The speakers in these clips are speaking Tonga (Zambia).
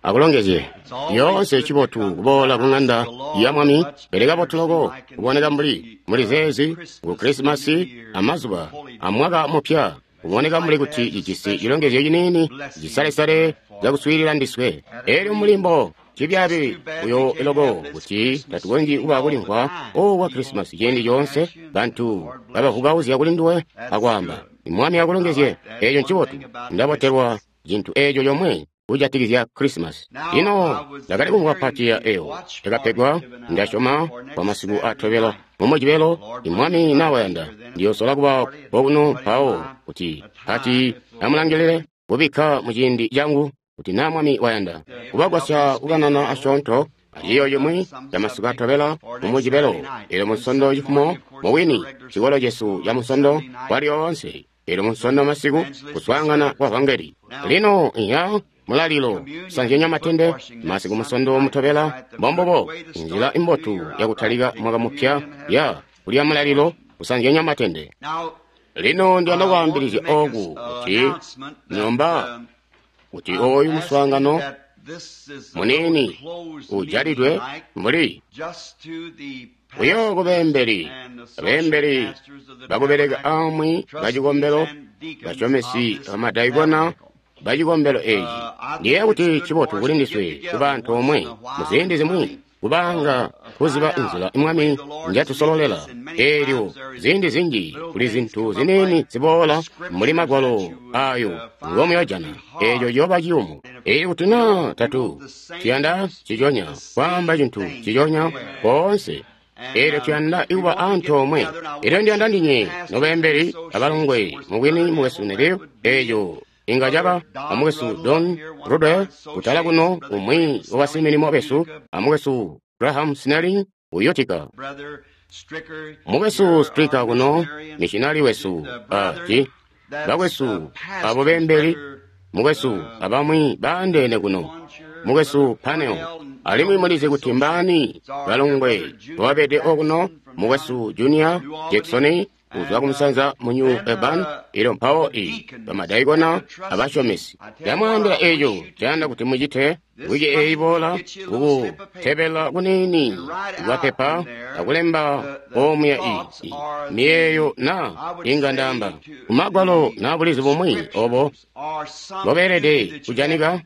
Akulongezye. Lyoonse cibotu kuboola ku ng'anda ya Mwami, pele kabotu loko kuboneka mbuli muli zeezi ku Krisimasi amazuba amwaka mupya, kuboneka mbuli kuti cijisi cilongezyo ciniini cisalesale cakuswiilila ndiswe. Elyo mulimbo cibyaabi buyo loko kuti tatukonzyi kuba kulimvwa oku kwa Krisimasi ciindi coonse bantu babavukauzya kuli nduwe akwaamba, Mwami akulongezye. Eeco ncibotu. Ndabotelwa cintu eeco comwe kujatikizya Krisimasi. Lino ndakali kumvwa pati ya eyo yakapegwa, ndasyoma kwa masiku atobela mumujibelo, Mwami nawayanda ndiyosola kuba kokuno mpawo kuti pati amulangilile kubikka muciindi cangu kuti naa Mwami wayanda kubagwasya kukanana asyoonto aciyo cimwi camasiku atobela mumujibelo. Elyo Munsondo cifumo mubwini cikolo cesu ca Munsondo kwalyoonse, elyo Munsondo masiku kuswaangana kwa vangeli. Lino iya mulalilo kusanzyanya matende masiku Munsondo mutobela mbombubo nzila imbotu yakutalika mwaka mupya ya kulya mulalilo kusanzyanya matende. Lino ndiyanda kwaambilizya oku kuti nyomba kuti oyu muswaangano muniini ujalidwe mbuli buyo kubeembeli, abeembeli bakubeleka amwi bacikombelo, basyomesi bamadaikona bacikombelo eeci. Ndiyeeya kuti cibotu kuli ndiswe kuba antoomwe muziindi zimwi, kubanga kuziba nzila Mwami njatusololela. Eelyo ziindi zinji kuli zintu ziniini ziboola mbuli magwalo ayo ngomuyojana, eeco ciyooba ciyumu. Eelyo kuti naa tatu tuyanda ciconya kwaamba cintu ciconya koonse, eelyo tuyanda kuba antoomwe. Eelyo ndiyanda ndinye nobeembeli abalongwe mubwini mukwesu Neville, eeco inga caba amukwesu Don Ruddell kutala kuno, umwi wabasimilimo besu, amukwesu Graham Snelling uyotika, mukwesu Stricker kuno, missionari wesu, ati bakwesu abo beembeli, mukwesu abamwi baandeene kuno, mukwesu Panel, alimwi mulizi kuti mbaani balongwe babede okuno, mukwesu Junior Jackson kuzwa kumusanza mu New Urban, elyo mpawo i bamadaikona abasyomesi. Ndamwaambila eeco cayanda kuti mucite wiki eeyi boola, kukutebela kuniini kwapepa akulemba omuya i miyeeyo na inga ndaamba kumagwalo na bulizi bumwi obo mbobeelede kujanika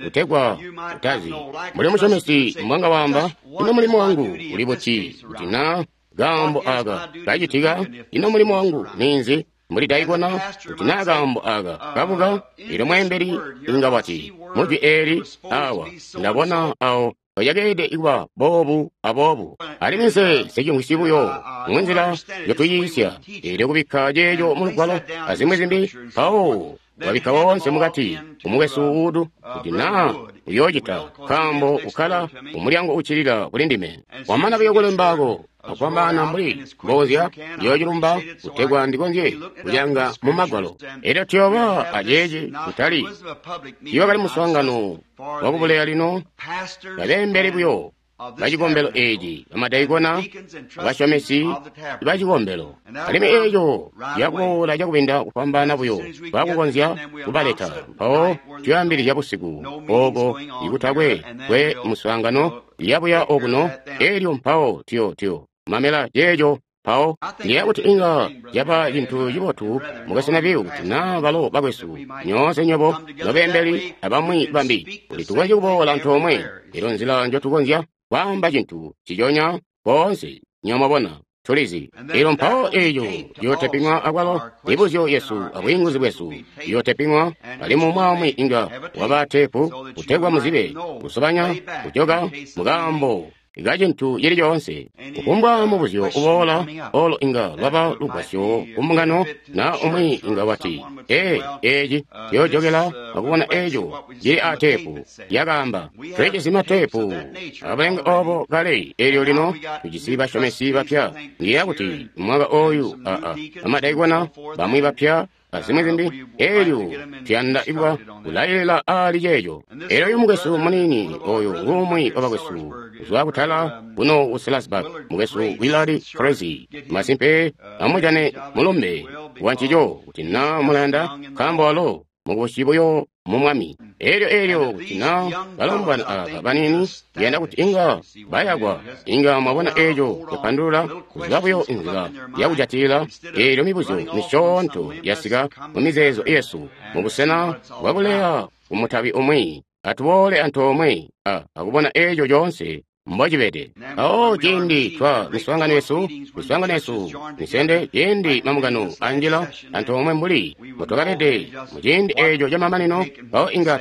kutegwa utazi mbuli musyomesi mbwanga waamba, ino mulimo wangu uli buti kuti naa kaambo aka kacitika, ino mulimo wangu ninzi mbuli daikona kuti naa kaambo aka kabuka. Elyo mweembeli inga wati mujwi eeli awa ndabona awo oyakeede kuba boobu aboobu, alimwi nse nsicimvwisyi buyo munzila njotuyiisya. Eelyo kubikka ceeco mulugwalo azimwi zimbi, mpawo wabikka woonse mukati umukwesu Wood kuti naa uyoocita, nkaambo ukkala umulyango uccilila kuli ndime. Wamana buyo kulembaako akufwambaana mbuli mbozya ndiyoocilumba kutegwa ndikonzye kulyanga mu magwalo. Elyo tuyooba aceeci kutali ciyooba muswaangano wakubuleya lino, babeembeli buyo bacikombelo eeci, bamadaikona, basyomesi bacikombelo, alimwi eeco ciyakuboola cakubinda kufwambaana buyo baakukonzya kubaleta. Mpawo tuyoambilizya busiku ooko ikutakwe kwe muswaangano yabuya okuno, eelyo mpawo tuyo mamela ceeco. Mpawo ndiyeeya kuti inga caba cintu cibotu mukwesu Neville kuti naa balo bakwesu nyoonse nywebo nobeembeli abamwi bambi kuti tukonzye kuboola antoomwe. Elyo nzila njotukonzya kwaamba cintu ciconya koonse, nywebo mwabona, tulizi. Elyo mpawo eeco ciyooteping'wa akwalo, mibuzyo yesu abwiinguzi bwesu ciyooteping'wa, alimwi umwi inga waba teepu kutegwa muzibe kusobanya kujoka mukaambo kacintu cili coonse. Kufumbwa mubuzyo uboola olo inga lwaba lugwasyo kumbungano, na umwi inga wati, ee, eeci ciyoojokela akubona eeco cili aateepu yakaamba. Tulijisi mateepu abulenga obo kale, eelyo lino tujisi basyomesi bapya. Ndiyeeya kuti mwaka ooyu aa bamadaikona bamwi bapya azimwi zimbi, eelyo tuyanda kuba kulailila aali ceeco. Eelyo oyu mukwesu muniini oyo ngumwi wabakwesu kuzwa kutala kuno ku Sellersburg, mukwesu Willard Crase. Masimpe amujane mulumbe wa ncico kuti naa mulayanda, nkaambo walo mukubusi buyo mu Mwami. Elyo kuti na balombwana aba baniini ndiyanda kuti inga bayakwa, inga mwabona eco kupandulula kuziba buyo inzila yakujatilila. Elyo mibuzyo misyoonto yasika mu mizeezo yesu mubusena bwakuleya kumutabi umwi. Atuboole antoomwe akubona eco coonse mbocibede. Awo ciindi twa miswaangano yesu misende, ciindi mambungano anjila antoomwe mbuli mbotwakabede muciindi eco camamanino, mpawo inga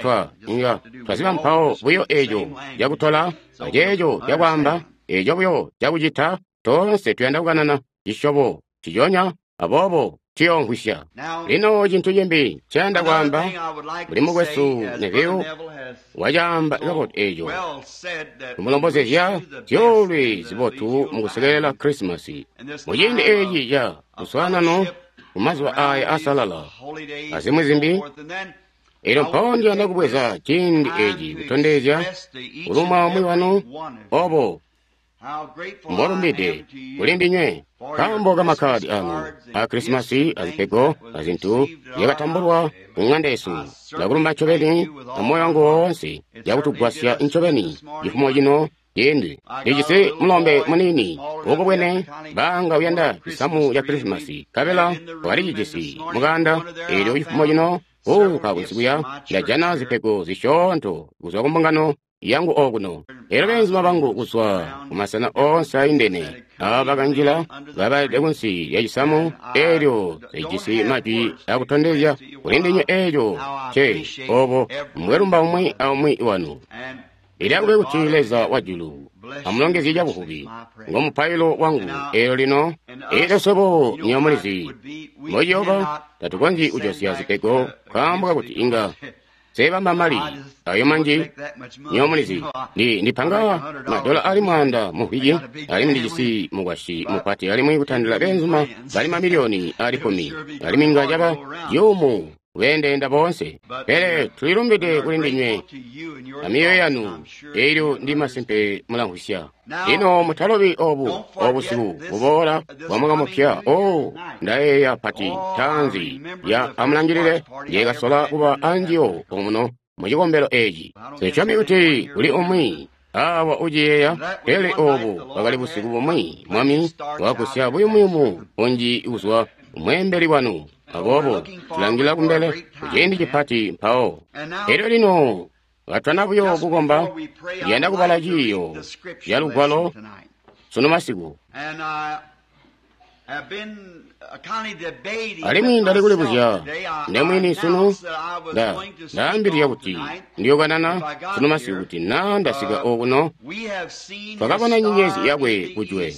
twaziba mpawo buyo eco cakutola aceeco cakwaamba, eco buyo cakucita. Toonse tuyanda kukanana cisyobo ciconya, aboobo tuyoomvwisya. Lino cintu cimbi nceyanda kwaamba, mbuli mukwesu Neville wacaamba kabotu eco, tumulombozezya zyoolwe zibotu mukusekelela Krisimasi muciindi eci ca luswaanano mumazuba aya asalala azimwi zimbi. Elyo mpawo ndiyanda kubweza ciindi eci kutondezya kulumwa umwi wanu obo mbolumbide kuli ndinywe nkaambo kamakkadi anu a Krisimasi azipego azintu zyakatambulwa ku ng'anda yesu. Ndakulumba ncobeni amoyo wangu woonse yakutugwasya ncobeni cifumo cino ciindi. Ndijisi mulombe muniini ukubwene banga uyanda cisamu ca Krisimasi, nkabela walicijisi mukanda. Elyo cifumo cino kuunka kunsikuya ndajana zipego zisyoonto kuzwa ku mbungano yangu okuno. Elyo beenzuma bangu kuzwa kumasena oonse aindene aba bakanjila babalede kunsi lya cisamu elyo zijisi majwi akutondezya kuli ndinywe eco ce obo mbwelumba umwi aumwi wanu. Ilakube kuti Leza wa julu amulongezye cabuvubi, ngo mupailo wangu. Elyo lino elyo swebo nyomulizi mbociyooba tatukonzyi kujosya zipego nkaambo kakuti inga seebamba mali ayo manji. Nyomulizi ndipanga madola ali 100 mu mvwiki, alimwi ndijisi mukwasyi mupati, alimwi kutandila beenzuma bali mamiliyoni ali 10, alimwi inga caba ciyumu kubeendeenda boonse. Pele tulilumbide kuli ndinywe amyoyo yanu, elyo ndi masimpe mulamvwisya. Lino mutalobi obu obusiku buboola bwa mwaka mupya. O ndayeeya pati ntaanzi ya amulangilile njekasola kuba anjiyo omuno mu cikombelo eci. Nsyomi kuti kuli umwi awa uciyeeya, pele obu bwakali busiku bumwi Mwami wakagusya buyumuyumu bunji kuzwa kumweembeli wanu. Aboobo tulangila kumbele kuciindi cipati mpawo. Elyo lino katwana buyo kukomba, ndiyanda kubala ciiyo ca Lugwalo sunu masiku. Alimwi ndali kulibuzya ndemwini sunu, ndaambilizya kuti ndiyokanana sunu masiku kuti na ndasika okuno, twakabona nyenyezi yakwe kujwe,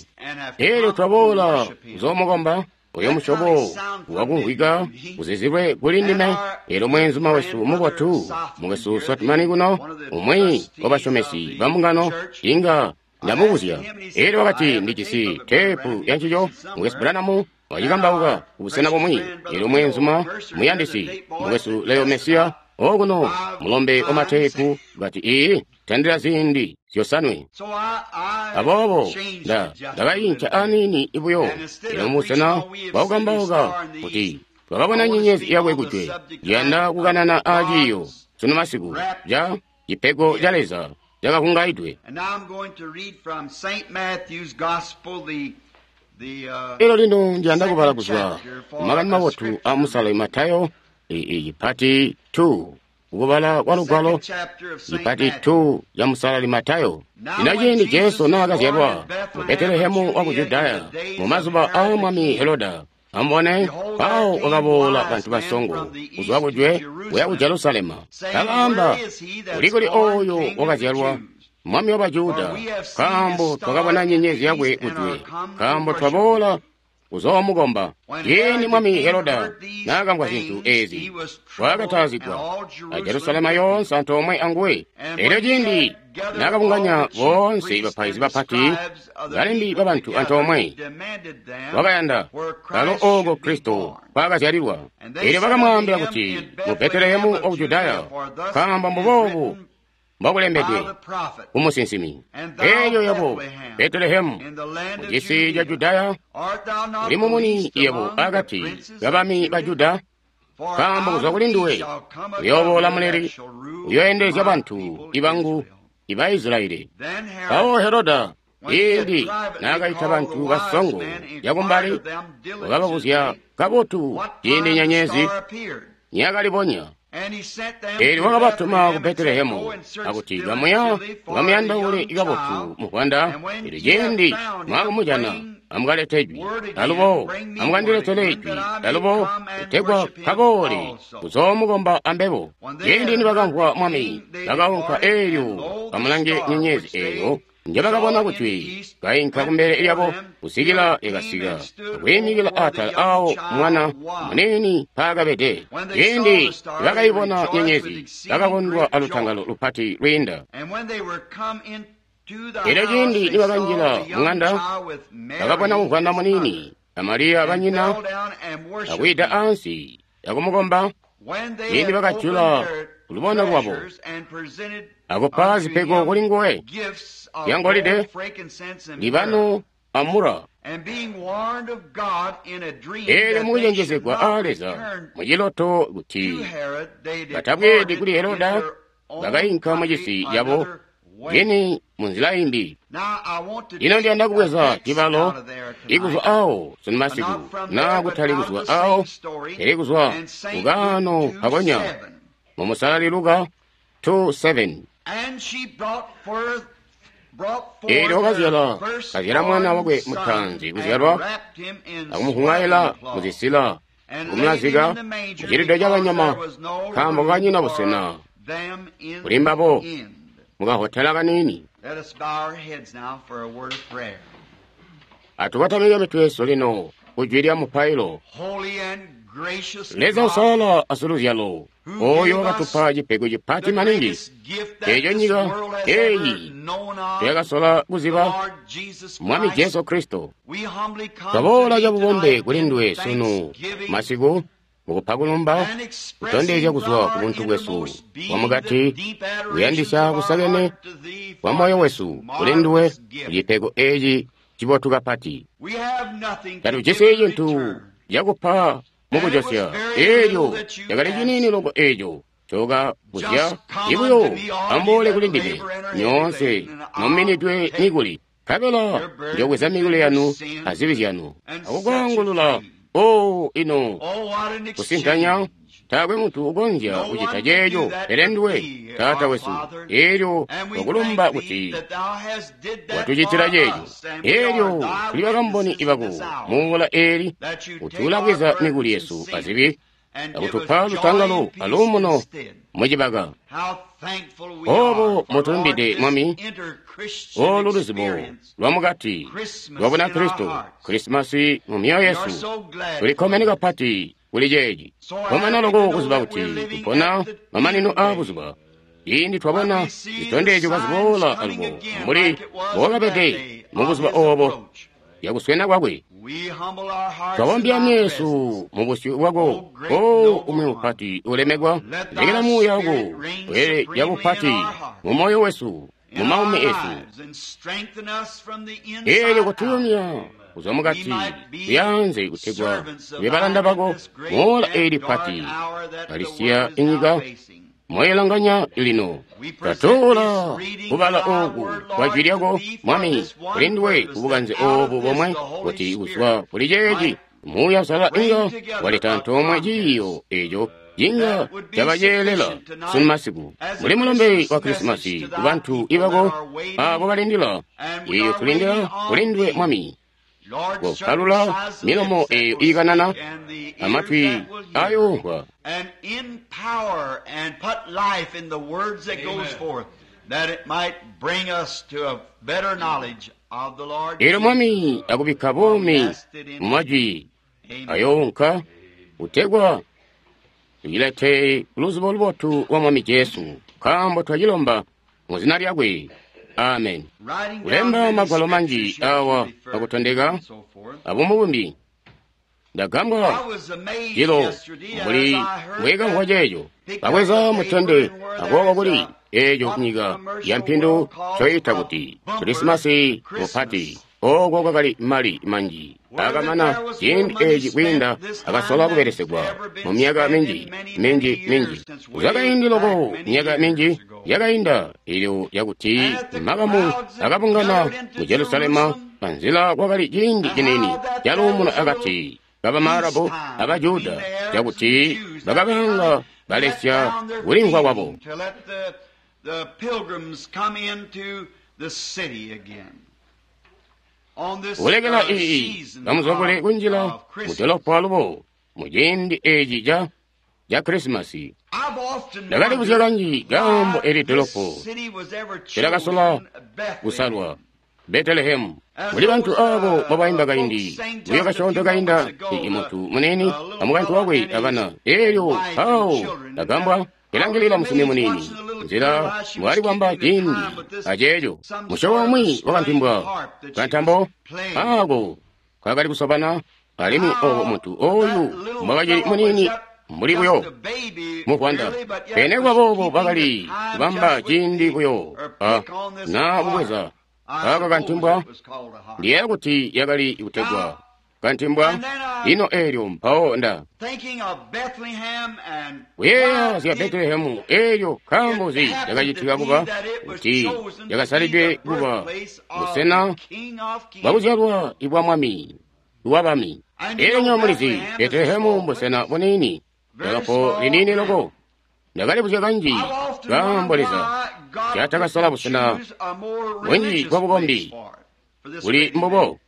elyo twaboola kuzoomukomba. Oyo musyobo wakumvwika uzizilwe kuli ndime. Elyo mweenzuma wesu mubotu, mukwesu Swatmani kuno, umwi wabasyomesi ba mbungano, inga ndamubuzya. Elyo wakati ndijisi teepu ya ncico, mukwesu Branham wacikambauka kubusena bumwi. Elyo mweenzuma muyandisi, mukwesu Leo Mesiya okuno, mulombe wa mateepu, kati iyi tandila ziindi zyosanwe. Aboobo ndakayinca aniini buyo. Elyo mubusena bwakukambauka kuti twakabona nyenyezi yakwe kujwe, ndiyanda kukanana aaciiyo sunu masiku ca cipego ca Leza cakavungaidwe. Elyo lino ndiyanda kubala kuzwa Makani Mabotu a Musale Matayo cipati 2. Kubala kwa Lugwalo cipati 2 ca Musalali Matayo. Lino ciindi Jesu naakazyalwa mu Betelehemu waku Judaya mumazuba aa Mwami Heroda, amubone, mpawo kwakaboola bantu basongo kuzwa kujwe kuya ku Jerusalema, bakaamba, uli kuli oyo wakazyalwa Mwami wa Bajuda? Nkaambo twakabona nyenyezi yakwe kujwe, nkaambo twaboola kuzoomukomba. Ciindi Mwami Heroda naakamvwa zintu ezi, wakatazigwa, a Jerusalema yoonse antoomwe anguwe. Elyo ciindi naakabunganya boonse bapaizi bapati, balembi babantu antoomwe, wakayanda kalo ooko Kristo kwaakazyalilwa. Elyo bakamwaambila kuti mu Betelehemu waku Judaya, nkaambo mbuboobu mbokulembedwe kumusinsimi. Elyo yebo Betelehemu mucisi ca Judaya, uli mumuni yebo akati kabami ba Juda, Nkaambo kuzwa kuli nduwe uyooboola muleli, uyooendelezya bantu ibangu iba Isilayeli. Mpawo Heroda ciindi naakaita bantu basongo cakumbali, wakababuzya kabotu ciindi nyenyezi niyakalibonya. Eelyo wakabatuma ku Betelehemu akuti kamuya mukamuyandaule kabotu muvwanda. Eelyo ciindi mwaakumujana amukalete jwi alubo amukandiletele jwi alubo kutegwa kaboole kuzoomukomba ambebo. Ciindi nibakamvwa mwami bakaunka eelyo bamulange nyenyezi eeyo njebakabona kuti kainka kumbele lyabo kusikila yakasika akwiimikila atala awo mwana muniini mpaakabede. Ciindi nibakayibona nyenyezi bakakondwa alutangalo lupati lwiinda. Eelyo ciindi nibakanjila muŋanda bakabona muvwanda muniini a Mariya banyina akwida ansi akumukomba. Ciindi bakajula lubono lwabo akupa zipego kuli nguwe yangolide, libano amura. Eelyo mukucenjezegwa aa Leza muciloto kuti batabweedi kuli Heroda, bakayinka mucisi cabo beni munzila imbi. Ino ndiyanda kubweza cibalo ikuzwa awo sunu masiku, naa kutali kuzwa awo, pele kuzwa kukaano kakonya mu Musalali Luka 2:7. Eelyo wakazyala kazyala mwana wakwe mutaanzi kuzyalwa, akumuhuŋaila muzisila, akumulazika mucilido cabanyama, nkaambo kanyina busena kuli mbabo mukahotela kaniini. Atukotamike mitwe yesu lino kujwi lya mupailo. Leza usalala asiluzyalo, oyo wakatupa cipego cipati maningi eeco nyika eeyi tuyakasola kuziba, Mwami Jesu Kristo. Twaboola cabubombe kuli nduwe sunu masiku mukupa kulumba, kutondezya kuzwa ku buntu bwesu bwamukati, kuyandisya kusakene kwa moyo wesu kuli nduwe kucipego eeci cibotu kapati. Tatujisi cintu cakupa mukujosya, eelyo cakali ciniini loko eeco cokabuzya ibuyo amboole kuli ndime nyoonse nominidwe mikuli, nkabela njobweza mikuli yanu azibi zyanu akukwaangulula. O ino kusintanya, taakwe muntu ukonzya kucita ceeco pele nduwe Taata wesu. Eelyo twakulumba kuti watucitila ceeco. Eelyo tuli bakamboni bako muula eeli kuti ulabweza mikuli yesu azibi akutupa lutangalo aluumuno mucibaka. Oobo mutulumbide Mwami, olu luzibo lwamukati lwa Bunakristo, Krisimasi mu myoyo yesu. Tulikkomene kapati kuli ceeci. Komana loko kuziba kuti tupona mamanino aabuzuba. Ciindi twabona zitondezyo kaziboola alubo mbuli mbokabede mubuzuba oobo yakuswena kwakwe, twabombya myesu mubusyu bwako, O umwi mupati ulemekwa. Lekela muuya wako wele yabupati mu moyo wesu, mu maumi esu. Eelyo kutuyumya kuzwa mukati kuyanze kutegwa tube balanda bako moola eeli pati kalisiya inyika moyelanganya lino. Twatoola kubala ooku kwa jwi lyako Mwami kuli nduwe kubukanze oobu bomwe, kuti kuzwa kuli ceeci Muuya Usalala inga waleta antoomwe ciiyo eeco cinga cabaceelela sunu masiku. Muli mulumbe wa Krisimasi kubantu ibako aabo balindila, eeyo tulindila kuli nduwe Mwami. Kopalula milomo eeyo iikanana amatwi ayoomvwa. Eelyo Mwami akubikka buumi mu majwi ayoonka kutegwa tucilete luzibo lubotu lwa Mwami Jesu, nkaambo twacilomba mu zina lyakwe. Amen. Kulemba magwalo manji awa akutondeka abumubumbi. Ndagambwa cilo mbuli mbwekamvwa ceeco. Bakweza mutende akooka kuli eeco nyika ya mpindu coyita kuti Krisimasi mupati. Oko kwakali mali manji akamana ciindi eci kwiinda akasola kubelesegwa mu myaka minji minji minji kuzwa kaindi loko. Myaka minji yakainda ilyo yakuti makamu akabungana mu Jerusalema panzila, kwakali ciindi cinini caluumuno akati kabamaarabu abajuda, cakuti bakabanga balesya kulimvwa kwabo. Kulekela iyi bamuzokole kunjila mudolopo alubo muciindi eci ca Krisimasi. Ndakali kuzya kanji kaambo eli dolopo tilakasola kusalwa Betelehemu. Muli bantu abo babaimba kaindi buyo kasyoonto kainda, imuntu munene amukaintu wakwe abana. Elyo awo ndagambwa kilangilila musumi munini nzila mbwali kwamba ciindi aceeco musyobo umwi wakantimbwa kantambo ako kakali kusobana, alimwi obo muntu oyu mbwakacili munini mbuli buyo muvwanda. Pene kwaboobo bakali kubamba ciindi buyo na kubweza aka kantimbwa. Ndiyeeya kuti yakali kutegwa kantimbwa. Ino eelyo mpawo nda kuyeeya zya Betelehemu eelyo nkaambo zi yakacitika kuba kuti yakasalidwe kuba busena bwakuzyalwa ibwa mwami wabami. Eelyo nyo mulizi, Betelehemu mbusena buniini, dolopo liniini loko. Ndakalibuzya kanji kaambo Leza caatakasala busena bunji bwa bukombi buli mbubo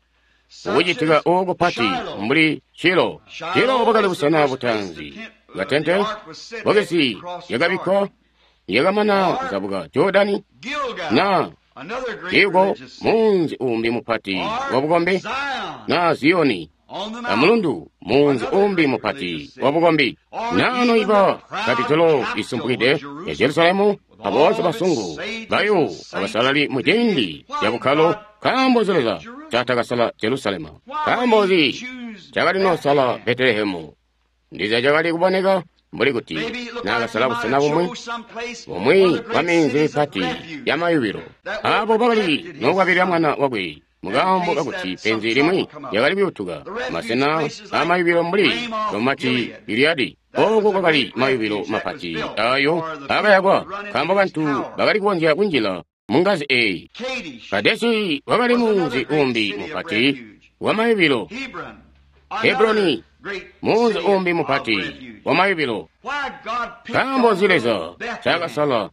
ukucitika oku pati mbuli Shilo. Shilo bwakali busena butaanzi katente bokesi yakabikkwa yakamana kuzabuka Jordani, na iko munzi umbi mupati wa bukombi, na Ziyoni amulundu, munzi umbi mupati wa bukombi, nano iba kapitolo isumpukide ya Jerusalemu aboonse basungu bayo abasalali mu ciindi ca bukkalo. Nkaambo nzi Leza caatakasala Jerusalema? Nkaambo nzi cakalinosala Betelehemu? Ndiza cakali kuboneka mbuli kuti naakasala busena bumwi bumwi bwa minzi mipati ya mayubilo abo bakali nokwabilila mwana wakwe mukaambo kakuti penzi limwi lyakali kuyutuka. Masena amayubilo mbuli Romati Giliyadi, oko kwakali mayubilo mapati ayo akayakwa nkaambo bantu bakali kukonzya kunjila mungazi eyi. Kadesi wakali munzi umbi mupati wa mayubilo. Hebroni, munzi umbi mupati wa mayubilo. Nkaambo nzi Leza cakasala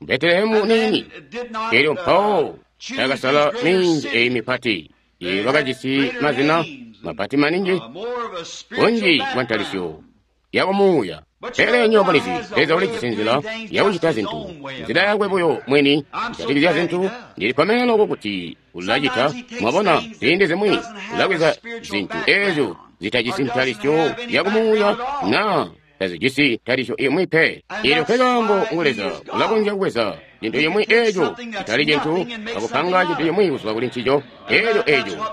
Betelehemu nini elyo mpawo cakasala minzi eyi mipati iyi bakajisi mazina mapati maningi bunji bwa ntalisyo yakumuuya? Pele nywebo mulizi, Leza ulijisi nzila yakucita zintu, nzila yakwe buyo mwini kujatikizya zintu. Ndilikkomene loko kuti ulacita. Mwabona, ziindi zimwi ulabweza zintu eezyo zitajisi ntalisyo yakumuuya na tazijisi ntalisyo imwi pe. Eelyo nkekaambo ngu Leza ulakonzya kubweza cintu cimwi eeco citali cintu akupanga cintu cimwi kuzwa kuli ncico. Eelyo eeco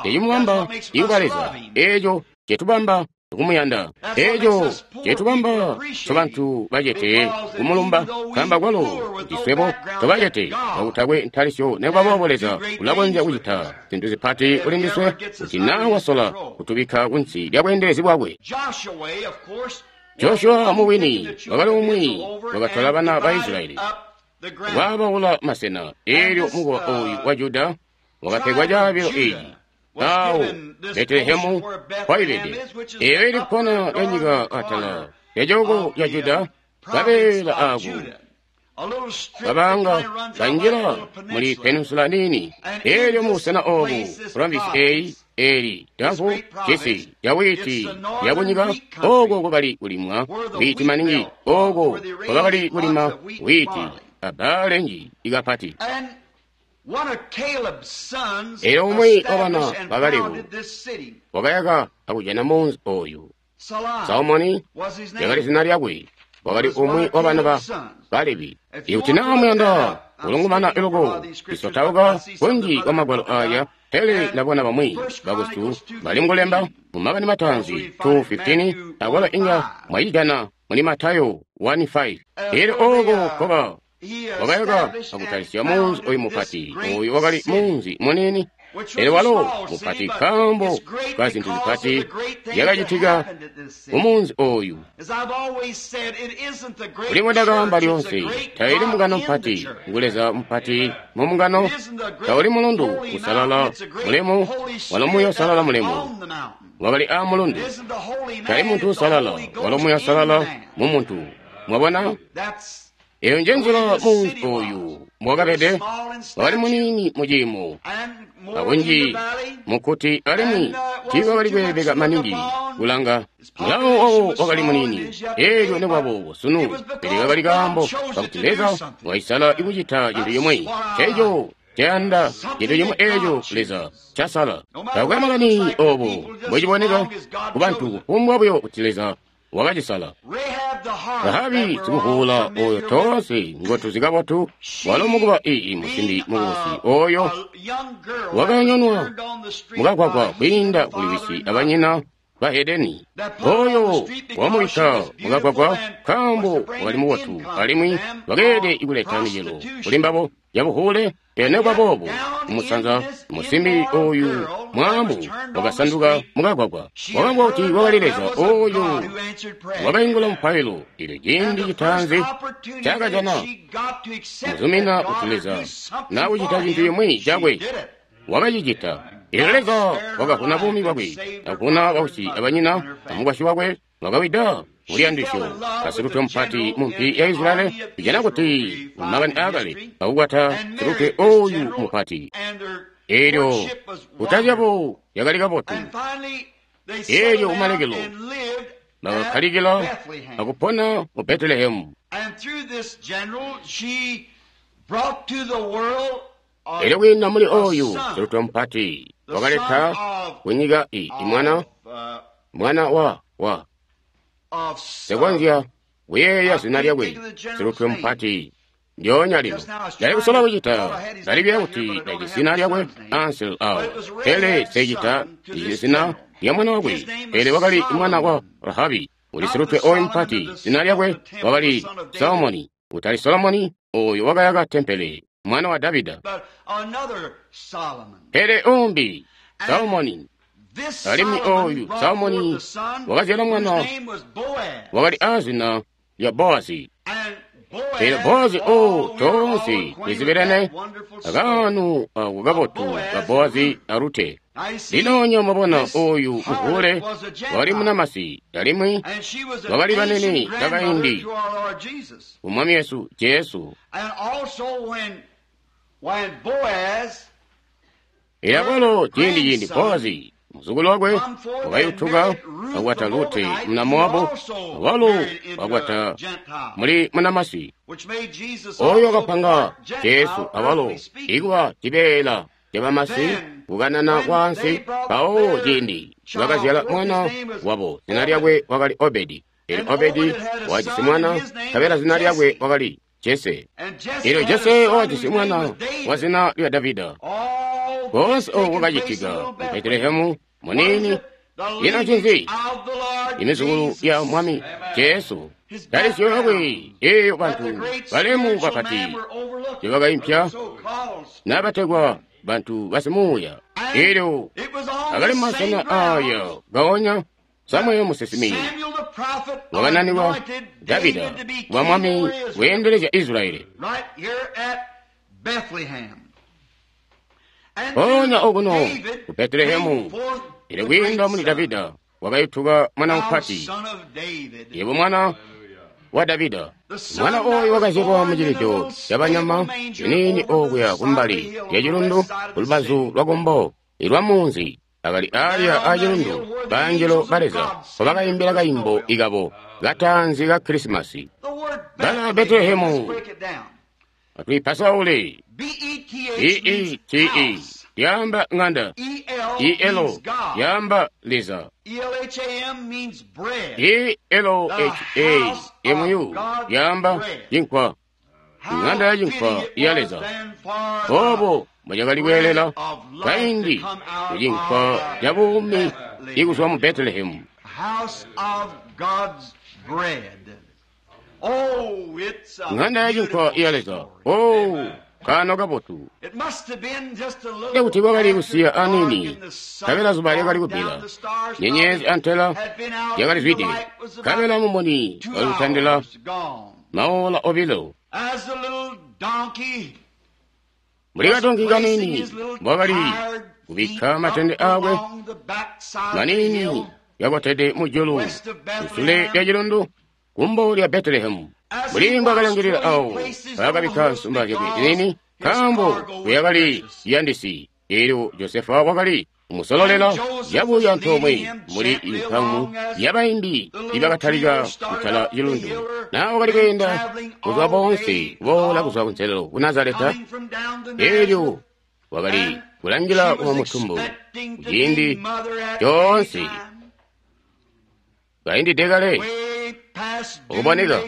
cecimubamba ikuba Leza, eeco cetubamba kumuyanda, eeco cetubamba tobantu bacete kumulumba, kamba kwalo kuti swebo tobacete kakutakwe ntalisyo, nekubaboobo Leza ulakonzya kucita zintu zipati kuli ndiswe kuti naa wasola kutubikka kunsi lya bweendelezi bwakwe. Joshua mubwini wakali umwi wakatola bana ba Israyeli waabaula masena. Eelyo mukowa ooyu wa Juda wakapegwa caabilo eeci awo Betelehemu kwaibede, eyo ili kkona lyanyika atala lyacooko ca Juda. Kabeela ako kabanga kanjila muli peninsula nini. Eelyo mubusena obu provinsi eyi eli damfu cisi ca wiiti yakunyika, oko kwakali kulimwa wiiti maningi, oko kwakali kulima wiiti abbaale nji ikapati. Eelyo umwi wabana ba Kalebu wakayaka akujana munzi oyu. Salomoni lyakali zina lyakwe, wakali umwi wabana ba Kalebi. Ikuti naa muyanda kulungumana loko isotauka kunji kwa magwalo aya, pele ndabona bamwi bakwesu bali mukulemba mu Makani Mataanzi 2:15, akwalo inga mwayijana muli Matayo 1:5. Eelyo oko koba wakayaka akutalisya munzi oyu mupati. Oyu wakali munzi munini. Pele walo mupati nkaambo ka zintu zipati zyakacitika mumunzi oyu. Mbuli mbondakaamba lyoonse, taili mbungano mpati, ngu Leza mupati mu mbungano. Tauli mulundu usalala mulemu, walo Muuya Uusalala mulemu wakali aa mulundu. Tali muntu usalala, walo Muuya Uusalala mu muntu. Mwabona? Eyo nje nzila munzi oyu mbwakabede. Wakali muniini mu ciimo akunji mukuti, alimwi tiiwakali kweebeka maningi kulanga. Mulawo wawo wakali muniini, eelyo nekwaboobo sunu, pele kakali kaambo kakuti Leza waisala ikucita cintu cimwi. Eco cayanda cintu cimwi eeco Leza casala. Takwe makani obo mbociboneka kubantu, kufumbwa buyo kuti Leza wakacisala. Rahabi sikuvuula oyo toonse ngotuzi kabotu, walo mukuba ii musimbi mukubusi oyo wakanyonwa mukagwagwa kwiinda kuli wisi abanyina bahedeni, oyo wamubikka mukagwagwa nkaambo wakali mubotu alimwi wakeelede kuleta micelo kuli mbabo yabuhule. Pele nekubaboobo kumusanza musimbi oyu mwaamu wakasanduka mukagwagwa, wakaambwa kuti wakali Leza oyo wakaingula mupailo. Eelyo ciindi citaanzi cakajana muzumina kuti Leza nakucita cintu cimwi cakwe, wakacicita. Eelyo Leza wakavuna buumi bwakwe, akuvuna bausyi abanyina amukwasyi wakwe, wakawida muliyandisyo asilutwe mupati mumpi ya Israeli. Tujana kuti mumakani aakale akukwata silutwe oyu mupati. Eelyo kuta zyabo yakali kabotu. Eelyo kumalekelo bakakkalikila akupona mu Betelehemu. Eelyo kwiinda muli oyu silutwe mupati wakaleta kunyika imwana mwana wa sekonzya kuyeeya zina lyakwe, silutwe mupati ndyoonya lino. Ndali kusola kucita, ndalibya kuti ndajisi zina lyakwe ansel awo, pele secita ndijisi zina lya mwana wakwe. Pele wakali mwana wa Rahabi, uli silutwe oyu mupati. Zina lyakwe wakali Solomoni, utali Solomoni oyo wakayaka tempele, mwana wa Davida, pele umbi Solomoni. Alimwi oyu Solomoni wakazyala mwana wakali aazina lya Boazi. Pele Boazi o toonse twizibelene akaanu ako kabotu ka Boazi a Rute. Lino mwabona oyu muhule wakali munamasi, alimwi wakali banene bakaindi ku Mwami wesu Jesu. Elyo akwalo ciindi Boazi muzukulu wakwe wakayutuka akwata Rute muna Mowabu, awalo wakwata muli munamasi oyo wakapanga Jesu awalo ikuba cibeela cabamasi kukanana kwaansi. Mpawo ciindi bakazyala mwana wabo, zina lyakwe wakali Obedi. Elyo Obedi wakajisi mwana, nkabela zina lyakwe wakali Jese. Elyo Jese wakajisi mwana wa zina lya Davida. Koonse oku kwakacitika mu Betelehemu muniini. Ino ncinzi? Imizukulu ya Mwami Jesu talisyo yakwe eeyo bantu balemu bapati tebakaimpya nabategwa bantu basimuuya. Elyo akali masena aya gaonya Samueli musinsimi wakananikwa Davida kuba mwami weendelezya Israeli. Mpoonya okuno ku Betelehemu, elyo kwiinda muli Davida wakayutuka mwana mupati, yebo mwana wa Davida. Mwana oyu wakazyalwa mucilido cabanyama ciniini okuya kumbali lyacilundu kulubazu lwakumbo ilwa munzi. Akali alya acilundu baangelo ba Leza mpobakaimbila kaimbo ikabo kataanzi ka Krisimasi. Bana Betelehemu atwiipasaule B-E-T-E lyaamba ng'anda, E-L lyaamba Leza, E-L-H-A-M-U lyaamba cinkwa, ng'anda ya cinkwa ya Leza. Obo mbocakali kweelela kaindi kucinkwa ca buumi ikuzwa mu Betelehemu. Ng'anda ya cinkwa ya Leza. Oh, Kaano kabotu. Kuti kwakali kusiya aniini, nkabela zuba lyakali kubbila, nyenyezi antela yakali zwide, nkabela mumuni wakali kutandila maola 2. Mbuli kadonki kaniini mbwakali kubikka matende akwe maniini yakotede mujulu kusule lya cilundu kumbo lya Betelehemu. Mbuli mbwakalangilila awo paakabikka nsumba zyakwe ziniini, nkaambo kuyakali yandisi. Elyo Josefa wakali kumusololela yabuya antoomwe muli inkamu yabayimbi ibakatalika kutala cilundu. Naa wakali kweenda kuzwa boonse kuboola kuzwa kunselelo ku Nazareta, elyo wakali kulangila kuba mutumbu kuciindi coonse kaindide kale ukuboneka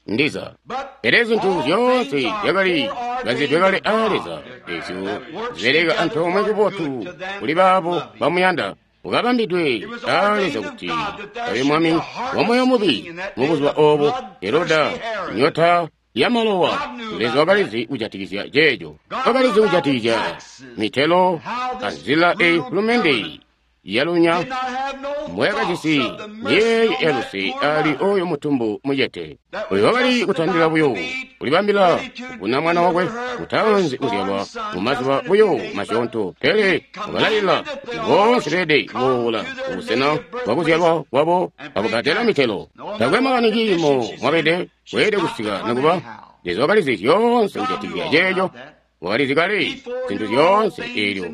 ndiza. Pele zintu zyoonse zyakali kanzidwe kale aa Leza, ezyo zibeleka antoomwe kubotu kuli baabo bamuyanda, ukabambidwe aa Leza kuti abe mwami wa moyo mubi. Mubuzuba obo Heroda nyota ya malowa, Leza wakalizi kujatikizya ceeco, wakalizi kujatikizya mitelo anzila eyi hulumende yalunya mbwayakajisi nyeeyo yaluse ali oyo mutumbu mucete. Oyo wakali kutandila buyo kulibambila kuvuna mwana wakwe mutaanzi kuzyalwa mumazuba buyo masyoonto, pele wakalayila kuti boonse beelede kuboola kubusena bwakuzyalwa kwabo akubbadela mitelo. Takwe makani ciimo mwabede weelede kusika nikuba Leza wakalizi zyoonse kujatikizya ceeco. Wakalizi kale zintu zyoonse, eelyo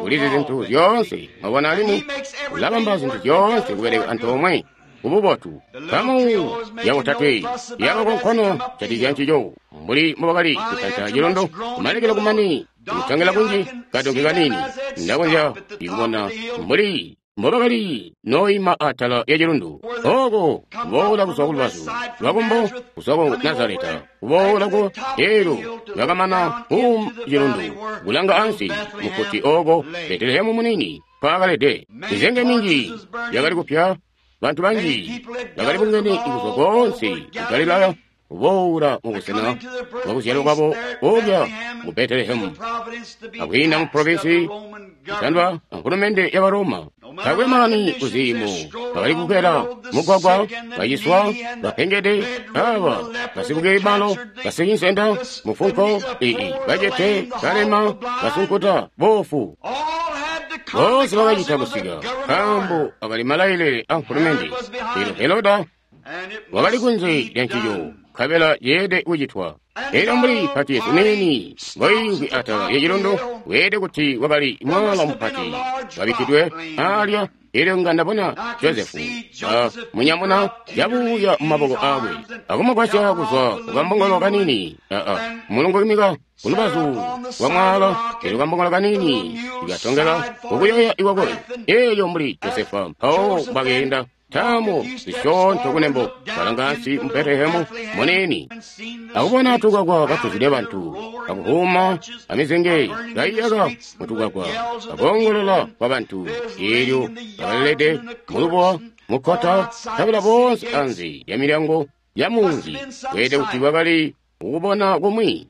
ulizi zintu zyoonse. Mwabona, alimwi ulabamba zintu zyoonse kubeleka antoomwe kububotu. Nkamu yabotatwe yakakonkono jatikizya ncico, mbuli mbobakali kutanta cilundu kumalekelo kumane kutangila kunji kadonki kaniini. Ndakonzya kubona mbuli mbobakali noima atala ya cilundu oko kuboola kuzwa kulubazu lwakumbo kuzwa ku Nazareta kuboola ku eelyo lwakamana ku cilundu kulanga ansi mukuti oko Betelehemu munini mpaakalede. Mizenge minji yakali kupya, bantu banji bakali bungene kuzwa koonse ku Galilaya kuboola mubusena bwakuzyalwa kwabo okulya mu Betelehemu akwiinda mu provinsi kutandwa ankulumende ya Baroma. Takwe makani kuziimo bakali kukwela mugwagwa, baciswa, bapengede, aba basikukebalo, basikinsenda, mufunko, ii bacete, balema, basunkuta, bofu. Boonse bakacita kusika nkaambo akali malailile a nkulumende. Elyo Heroda wakali kunze lya ncico, nkabela yeelede kucitwa. Elyo mbuli pati yesu niini ngoiimvwi atala ya cilundu, weelede kuti wakali mwala mupati wabikkidwe alya. Elyo nga ndabona Josefu munyamuna yabuya mumaboko akwe akumugwasya kuzwa kukambongolo kaniini mulungu imika kulubazu lwa mwala. Elyo kambongolo kaniini ikatongela kukuyoya ikwakwe. Elyo mbuli Josefa mpawo bakeenda tamu zisyoonto kunembo, balanga ansi mu Betelehemu munini akubona tukakwa katuzwide bantu, akuhuma amizenge kaiyaka mutukakwa, akoongolola kwa bantu. Elyo bakalilede mulubuwa mukkota, nkabela boonse anze ya milyango ya munzi. Weelede kuti bakali kukubona kumwi.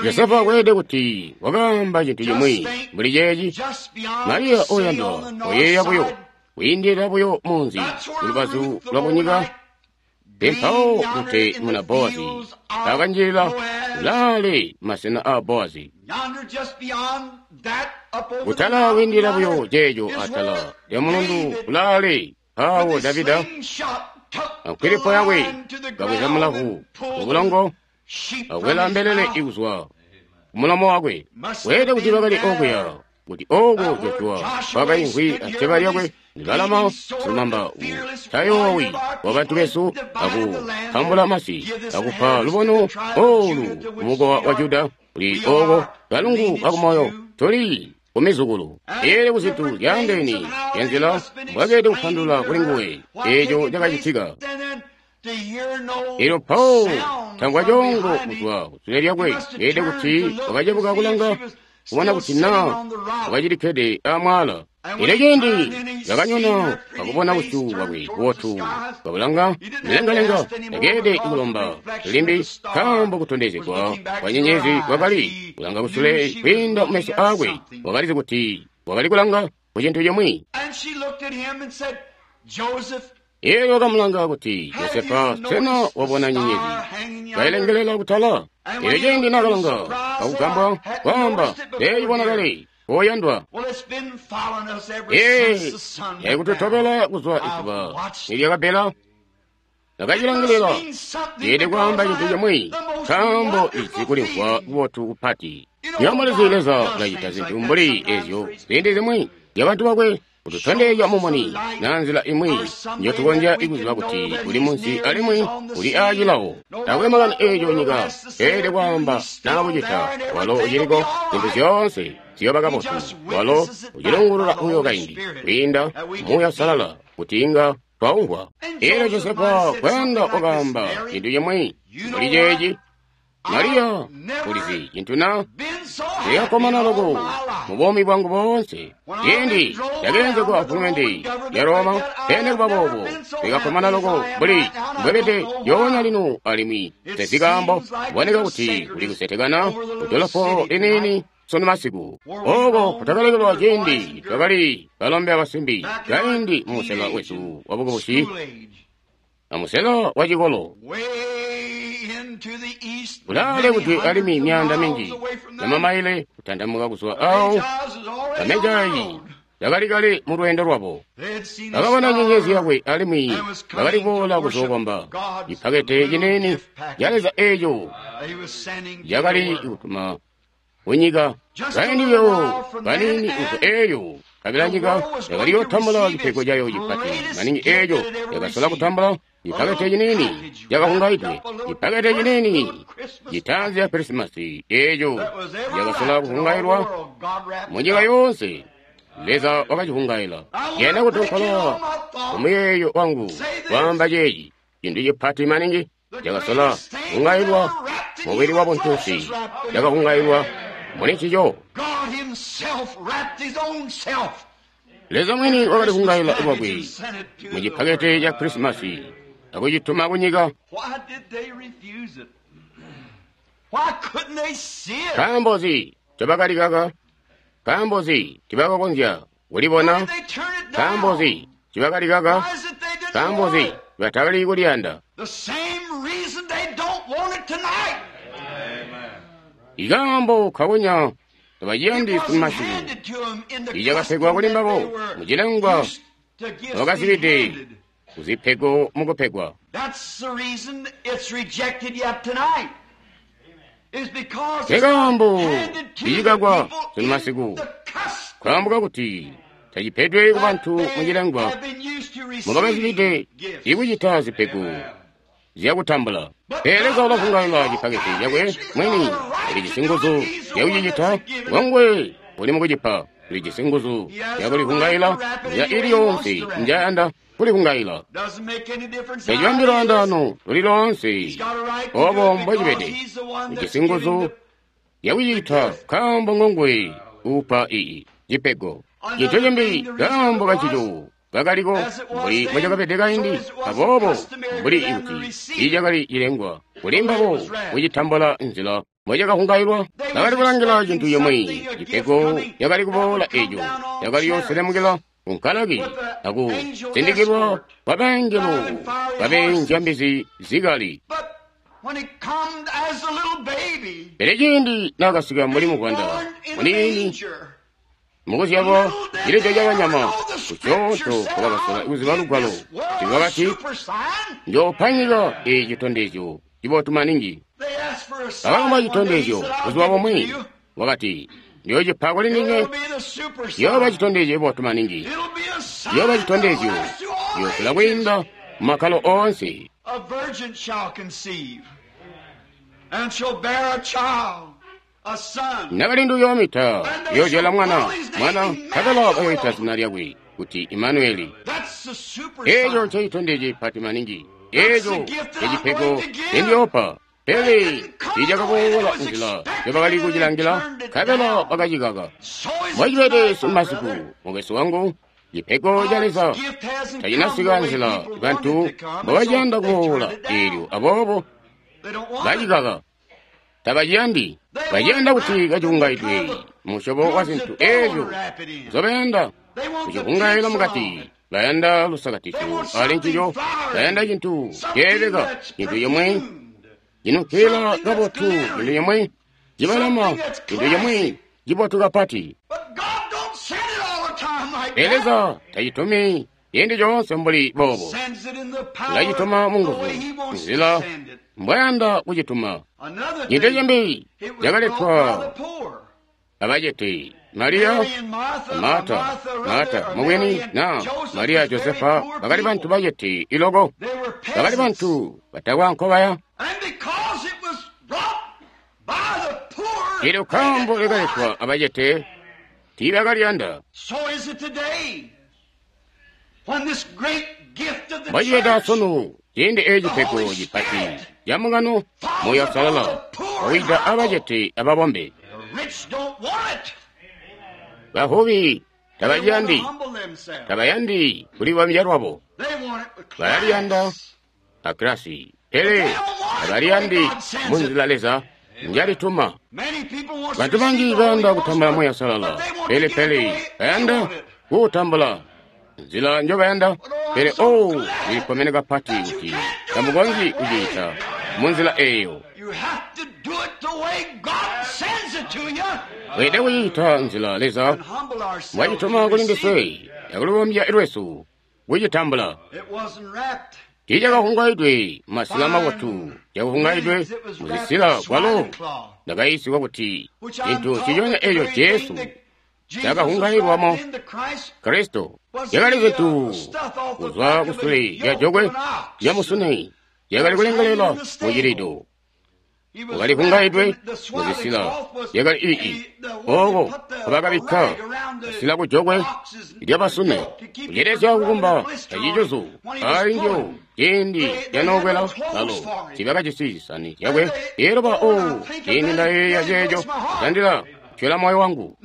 Josefa weelede kuti wakaamba cintu cimwi mbuli ceeci: Mariya oyandwa, oyeeya buyo kwiindilila buyo munzi kulubazu lwakunyika, mpawo kuti muna Bowazi akanjilila kulaale masena a Bowazi. Kutala kwiindilila buyo ceeco atala lya mulundu kulaale, mpawo Davida ankwilipo yakwe kabweza mulavu mubulongo akwela mbelele ikuzwa kumulomo wakwe. Weelede kuti bakali okuya kuti oko Joshua kwakaimvwi aceba lyakwe libalama silumamba tayoowi wa bantu besu akutambula masi akupa lubono olu kumukowa wa Juda kuli oko kalungu kakumoyo tuli kumizukulu. Eelyo kuzintu zyaandeene zyanzila mbwakeelede kupandulula kuli nguwe eeco cakacitika. Elyo Paul tangwa coongo kuzwa kusule lyakwe, yeelede kuti wakacebuka kulanga kubona kuti naa wakacilikkede amwaala. Elyo ciindi nakanyona akubona busyu bwakwe bubotu kabulanga milengalenga, takeelede kulomba limbi, nkaambo kutondezegwa kwa nyenyezi kwakali kulanga kusule kwiinda mumeso aakwe. Wakalizi kuti wakali kulanga ku cintu cimwi. Elyo wakamulanga kuti, Josefa, sena wabona nyenyezi kailengelela kutala? Elyo ciindi nakalanga akugambwa, kwaamba, Ndeyibona kale, oyandwa. Ee, yaikututobela kuzwa izuba nilyakabbela. Ndakacilangilila. Ceelede kwaamba cintu cimwi, nkaambo izi kulimvwa kubotu kupati. Nywebo Leza ulacita zintu mbuli ezyo ziindi zimwi zyabantu bakwe, kututondezya mumuni na nzila imwi njotukonzya kuziba kuti uli munsi alimwi uli aacilawo. Taakwe makani eeco nyika ceelede kwaamba naa kucita, walo uciliko, zintu zyoonse ziyooba kabotu. Walo ucilungulula buyo kaindi kwiinda Muuya Uusalala kuti inga twaumvwa. Elyo Josefa kwenda wakaamba cintu cimwi mbuli ceeci. Mariya, ulizi cintu na? Ndakakkomana loko mu buumi bwangu boonse. Ciindi ndakeenzegwa mfulumende ya Roma, pele kuba boobo, ndakakkomana loko mbuli mbwebede lyoonya lino alimwi tezi kaambo. Kuboneka kuti kuli kusetekana kudolopo liniini sunu masiku. Ooko kutakalekelwa ciindi twakali balombe abasimbi kaindi mumusela wesu wabukubusi amusela wa cikolo. Kulaale kuti alimwi myaanda minji yamamaile kutandamuka kuzwa awo, bamejayi bakali kale mu lweendo lwabo. Bakabona nyenyezi yakwe alimwi bakali kuboola kuzookomba. Cipakete ciniini ca Leza eeco cakali kutuma kunyika. Kaindi buyo kaniini kuzwa eeyo, kabila nyika yakali yootambula cipego cayo cipati maningi eeco yakasola kutambula. Cipakete ciniini cakahungaidwe, cipakete ciniini citaanzi ya Krisimasi eeco cakasola kuhungailwa munyika yoonse. Leza wakacihungaila. Yena kutonkola kumuyeeyo wangu kwaamba ceeci, cintu cipati maningi cakasola kuhungailwa mubili wa buntunsi, cakahungailwa muli ncico. Leza mwini wakali kuhungaila lwakwe mu cipakete ca Krisimasi akucituma kunyika. Nkaambo nzi ncobakali kaka? Nkaambo nzi ncibakakonzya kulibona? Nkaambo nzi ncibakali kaka? Nkaambo nzi batakali kuliyanda? Ikaambo kakonya tabaciyandi sunu masiku. Icakapegwa kuli mbabo mucilengwa bakazibide kuzipego mukupegwa. Nkekaambo icikakwa sunu masiku, nkaambo kakuti tacipedwe kubantu mucilengwa mubakazibide ikucita zipego zyakutambula. Pele Leza ulahungaila cipakete cakwe mwini, ulijisi nguzu zyakucicita. Ngongwe uli mukucipa, ulijisi nguzu zyakulihungaila nzila ili yoonse njayanda kulihungaila. Tacibambi lwaandaano luli loonse, obo mbocibede. Ujisi nguzu zyakucicita nkaambo ngongwe uupa ii cipego. Cintu cimbi kaambo kancico kakaliko mbuli mbocakabede kaindi, aboobo mbuli kuti tiicakali cilengwa kuli mbabo kucitambula nzila mbocakahungailwa. Bakali kulangila cintu cimwi, cipego cakali kuboola eeco cakali yooselemukila kunkalaki akusindikilwa kwa bangelo babeenzya mbizi zikali. Pele ciindi naakasika mbuli muvwanda muniini mukuzyalwa cilido cabanyama, kusyoonto kwakasola kuziba lugwalo tiwakati, njoopa nyika eeci citondezyo cibotu maningi. Bakalomba citondezyo buzuba bumwi, wakati, njoocipa kuli ndinywe, ciyooba citondezyo cibotu maningi, ciyooba citondezyo ciyoosola kwiinda mumakkalo oonse. Nakalindu uyoomita, uyoozyala mwana, mwana nkabela bayoyita zina lyakwe kuti Imanueli. Eeco ncecitondezyo cipati maningi, eeco ncecipego ncendiyoopa. Pele tiicakaboola nzila njobakali kucilangila, nkabela bakacikaka. Mbocibede sunu mukwesu wangu, cipego ca Leza tacinasika nzila bantu mbobaciyanda kuboola eelyo, aboobo bacikaka. Tabaciyandi. Baciyanda kuti kacihungaidwe musyobo wa zintu eezyo nzobayanda kucihungaila mukati. Bayanda lusakatizyo ali ncico, bayanda cintu ceebeka, cintu cimwe cinukila kabotu, cintu cimwe cibalama, cintu cimwe cibotu kapati. Pele Leza tacitumi ciindi coonse mbuli boobo. Ulacituma munguzu, nzila mbwayanda kucituma. Cintu cimbi cakaletwa abacete, Mariya, Marta, Marta mubwini na Mariya Josefa bakali bantu bacete iloko, bakali bantu batakwa nkobaya. Eelyo kambo likaletwa abacete tiibakaliyanda. Mbocibeda sunu ciindi eeci cipego cipati camungano Muuya Uusalala wawida abacete ababombe. Bavubi tabayandi, tabayandi kulibambya lwabo. Balaliyanda akilasi, pele tabaliyandi munzila Leza njalituma. Bantu banji bayanda kutambula Muuya Uusalala, pele bayanda kuutambula nzila njobayanda. Pele oh, ndilikkomene kapati kuti tamukonzyi kuciita munzila eeyo. Weelede kuciita nzila Leza mbwacituma kuli ndiswe akulibombya lwesu kucitambula. Tiicakahungaidwe mumasila mabotu, cakahungaidwe muzisila kwalo ndakayiisigwa kuti cintu nciconya eeco Jesu cakahungailwamo Kristo cakali zintu kuzwa kusule lya jokwe lyamusune, cakali kulengelela mucilido, wakalihungaidwe muzisila yakali ii ooko nkobakabikka kasila kujokwe lyabasune kucelezya kukumba acicuzu alinjo ciindi lyanokwela lalo tiibakajisi zisani zyakwe. Eelyo ba o ciindi ndayeeya ceeco kutandila kutyola moyo wangu.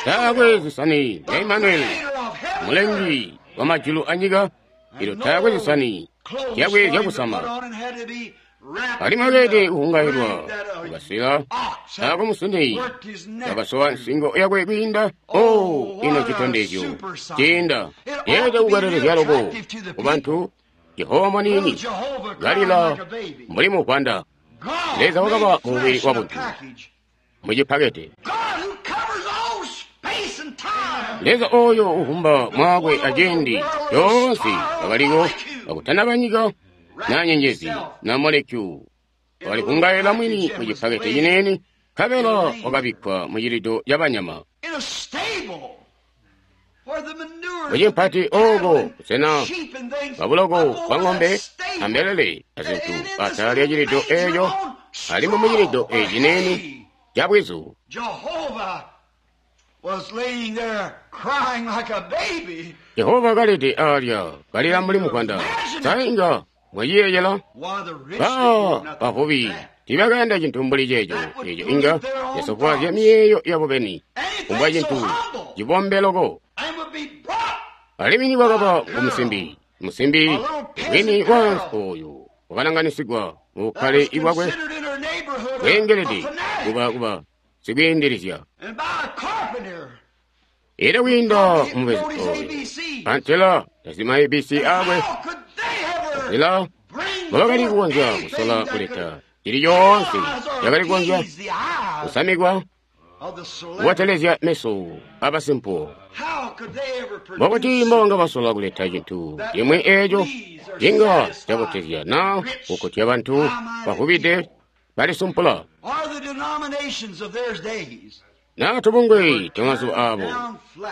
Taakwe zisani zya Imanueli, mulengi wa majulu anyika, eelyo taakwe zisani zyakwe zyakusama. Alimwi akeede kuhungailwa kukasila aako musune kakasowa nsingo yakwe kwiinda. O ino citondezyo ciinda yeelede kukwelelezya loko kubantu. Jehova mwaniini kalila mbuli muvwanda. Leza wakaba mubili wabuntu mucipakete. Leza ooyo uvumba mwakwe aciindi coonse wakaliko kakutanaba nyika na nyenyezi na molekyu, wakalihungaila mwini mucipakete cineene, nkabela wakabikkwa mucilido cabanyama mucimpati ooko busena bwabuloko bwa ng'ombe ambelele azintu atala lya cilido eeco, alimwi mucilido eeci cineene cabwizu. Jehova kalede alya kalila mbuli muvwanda. Sainga mwaciyeeyela ba bavubi tiibakayanda cintu mbuli ceeco. Eeco inga casofwaazya miyeeyo yabo beni, kumbwa cintu cibombe loko. Alimwi nikwakaba kumusimbi, musimbi wini waansi ooyu wakalanganisigwa mubukkale bwakwe bweengelede kuba sikwiindilizya. Eelyo kwiinda mubezi ooyu antela tazima ABC aakwe, nzila mbobakali kukonzya kusola kuleta cili coonse cakali kukonzya kusamikwa kubotelezya meso abasimpuwo. Mbokuti mbonga basola kuleta cintu cimwi eeco cinga cabotezya naa kukkutya bantu bavubide balisumpula naa tubungwe twamazuba aabo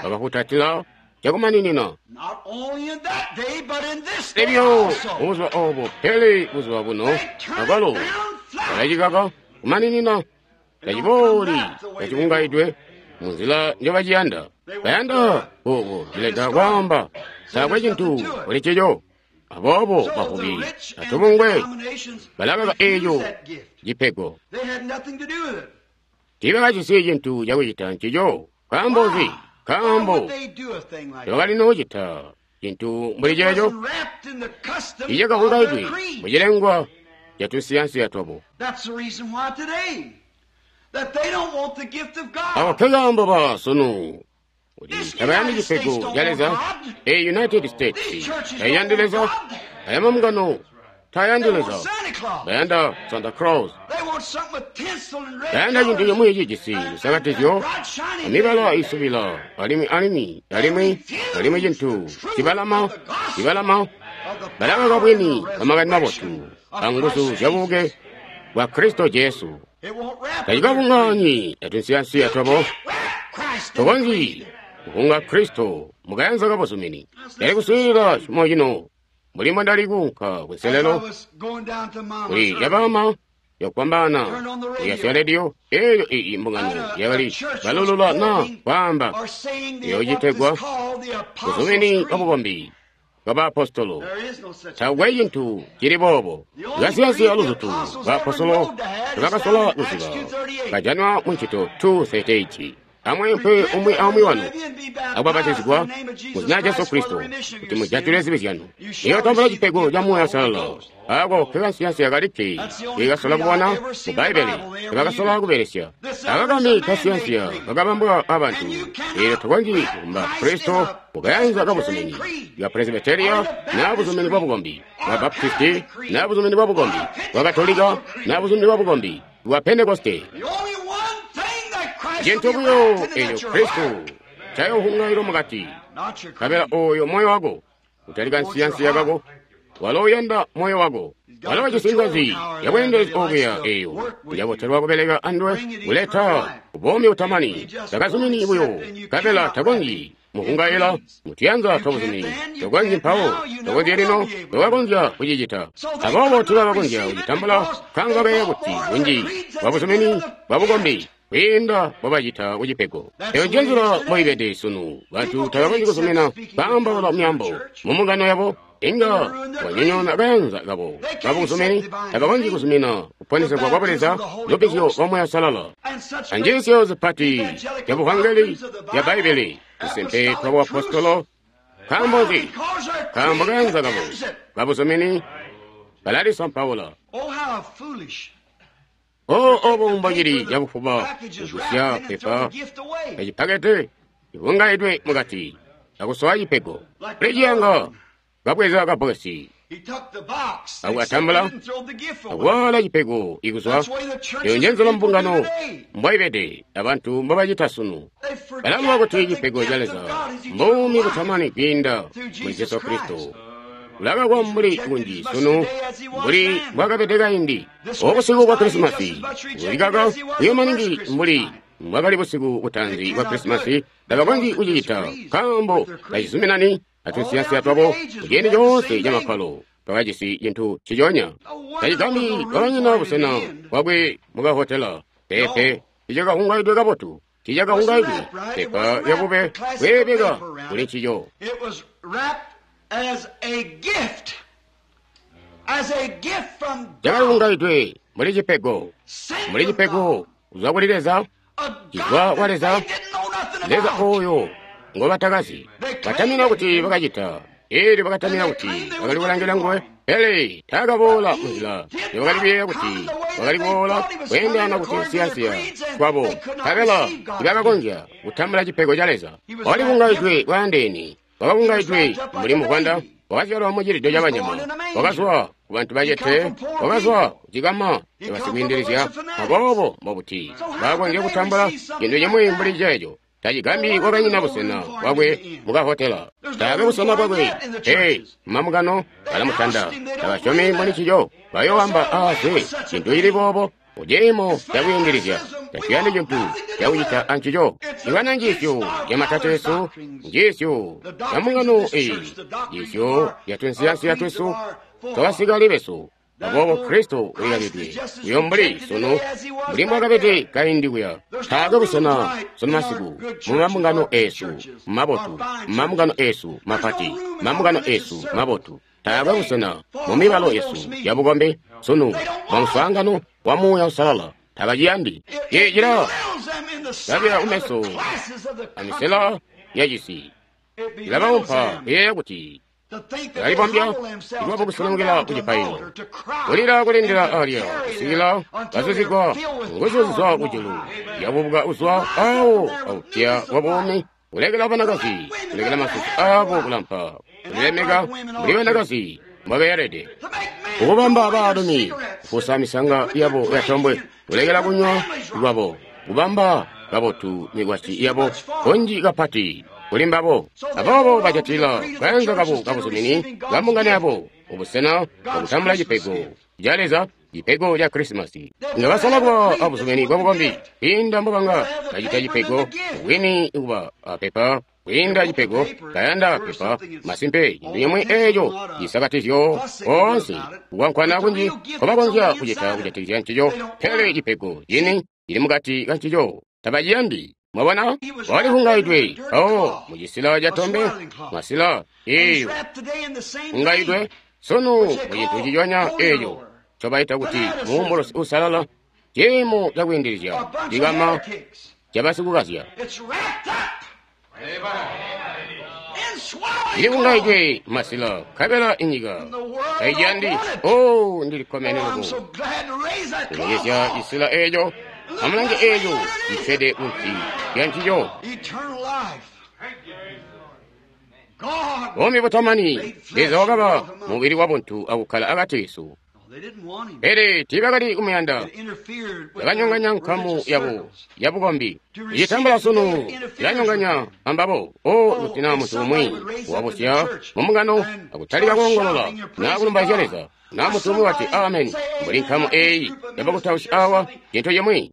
bakafutatila cakumaninina. Elyo buzuba oobo, pele buzuba buno akwalo balacikaka kumaninina, tacibooli tacibungaidwe munzila njobaciyanda. Bayanda ooko cileta kwaamba taakwe cintu kuli ncico. Aboobo bavubi atubungwe balakaka eeco cipego. Tiibakajisi cintu cakucita ncico. Nkaambo nzi? Nkaambo tebakali noocita cintu mbuli ceeco. Tiicakahungaidwe mucilengwa catunsiyansiya twabo. Ako nkekaambo ba sunu kuti tabayandi cipego ca Leza. E United States tayandi Leza, aya mambungano tayandi Leza, bayanda Santa Claus, bayanda cintu cimwi cijisi lusakatizyo amibala isubila alimwi alimwi alimwi alimwi cintu cibalama cibalama. Balakaka bwini bwa makani mabotu anguzu zyabubuke bwa Kristo Jesu. Tacikabunganyi atunsiyansiya twabo. Tokonzyi kuhunga Kristo mukayanza kabuzumini. Ndali kuswiilila cimo cino mbuli mbwandali kuunka kunselelo kuli yabama yakwambana kuyasya rediyo eyo iyi mbungano yakali balulula na kwaamba iyo citegwa buzumini bwabukombi bwabaapostolo. Taakwe cintu cili boobo. Kasiyansiya luzutu baapostolo tebakasola kuziba kajanwa mu ncito 2:38. Amweempwe umwi aumwi wanu akubapatizigwa mu zina Jesu Kristo kuti mujatile zibi zyanu, muyotambula cipego ca Muuya Uusalala. Ako kekansiyansiya kalikke kekasola kubona mu Bbaibbele tebakasola kubelesya. Aka kambi kasiyansiya kakabambwa abantu, eelyo tokonzyi kukumba Kristo mukayanza kabuzumini bwa Presbyteria na buzumini bwa bukombi bwa Baptisti na buzumini bwa bukombi bwa Katolika na buzumini bwa bukombi bwa Pentekoste. Cintu buyo eco Kristo ncayohungailo mukati, nkabela oyo moyo wako utali kansiyansiya kako, walo uyanda moyo wako. Walo wajisi ngazi yabweendelezi okuya eyo yabotelwa kubeleka anduwe kuleta buumi butamani. Takazumini buyo, nkabela takonzyi muhungaila mutuyanza twabuzumini. Tokonzyi mpawo, tokonzyi lino, tokakonzya kucicita. Aboobo tiibabakonzya kucitambula nkaambo kabeya kuti bunji bwabuzumini bwabukombi kwiinda mbobacita kucipego. Eyo njenzila mboibede sunu. Bantu tabakonzyi kuzumina kwaambaula myaambo mumbungano yabo, inga wanyonyoona kayanza kabo kabuzumini. Tabakonzyi kuzumina kuponesegwa kwa Buleza, lubbizyo lwa Muuya Uusalala, anjiisyo zipati zya buvangeli zya Bbaibbele, tusimpe twa buapostolo. Nkaambo nzi? Nkaambo kayanza kabo kabuzumini kalalisampaula. O obo mbocili cabufuba kugusya pepa kacipakete civungaidwe mukati akusowa cipego. Kuli ciyanga kabweza kabbokesi akukatambula akuwaala cipego ikuzwa. Eyo njenzela mbungano mbwaibede abantu mbobacita sunu. Balaluba kuti cipego ca Leza mbuumi butamani kwiinda muli Jesu Kristo. Kulakakwa mbuli kunji sunu mbuli mbwakabede kaindi. Obusiku bwa Krisimasi bulikaka buyo maningi mbuli mbwakali busiku butaanzi bwa Krisimasi. Tabakonzyi kucicita nkaambo tacizuminani atunsiyansiya twabo. Kuciindi coonse camakkalo twakajisi cintu nciconya. Tacigambi kwakanyina busena bwakwe mukahotela. Peepe, ticakahungaidwe kabotu, ticakahungaidwe pepa lyabube bweebeka kuli ncico. Cakalihungaidwe mbuli cipego, mbuli cipego kuzwa kuli Leza, cizwa kwa Leza, Leza oyo ngobatakazi. Batamina kuti bakacita, eelyo bakatamina kuti bakali kulangila nguwe, pele taakaboola munzila yobakali kuyeeya kuti wakali kuboola kweendelana kuti nsiyansiya twabo, nkabela tibakakonzya kutambula cipego ca Leza. Wakalihungaidwe bwaandeene, wakahungaidwe mbuli muvwanda, wakazyalwa mucilido cabanyama, wakazwa kubantu bacete, wakazwa kucikama cabasikwiindilizya. Aboobo mbobuti baakonzya kutambula cintu cimwi mbuli ceeco? Tacigambi kwakanyina busena bwakwe mukahotela. Taakwe busena bwakwe. Ee, mambungano balamutanda, tabasyomi muli ncico. Bayooamba aaze cintu cili boobo muciimo cakwiindilizya. Taciyandi cintu cakucita ancico. Ibana njiisyo yamatateesu, njiisyo ya mbungano eyi, njiisyo yatunsiyansiya twesu twabasikale besu. Aboobo Kristo ulikabidwe uyo mbuli sunu mbuli mbwakabede kaindi kuya. Taakwe busena sunu masiku mu mambungano eesu mabotu, mambungano eesu mapati, mambungano eesu mabotu. Taakwe busena mu mibalo yesu ya bukombi sunu wa muswaangano wa Muuya Uusalala. Tabaciyandi. Cila labila kumeso amisela ya cisi. Cilabaumpa kuyeeya kuti balibombya lwabo kuselemukila ku cipaililo, kulila kulindila alya kusikila bazuzigwa nguzu zizwa kujulu yabubuka kuzwa awo aupya wa buumi, kulekela banakazi kulekela masusu abo kulampa, kulilemeka mbuli banakazi mbobeelede, kukubamba baalumi kufusa misanga yabo yatombwe, kulekela kunywa lwabo, kubamba kabotu mikwasyi yabo kunji kapati kuli mbabo. Aboobo bajatila kayanza kabo kabuzumini kambungano yabo ubusena bwakutambula cipego ca Leza, cipego ca Krisimasi. Nga basalabwa abuzumini bwa bukombi kwiinda mbobanga bacita cipego bwini kuba apepa kwiinda cipego kayanda pepa. Masimpe, cintu cimwi eeco cisakatizyo koonse kukwankwana kunji nkobakonzya kucita kujatikizya ncico, pele cipego cini cili mukati ka ncico tabaciyandi. Mwabona, walihungaidwe mpawo mucisila ca tombe, masila eeyo hungaidwe sunu mucintu ciconya eeco ncobaita kuti muumbulusi uusalala, ciimo cakwiindilizya cikama cabasikukazya. Ilihungaidwe masila nkabela inyika taiciyandi. O, ndili kkomene loko kulongezya cisila eeco. Amulange eeco cikkede kunsi lya ncico. Buumi butamani. Leza wakaba mubili wabuntu akukkala akati kesu. Pele tiibakali kumuyanda. Bakanyonganya nkamu yabo yabukombi. Icitambula sunu cilanyonganya ambabo. O, kuti naa muntu umwi wabusya mumbungano akutalika koongolola naa kulumbaizya Leza, naa muntu umwi wati ameni mbuli nkamu eeyi yabakutausi awa, cintu cimwi,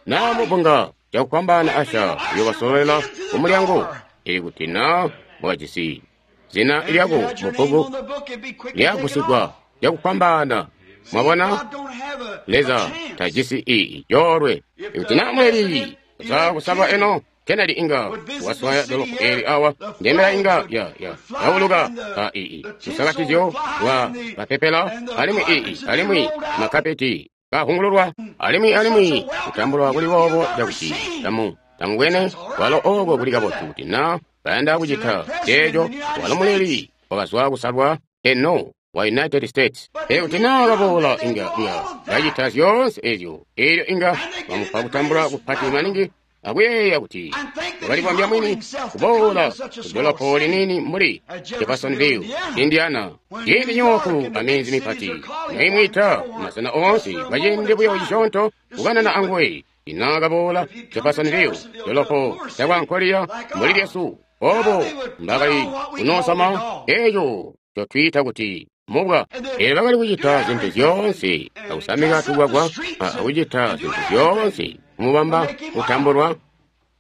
naa mubunga cakufwambaana asha uyobasololela kumulyango. Ili kuti naa mwakajisi zina lyako mubbuku lyagusigwa cakufwambaana. Mwabona, Leza tajisi ii coolwe. Ikuti naa muleli za kusaba eno Kennedy inga waswaya dolopo eli awa, ndembela inga ya yauluka a ii lusakatizyo lwa bapepela, alimwi ii alimwi makapeti kahungululwa, alimwi kutambulwa kuli boobo cakuti tamubwene walo oko kuli kabotu. Kuti naa bayanda kucita ceeco, walo muleli wakazwa kusalwa eno wa United States. Pele kuti naa baboola inga bacita zyoonse ezyo, eelyo inga bamupa kutambula kupati maningi akuyeeya kuti wakalibombya mwini kuboola kudolopo liniini mbuli Jeffersonville, Indiana, ciindi nyooku aminzi mipati noimwiita masena oonse kwaciindi buyo cisyoonto kukanana anguwe. Ina kaboola Jeffersonville, dolopo lyakwankoliya mbuli lyesu, obo mbakali kunoosama eeco cotwiita kuti mubwa. Eelyo bakali kucita zintu zyoonse akusamika tugwagwa akucita zintu zyoonse kumubamba kutambulwa.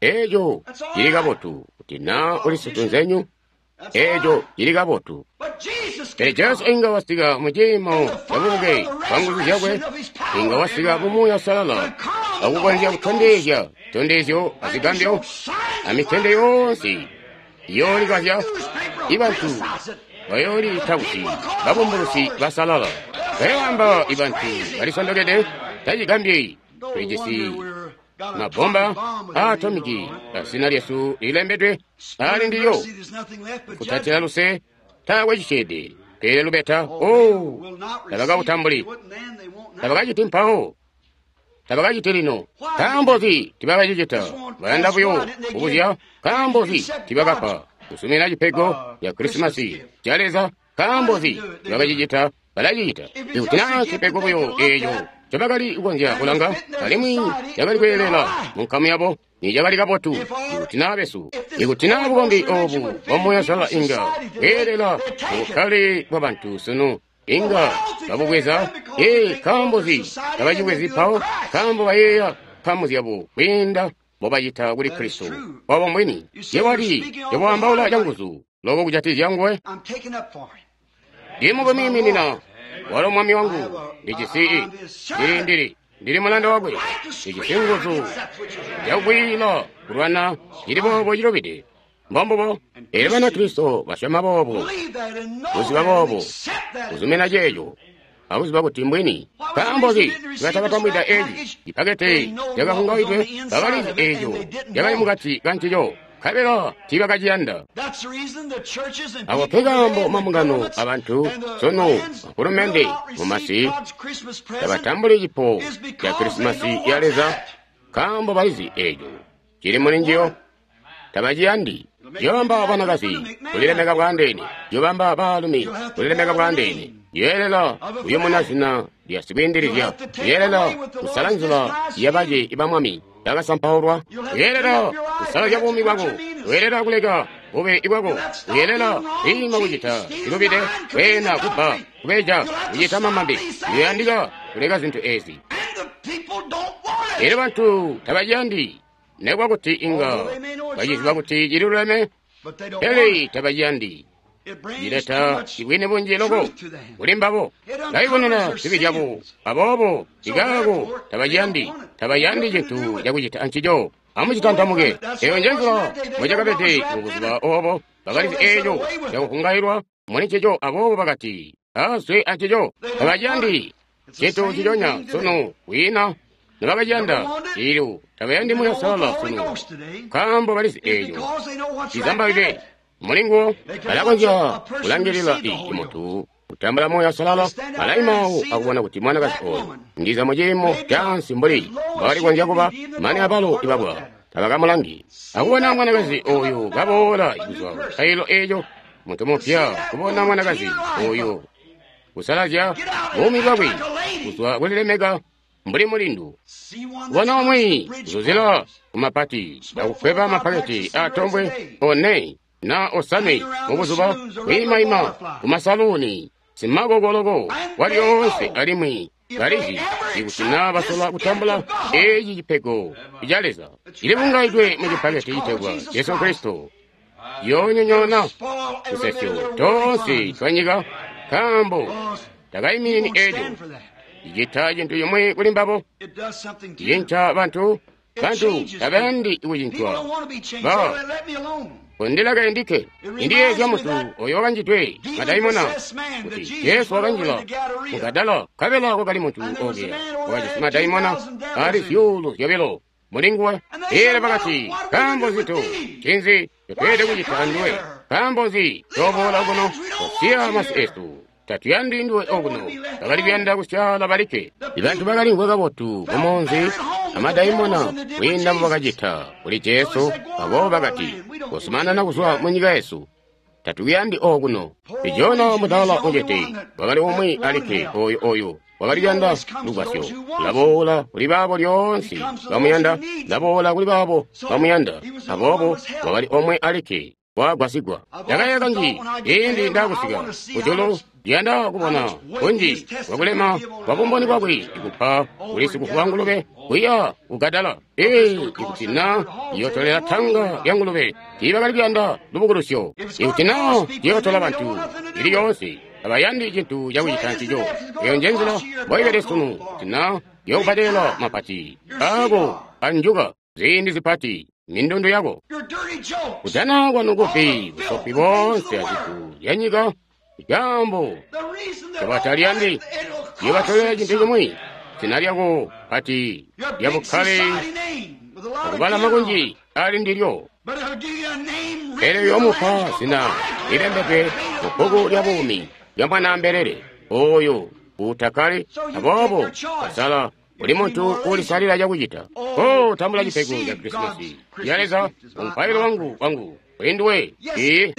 Eeco cili kabotu kuti naa uli situnzenyu, eeco cili kabotu. Pele Jesu inga wasika mu ciimo cabubuke bwa nguzu zyakwe, inga wasika mu Muuya Uusalala akukonzya kutondezya zitondezyo azigambyo amitende yoonse iyoolikazya. Ibantu bayooliita kuti babumbulusi basalala, bayoamba ibantu balisondokede. Tacigambyi tulijisi mabomba aatomiki azina lyesu lilembedwe ali ndiyo. Kutatila luse taakwe cisyeede pele lubeta. O, tabakautambuli, tabakaciti mpawo, tabakaciti lino. Nkaambo nzi tibakacicita? Bayanda buyo kubuzya nkaambo nzi tibakapa kusumina cipego ca Krisimasi ca Leza. Nkaambo nzi tibakacicita? Balacicita ikuti naa cipego buyo eeco ncobakali kukonzya kulanga, alimwi cakali kweelela munkamu yabo, nicakali kabotu. Ikuti naa besu, ikuti naa bukombi oobu bwa Muuya Uusalala inga bweelela mubukkale bwabantu sunu, inga babubweza. Ee, nkaambo nzi tabacibwezi mpawo? Nkaambo bayeeya nkamu zyabo kwiinda mbobacita kuli Kristo. Obo mbwini. Yewali yobwaambaula canguzu loko kujatikizya nguwe. Ndimukwiiminina walo mwami wangu, ndijisi ndili mulanda wakwe, ndijisi nguzu zyakukwiila kulwana cili boobo cilubide. Mbombubo. Elyo Banakristo basyoma boobo, kuziba boobo, kuzumina ceeco, akuziba kuti mbwini. Nkaambo nzi nibatakatambwida eci cipakete cakavungaidwe? Bakalizi eco cakali mukati kancico, nkabela tiibakaciyanda. Ako nkekaambo mambungano abantu sunu, mafulumende mumasi tabatambuli cipo ca Krisimasi ya Leza, nkaambo balizi eco cili muli njiyo. Tabaciyandi. Yobamba banakazi kulilemeka bwandeene, yobamba baalumi kulilemeka bwandeene. Yeelela kuyumuna zina lya sikwiindilizya, yeelela kusala nzila yabace ba Mwami bakasampaulwa, yeelela kusalazya buumi bwako, weelela kuleka bube bwako, weelela kwiima kucita cilubide, kweena, kubba, kubeja, kucita mamambe. Uyandika kuleka zintu ezi. Elyo bantu tabaciyandi. Nekuba kuti inga baciziba kuti cililuleme, pele tabaciyandi. Cileta bwini bunji loko kuli mbabo. Baibonena zibi zyabo, aboobo ikaako tabaciyandi. Tabayandi cintu cakucita ancico. Amucitantamuke. Eyo njenzila mbocakabede mubuzuba obo. Bakalizi eco cakuvungailwa muli ncico, aboobo bakati azwe ancico. Tabaciyandi cintu nciconya sunu. Kwiina nibakaciyanda ilyo tabayandi Muuya Uusalala sunu, nkaambo balizi eco cizambalidwe mulinguwo. Balakonzya kulangilila muntu kutambula Muuya Uusalala, balaimaawo akubona kuti mwanakazi oyo ndiza muciimo caansi mbuli mbwakali konzya kuba, mane abalo ibabwa tabakamulangi. Akubona mwanakazi oyu kaboola kuzwa kailo eco, muntu mupya, kubona mwanakazi oyu kusalazya buumi bwakwe kuzwa kulilemeka mbuli mulindu, kubona umwi kuzuzila kumapati akukweba mapaketi atombwe one na osame mubuzuba, kwiimaima kumasaluuni simakokoloko walyoonse, alimwi balizi ikuti naa basola kutambula eci cipego ca Leza cilibungaidwe mu cipaketi citegwa Jesu Kristo, yoonyonyoona tusesyo toonse twanyika, nkaambo takaiminini eco. Cicita cintu cimwi kuli mbabo, cinca bantu. Bantu tabayandi kucincwa. Ba kundileka endikke. Indiyeezya muntu oyo wakanjidwe madaimona kuti Jesu wakanjila mu Gadala, nkabela kwakali muntu okuya wakajisi madaimona ali 2,000 muli nguwe. Elyo bakati, nkaambo nzi tu ncinzi ncotweelede kucita anduwe? Nkaambo nzi tooboola okuno kusiya masi esu? Tatuyandi nduwe okuno. Bakali kuyanda kusyaala balikke. Ibantu bakalimvwa kabotu kumunzi amadaimona kwiinda mbobakacita kuli Jesu, aboobo bakati, kozumanana kuzwa munyika yesu. Tatukuyandi okuno. Jona mudaala mucete wakali umwi alikke oyu oyu wakali kuyanda lugwasyo. Laboola kuli baabo lyoonse bamuyanda, laboola kuli baabo bamuyanda. Aboobo wakali omwe alikke wagwasigwa. Ndakayeeya kanji ciindi ndaakusika kujulu, ndiyanda kubona kunji kwakulema kwa bumboni bwakwe ikupa kuli sikufuwa ngulube kuya kugadala. Ikuti na yotolela tanga lya ngulube, tiibakali kuyanda lubukulusyo. Ikuti na yotola bantu ili yoonse, tabayandi cintu cakucita ncico. Eyo njenzila mboibede sunu. Kuti na yokubbadela mapati ako anjuka ziindi zipati mindundu yako, kujana kwanu kufi busofi boonse azintu zyanyika, ikaambo tobataliyandi yobatolera cintu cimwi, zina lyako pati lya bukkale akubalama kunji ali ndilyo. Pele uyoomupa zina lilembedwe mu bbuku lya buumi lya Mwanaambelele oyo uutakkale. Aboobo kasala buli muntu uulisalila cakucita. Oh, tambula cipego ca Krisimasi ya Leza, umupailo wangu wangu kuli nduwe. Iye,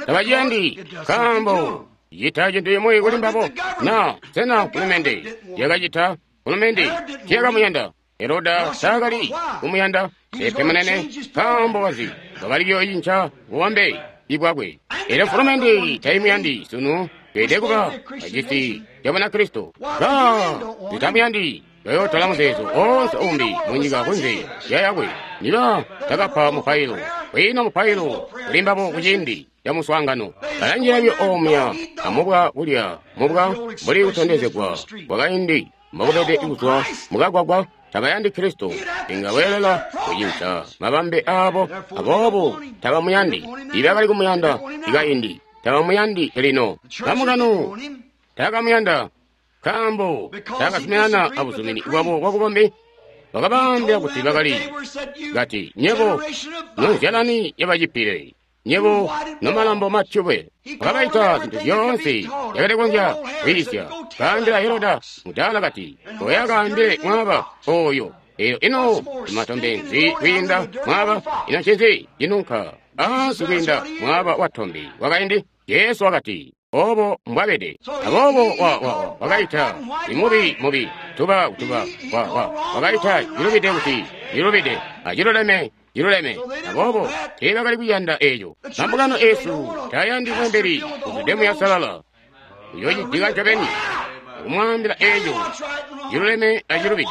tabaciyandi nkaambo cita cintu cimwi kuli mbabo. Na sena fulumende yakacita? Fulumende tiyakamuyanda Heroda, taakali kumuyanda pepe munene, nkaambo kazi wakali kuyocinca bubambe bwakwe. Elyo fulumende taimuyandi sunu. Tweelede kuba acisi ca Bunakristo. Ba zitamuyandi bayotola muzeezo oonse umbi munyika kunze lya yakwe. Niba takapa mupailo, kwiina mupailo kuli mbabo kuciindi ca muswaangano. Balanjila buyo omuya amubwa kulya mubwa mbuli kutondezegwa kwakaindi. mbokubede kuzwa mukagwagwa. Tabayandi Kristo. Inga weelela kucinca mabambe aabo, aboobo tabamuyandi. Ibakali kumuyanda ikaindi, tabamuyandi lino. Bamukano takamuyanda nkaambo takazuminana abuzumini bwabo bwabukombi. Bakabaambila kuti bakali kati, nyebo nonzyalani yabacipile, nyebo nomalambo matyubwe. Bakabaita zintu zyoonse yakali kukonzya kwiisya. Kaambila Heroda mudaala kati, oya kaambile mwaaba oyo. Eyo ino matombe nzi kwiinda mwaaba? Ino ncinzi cinunka ansi kwiinda mwaaba wa tombe wakaindi? Jesu wakati, obo mbwabede. Aboobo wakaita imubi mubi, tuba kutuba, wakaita cilubide kuti cilubide, aciluleme ciluleme. Aboobo teebakali kuyanda eeco. Mambungano eesu tayandi mweembeli uzwide Muuya Uusalala. Uyoocitika ncobeni akumwaambila eeco ciluleme acilubide.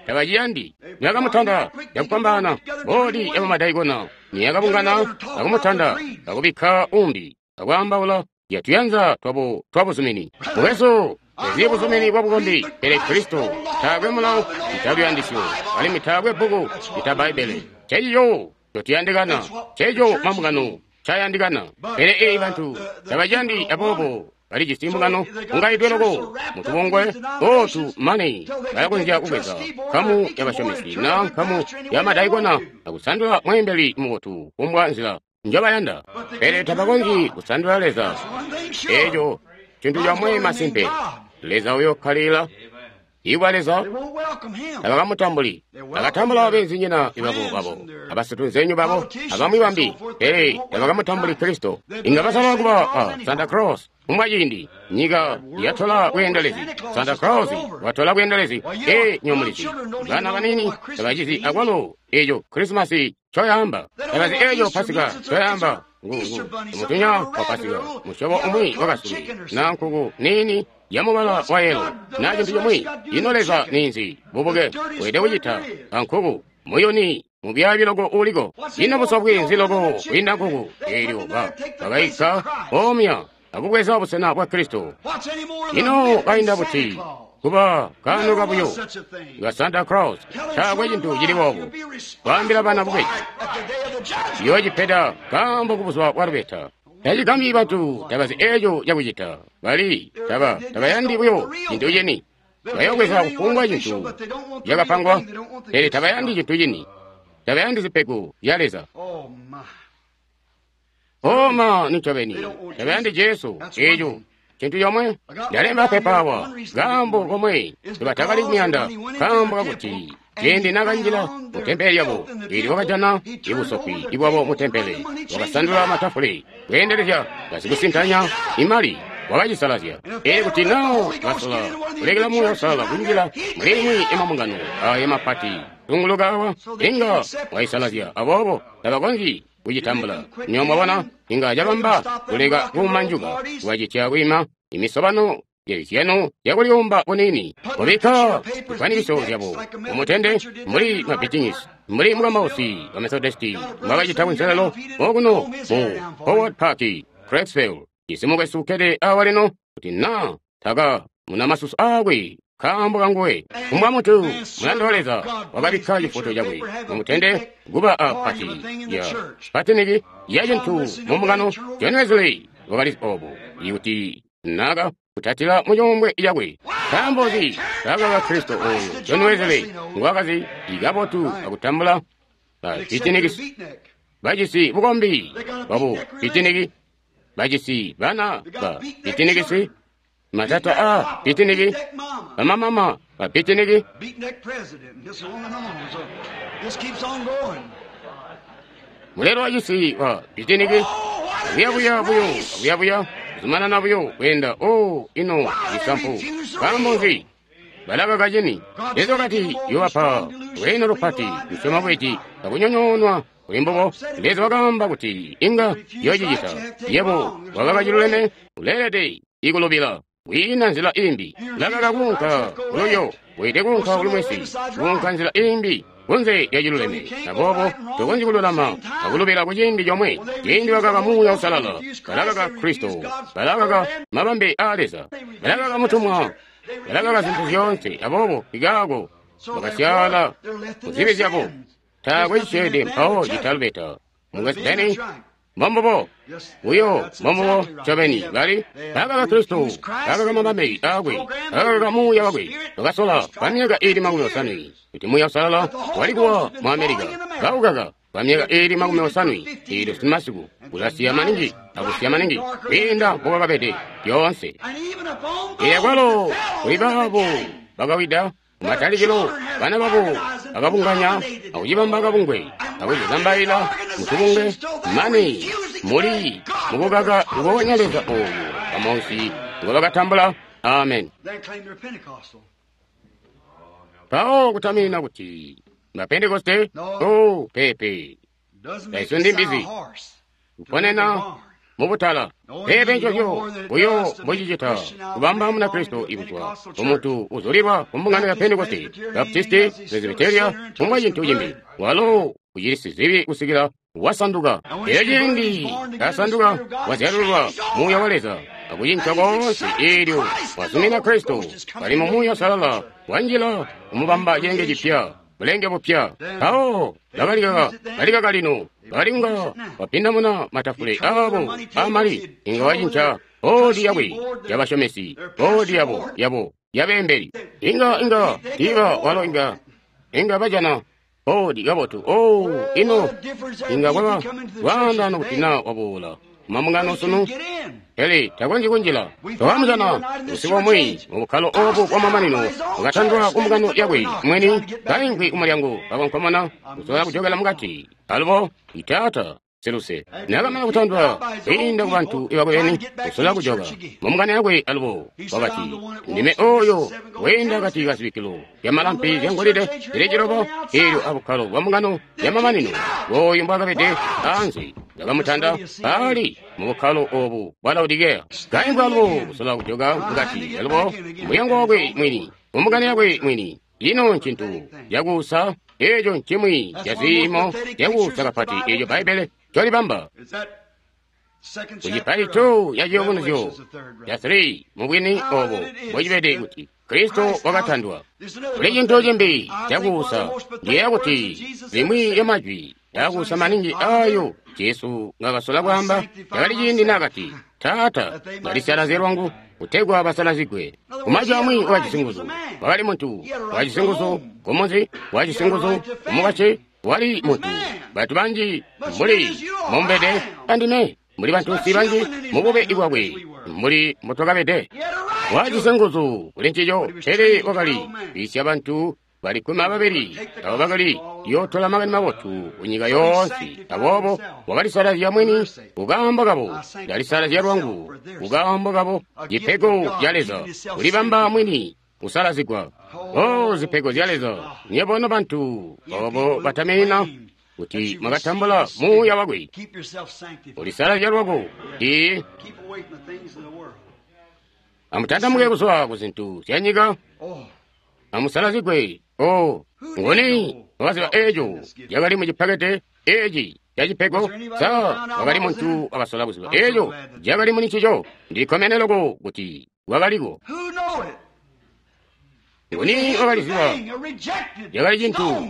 Tabaciyandi. Nibakamutanda cakufwambaana, boodi yabamadaikona niyakabungana akumutanda akubikka umbi akwaambaula yatuyanza twabo twabuzumini. Mukwesu, tezyi buzumini bwabukombi, pele Kristo. Taakwe mulawo italuyandisyo, alimwi taakwe bbuku ita Bbaibbele. Ncencico ncotuyandikana, nceeco mambungano ncayandikana. Pele eyi bantu tabaciyandi, aboobo balijisi mbungano ungaidwe loko mutubungwe ootu mane balakonzya kubweza nkamu yabasyomesi na nkamu yamadaikona akusandula mweembeli mubotu kumbwa nzila njobayanda. Pele tabakonzyi kusandula Leza. Eeco cintu comwe masimpe, Leza uyokkalila ibwa Leza. Tabakamutambuli. Bakatambula beenzinyina babo babo abasitunzenyu babo abamwi bambi, pele tabakamutambuli Kristo. Inga basala kuba a Santa Claus. Kumbwa ciindi nyika yatola bweendelezi, Santa Claus watola bweendelezi. E nyomulizi, bana banini tabacizi akwalo eco Krisimasi ncoyaamba, tabazi eco Pasika ncoyaamba. Mutunya wa Pasika musyobo umwi wakasuli na nkuku niini yamubala wa yelo na cintu cimwi. Ino Leza ninzi? Bubuke weelede kucita ankuku muyuni mubyaabi loko uliko. Ino busofwi nzi loko kwiinda nkuku? Eelyo bakaika omya akubweza busena bwa Kristo. Ino kainda buti kuba kaano kabuyo ka Santa Claus? Taakwe cintu cili boobo. Kwaambila bana bubeji yoocipeda kaambo kubuzuba bwa lubeta. Tacigambyi bantu tabazi eeco cakucita. Bali tabayandi buyo cintu cini. Bayobweza kufumbwa cintu cakapangwa, pele tabayandi cintu cini. Tabayandi zipego zya Leza. Oma ncobeni tabayandi Jesu. Eeco cintu comwe. Ndalemba pepa awa kaambo komwe ncobatakali kumuyanda, kaambo kakuti ciindi nakanjila mutempele lyabo, eelyo wakajana ibusofwi ibwabo mutempele, wakasandula matafule, kweendelezya basikusintanya imali, wakacisalazya. Eelyo kuti naa basola kulekela Muuya Uusalala kunjila mulimwi yamambungano aaya mapati tunguluka awa, inga waisalazya. Aboobo tabakonzyi kucitambula. Nywebo mwabona, inga cabamba kuleka kuumanjuka, kuwacitya kwiima imisobano yezyano yakulyumba kunini, kubikka zifwanikiso zyabo mumutende mbuli mabitinisi, mbuli mukambausi wa Methodisti mbwakacita kunselelo okuno mu Howard Park, Craigsville. Cisi mukwesu ukkede awa lino kuti naa taka muna masusu aakwe nkaambo kanguwe. Kumbwa muntu mulanda wa Leza wakabikka cifoto cakwe mumutende kuba a pati ya patiniki ya cintu mumbungano. John Wesley wakali obo ikuti naka kutatila mucuumbwe cakwe. Nkaambo nzi kakaka Kristo oyo John Wesley ngwakazi ikabotu akutambula bapitinikisi bajisi bukombi bwabu pitiniki, bajisi bana ba pitinikisi, matata a pitiniki, bamamama ba pitiniki. Mulelo wa cisi wa pitiniki buyabuya buyo buyabuya kuzumanana buyo kweenda. O ino isampu. Nkaambo nzi balakaka cini? Leza wakati yobapa lweeno lupati kusyoma bweci akunyonyoonwa kuli mbubo. Leza wakaamba kuti inga yoocicita. Yebo wakaka ciluleme, uleelede ikulubila. Kwiina nzila imbi. Lakaka kuunka kululyo, weelede kuunka kulumwesi, kuunka nzila imbi kunze lya ciluleme. Aboobo tokonzyi kululama akulubila ku ciindi comwe. Ciindi bakaka Muuya Uusalala, balakaka Kristo, balakaka mabambe aa Leza, balakaka mutumwa. Balakaka zintu zyoonse, aboobo ikaako bakasyaala mu zibi zyabo. Taakwe cisyeede mpawo citalubeta. Mukwesu Benny, mbombubo buyo, mbombubo ncobeni. Bali bakaka Kristo, bakaka mabambe aakwe, bakaka Muuya wakwe. Bakasola kwa myaka iili 80 kuti Muuya Uusalala wali kuwa mu Amerika. Baukaka kwa myaka iili 80 eelyo simasiku ulasiya maningi akusiya maningi kwiinda mbokwakabede lyoonse. Elyo kwalo kuli baabo bakawida kumatalikilo, bana babo bakabunganya akucibamba kabungwe akucizambaila mutubungwe, mane muli mukukaka nguonya Leza ooyu bamunsi ngobakatambula. Amen. Mpawo kutaminina kuti Mapentekoste, oh, peepe, taisundi mbizi kuponena mubutala. Peepe ncozyo buyo mbocicita kubamba Munakristo ikuzwa kumuntu uzulilwa kumbungano ya Pentekoste, Baptisti, Presbyteria, kumbwa cintu cimbi. Walo ucili sizibi kusikila wasanduka. Elyo ciindi kasanduka, wazyalululwa Muuya wa Leza akucinca koonse, eelyo wazumina Kristo kali mu Muuya Uusalala, wanjila kumubamba cilenge cipya, bulenge bupya. Mpawo bakalikaka lino, bakalinga bapindamuna matafule aabo aamali, inga wacinca boodi yakwe yabasyomesi, boodi yabo yabo yabeembeli. Inga tiiba walo inga bajana boodi kabotu. Oh, ino inga kwaba lwaandaano kuti naa waboola mambungano sunu, pele takonzyi kunjila. Twamujana usiku umwi mu bukkalo obu bwamamanino, wakatandwa ku mbungano yakwe mwini, kaimvwi kumulyango, kakonkomona kusola kujokela mukati. Alubo itaata siluse nakamana kutandwa kwiinda ku bantu ibakwe beni, kusola kujoka mu mbungano yakwe alubo, wakati, ndime oyo weenda akati ka zibikkilo zyamalampi zyangolide zili ciloba, eelyo abukkalo bwa mbungano yamamanino oyu mbwakabede anze, bakamutanda ali mu bukkalo obu bwa Laodikeya. Kaimvwi alubo kusola kujoka mukati alubo mulyango wakwe mwini, mu mbungano yakwe mwini. Ino ncintu cakuusa, eeco ncimwi ca ziimo zyakuusa kapati eeco Bbaibbele ncolibamba. Kucipaito ya Ciyubunuzyo ca 3, mubwini obo mbocibede kuti Kristo wakatandwa. Kuli cintu cimbi cakuusa, ndiyeeya kuti limwi ya majwi yakuusa maningi ayo Jesu ngakasola kwaamba cakali ciindi naakati, Taata, ndalisalazye lwangu kutegwa basalazigwe. Kumajwi amwi wakajisi nguzu, wakali muntu, wakajisi nguzu kumunzi, wakajisi nguzu kumukwasyi, wali muntu. Bantu banji mbuli mumbede andime, mbuli bantunsi banji mubube bwakwe, mbuli mbutwakabede. Wakajisi nguzu kuli ncico, pele wakali kwiisya bantu bali 12 abo bakali yootola makani mabotu kunyika yoonse. Aboobo wakalisalazya mwini kukaambo kabo, ndalisalazya lwangu kukaambo kabo. Cipego ca Leza kulibamba mwini kusalazigwa. Oh, zipego zya Leza! Nywebo nobantu obo bataminina kuti mwakatambula Muuya wakwe, ulisalazya lwako. Ee, amutantamuke kuzwa ku zintu zya nyika, amusalazigwe. Oh, nguni wakaziba eeco cakali mu cipakete eci ca cipego? Sa wakali muntu wakasola kuziba eeco cakali muli ncico? Ndikkomene loko kuti wakaliko. Nguni wakaliziba? Cakali cintu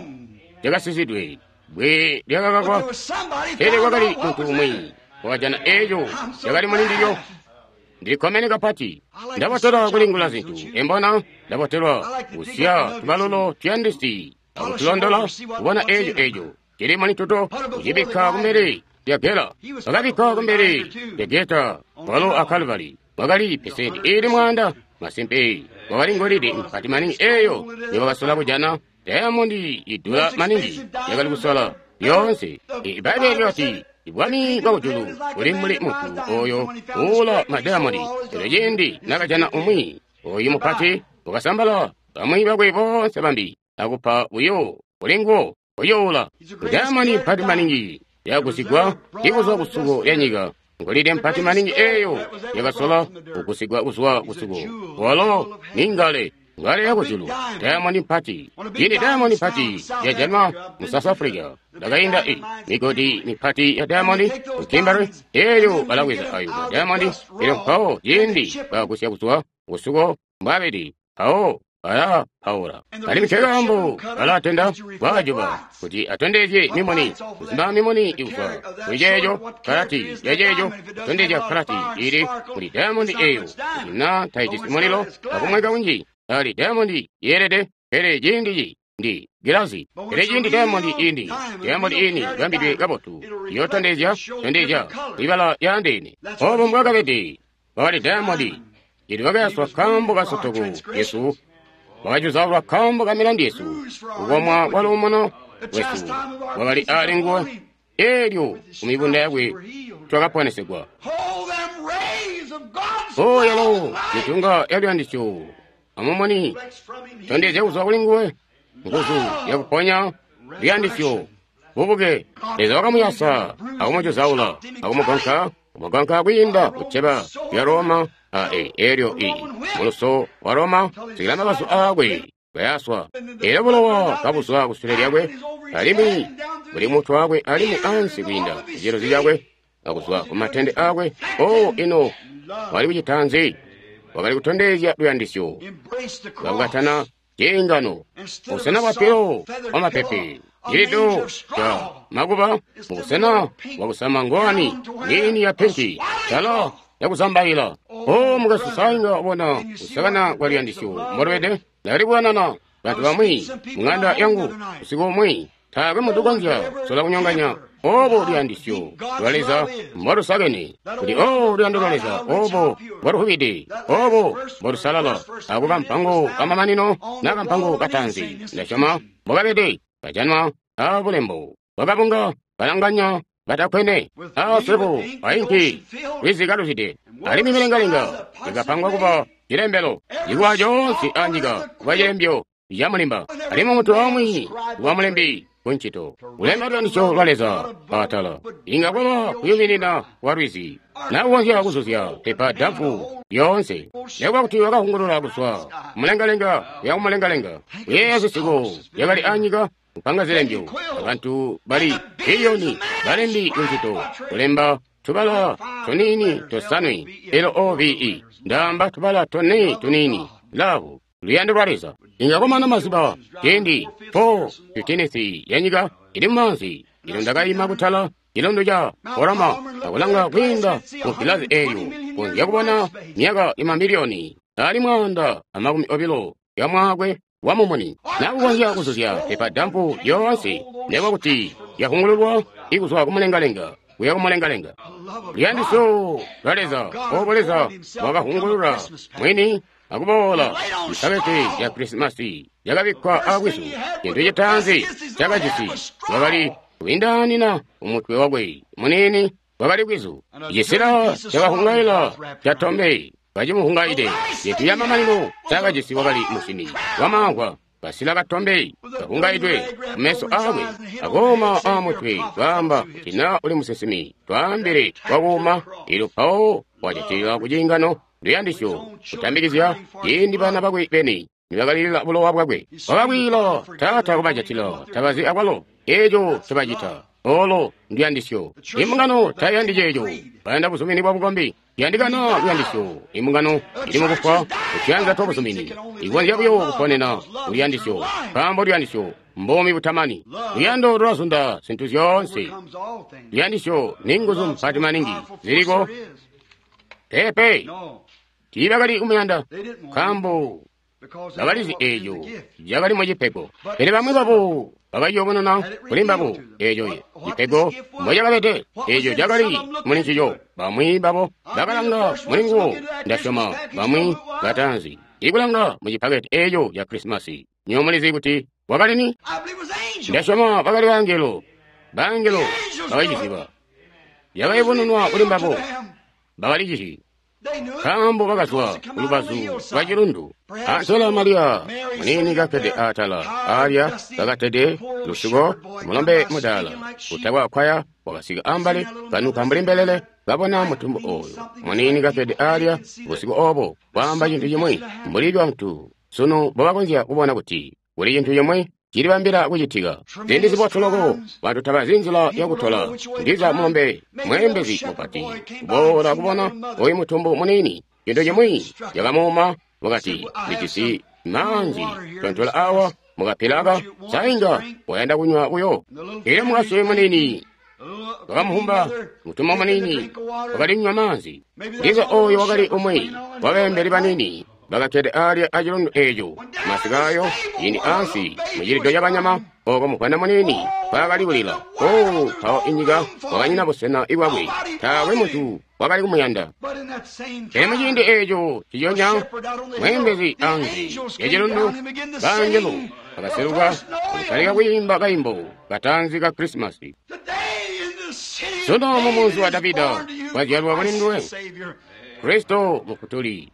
cakasizidwe, bwe lyakakakwa, pele kwakali muntu umwi wakajana eeco cakali muli ndilyo. Ndikkomene kapati. Ndabotelwa kulingula zintu, embona ndabotelwa kusiya tubalulo tuyandisi akutulondola kubona eeco eeco cili muli tuto, kucibikka kumbele lya gela. Bakabikka kumbele lya geta walo a Kalvari wakali pesenti iili 100. Masimpe wakali ngolide mpati maningi eeyo njobakasola kujana, dayamondi idula maningi yakali kusola yoonse. Ibbaibbele lyakati bwami bwa kujulu buli mbuli muntu oyo uula madayamondi. Elyo ciindi nakajana umwi oyu mupati, wakasambala bamwi bakwe boonse bambi akupa buyo kuli nguwo kuyoula. Dayamondi mpati maningi yakusigwa ikuzwa kusuko lya nyika, ngolide mpati maningi eeyo yakasola kugusigwa kuzwa kusuko. Walo ni ngale, ngale yakujulu, dayamondi mpati. Cindi dayamondi mpati yajanwa mu South Africa, ndakainda i migodi mipati ya dayamondi ku Kimberley, eelyo balabweza ayo madayamondi. Elyo mpawo ciindi bagusya kuzwa kusuko mbwaabede, Mpawo ala paula. Alimwi nkekaambo alatenda kwajuba kuti atondezye mimuni, kuzima mimuni ikuzwa kuli ceeco, karati ya ceeco, kutondezya karati ili kuli diamondi eyo. Kuti na taijisi mulilo akumweka kunji, ali diamondi yeelede, pele ciindi ndi gilazi. Pele ciindi diamondi indi, diamondi ini ibambidwe kabotu, iyotondezya, tondezya ibala yaandeene. Obo mbwakabede, wakali diamondi. Ili wakayaswa kambo ka sotoku yesu, wakajuzaulwa kambo ka milandu yesu, kukomwa kwa luumuno lwesu wakali ali nguwe, elyo ku mibunda yakwe twakaponesegwa. O yalo mitunga ya luyandisyo amumuni tondezya kuzwa kuli nguwe, nguzu yakuponya luyandisyo bubuke. Leza wakamuyasa akumujuzaula akumugonka, kumugonka kwiinda kuceba lya Roma a elyo i muluso wa Roma sikila mabazu aakwe kayaswa, elyo bulowa kabuzwa kusule lyakwe alimwi buli mutwe wakwe alimwi ansi kwiinda kucilozi cakwe akuzwa ku matende akwe. O ino wali kucita nzi? Wakali kutondezya luyandisyo lwakukatana ciingano busena bwa pilo wa mapepe cilido ca makuba mubusena bwakusama ngowani niini ya pinki tala yakuzambaila. O mukwesu, sainga wabona kusakana kwa luyandisyo mbolubede. Ndakali kukanana bantu bamwi mung'anda yangu usiku umwi, taakwe muntu ukonzya sola kunyonganya obo luyandisyo lwa Leza mbolusakene, kuti o luyando lwa Leza obo mboluhubide, obo mbolusalala. Ako kampango kamamanino na kampango katanzi ndasyoma mbokabede kajanwa a bulembo bwakabunga kalanganya batakwene a swebo ainki lwizi kaluzide, alimwi milengalenga ikapangwa kuba cilembelo, ikuwa coonse anyika kuba cilembyo camulimba, alimwi muntu omwe kuba mulembi kuncito kulemba luyandisyo lwa Leza atala. Inga kwaba kuyuminina kwa lwizi nakukonzya kuzuzya pepa damfu lyoonse, nekuba kuti wakahungulula kuzwa kumulengalenga kuya kumulengalenga, kuyeeya zisiko zyakali anyika, kupanga zilembyo abantu bali biliyoni balembi kuncito kulemba tubala tuniini tosanwe L-O-V-E, ndaamba tubala tone tuniini love, luyando lwa Leza. Inga kwamana mazuba ciindi 4:15 yanyika ili mumaanzi, ilo ndakayima kutala cilondo ca Orama akulanga kwiinda mu gilazi eyo, konzya kubona myaka imamiliyoni ali 120 ya mwaakwe wa mumuni, nakukonzya kuzuzya pepa dampu yoonse, nekuba kuti yahungululwa ikuzwa kumulengalenga kuya kumulengalenga. Luyandisyo lwa Leza, obo Leza wakahungulula mwini akuboola mpakete ya Krisimasi yakabikkwa akwisu. Cintu citaanzi cakajisi wakali kuindanina umutwe wakwe munini wakali kwizu, icisila cakahungaila catombe kacimuhungaide. Cintu camamanino cakajisi wakali musini wamamvwa, kasila katombe kahungaidwe kumeso akwe akooma amutwe, kwaamba kuti na uli musinsimi twaambile wakuuma. Elyo mpawo wajatilila kuciingano luyandisyo kutambikizya ciindi bana bakwe beni nibakalilila bulowa bwakwe. Wakakwiila, Taata kubajatila, tabazi akwalo eco ncobacita. Olo nduyandisyo. Imbungano tayandi ceeco, bayanda buzumini bwa bukombi. Yandikana luyandisyo. Imbungano ili mukufwa kutuyanza twa buzumini, ikonzya buyo kuponena kuluyandisyo, nkaambo luyandisyo mbomi butamani. Luyando lulazunda zintu zyoonse. Luyandisyo ni nguzu mpati maningi ziliko. Peepe, tiibakali kumuyanda nkaambo bakalizi eeco cakali mucipego, pele bamwi babo bakayobonona kuli mbabo eeco cipego mbocakabede, eeco cakali muli ncico. Bamwi babo bakalanga muli nguwo, ndasyoma bamwi bataanzi ikulanga mucipaketi eeco ca Krisimasi. Nywebo mulizi kuti wakali ni? Ndasyoma bakali bangelo. Bangelo bakaciciziba, yakayubununwa kuli mbabo, bakalicizyi nkaambo bakazwa kulubazu lwa cilundu. Antela Mariya muniini kakkede atala alya kakatede lusuko, mulombe mudaala utakwa kwaya wakasika ambali kanuka mbuli mbelele, kabona mutumbu oyo muniini kakkede alya busiku obo, kwaamba cintu cimwi mbuli bantu sunu mbobakonzya kubona kuti kuli cintu cimwi cilibambila kucitika. Ziindi zibotu loko bantu tabazi nzila yakutola. Ndiza mulombe mweembezi mupati kuboola kubona oyu mutumbu muniini, cintu cimwi cakamuuma, wakati, ndijisi Maanzi tontola awa mukapilaka sainga wayanda kunywa buyo. Elyo mukasi munini wakamuhumba mutuma munini wakalinywa maanzi. Ndiza oyo wakali umwi wabeembeli banini bakakkede alya acilundu eeco masikayo yini ansi mucilido cabanyama oko muvwana munini mpaakali kulila. O mpawo inyika wakanyina busena ibwakwe, taakwe muntu wakali kumuyanda. Pele muciindi eeco ciyonya mweembezi ansi yacilundu, bangelo bakaseluka kutalika kwiimba kaimbo kataanzi ka Krisimasi. Sunu mumunzi wa Davida wazyalwa kuli nduwe Kristo Mufutuli.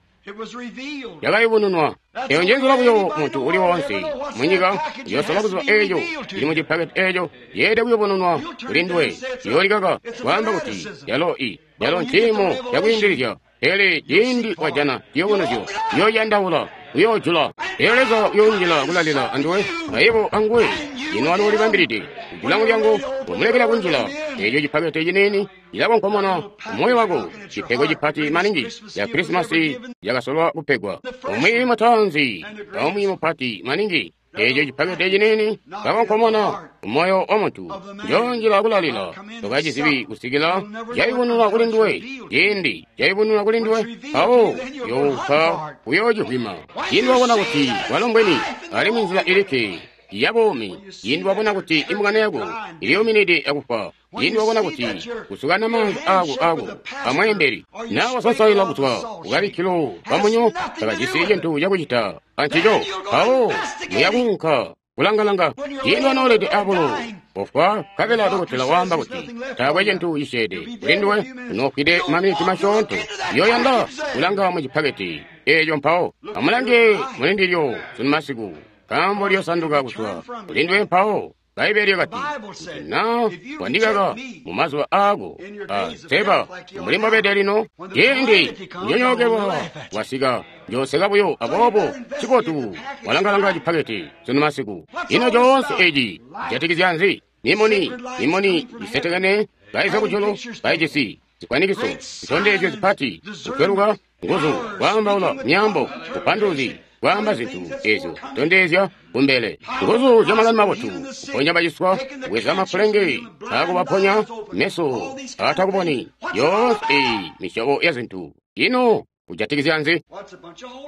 Yakayubununwa. Eyo njenzela buyo muntu uli wonse munyika yosola kuziba eeco ili mucipaketi eeco yeede kuyubununwa kuli nduwe. Yoolikaka kwaamba kuti yalo i yalo nciimo cakwiindilizya, pele ciindi wajana ciyubunuzyo uyoyandaula, uyoojula. Elyo Leza uyoonjila kulalila anduwe ayebo anguwe. Ino wali ulibambilide kujula mulyango wamulekela kunjila. Eeco cipakete ciniini cilakonkomona moyo wako, cipego cipati maningi ya Krisimasi yakasolwa kupegwa. Umwi mutaanzi aumwi mupati maningi. Eeco cipakete ciniini kakonkomona moyo wa muntu. Njoonjila kulalila tokacizibi kusikila cayubununwa kuli nduwe. Ciindi cayubununwa kuli nduwe, mpawo younka kuyoocivwima. Ciindi wabona kuti walo mbweni alimwi nzila ilikke ya buumi, ciindi wabona kuti imbungano yako iliyuminide akufa, ciindi wabona kuti kusukana maanzi ako amweembeli na wasansaila kuzwa kukabikkilo kamunyo takajisi cintu cakucita ancico, mpawo muyakuunka kulangalanga. Ciindi wanoolede abulo kufwa, nkabela dokotela waamba kuti taakwe cintu cisyeede kuli nduwe, unoofwide maminiti masyoonto, uyoyanda kulanga mu cipaketi eeco. Mpawo amulange mulindilyo sunu masiku, nkaambo liyosanduka kuzwa kuli nduwe. Mpawo Bbaibele lyakati, kuti na wandikaka mu mazuba aako a seba mbuli mbobede lino, ciindi kunyonyookelwa wasika, njooseka buyo. Aboobo ncibotu walangalanga cipaketi sunu masiku. Ino coonse eci cijatikizya nzi? Mimuni, mimuni isetekene kaiza kujulu, kaijisi zikwanikiso, zitondezyo zipati, kutweluka, nguzu, kwaambaula myaambo, kupanduluzi, kwaamba zintu ezyo tondezya kumbele, nguzu zya makani mabotu, kuponya baciswa, kubweza mafulenge akubaponya, meso aatakuboni, yoonse eyi misyobo ya zintu. Ino kujatikizya nzi?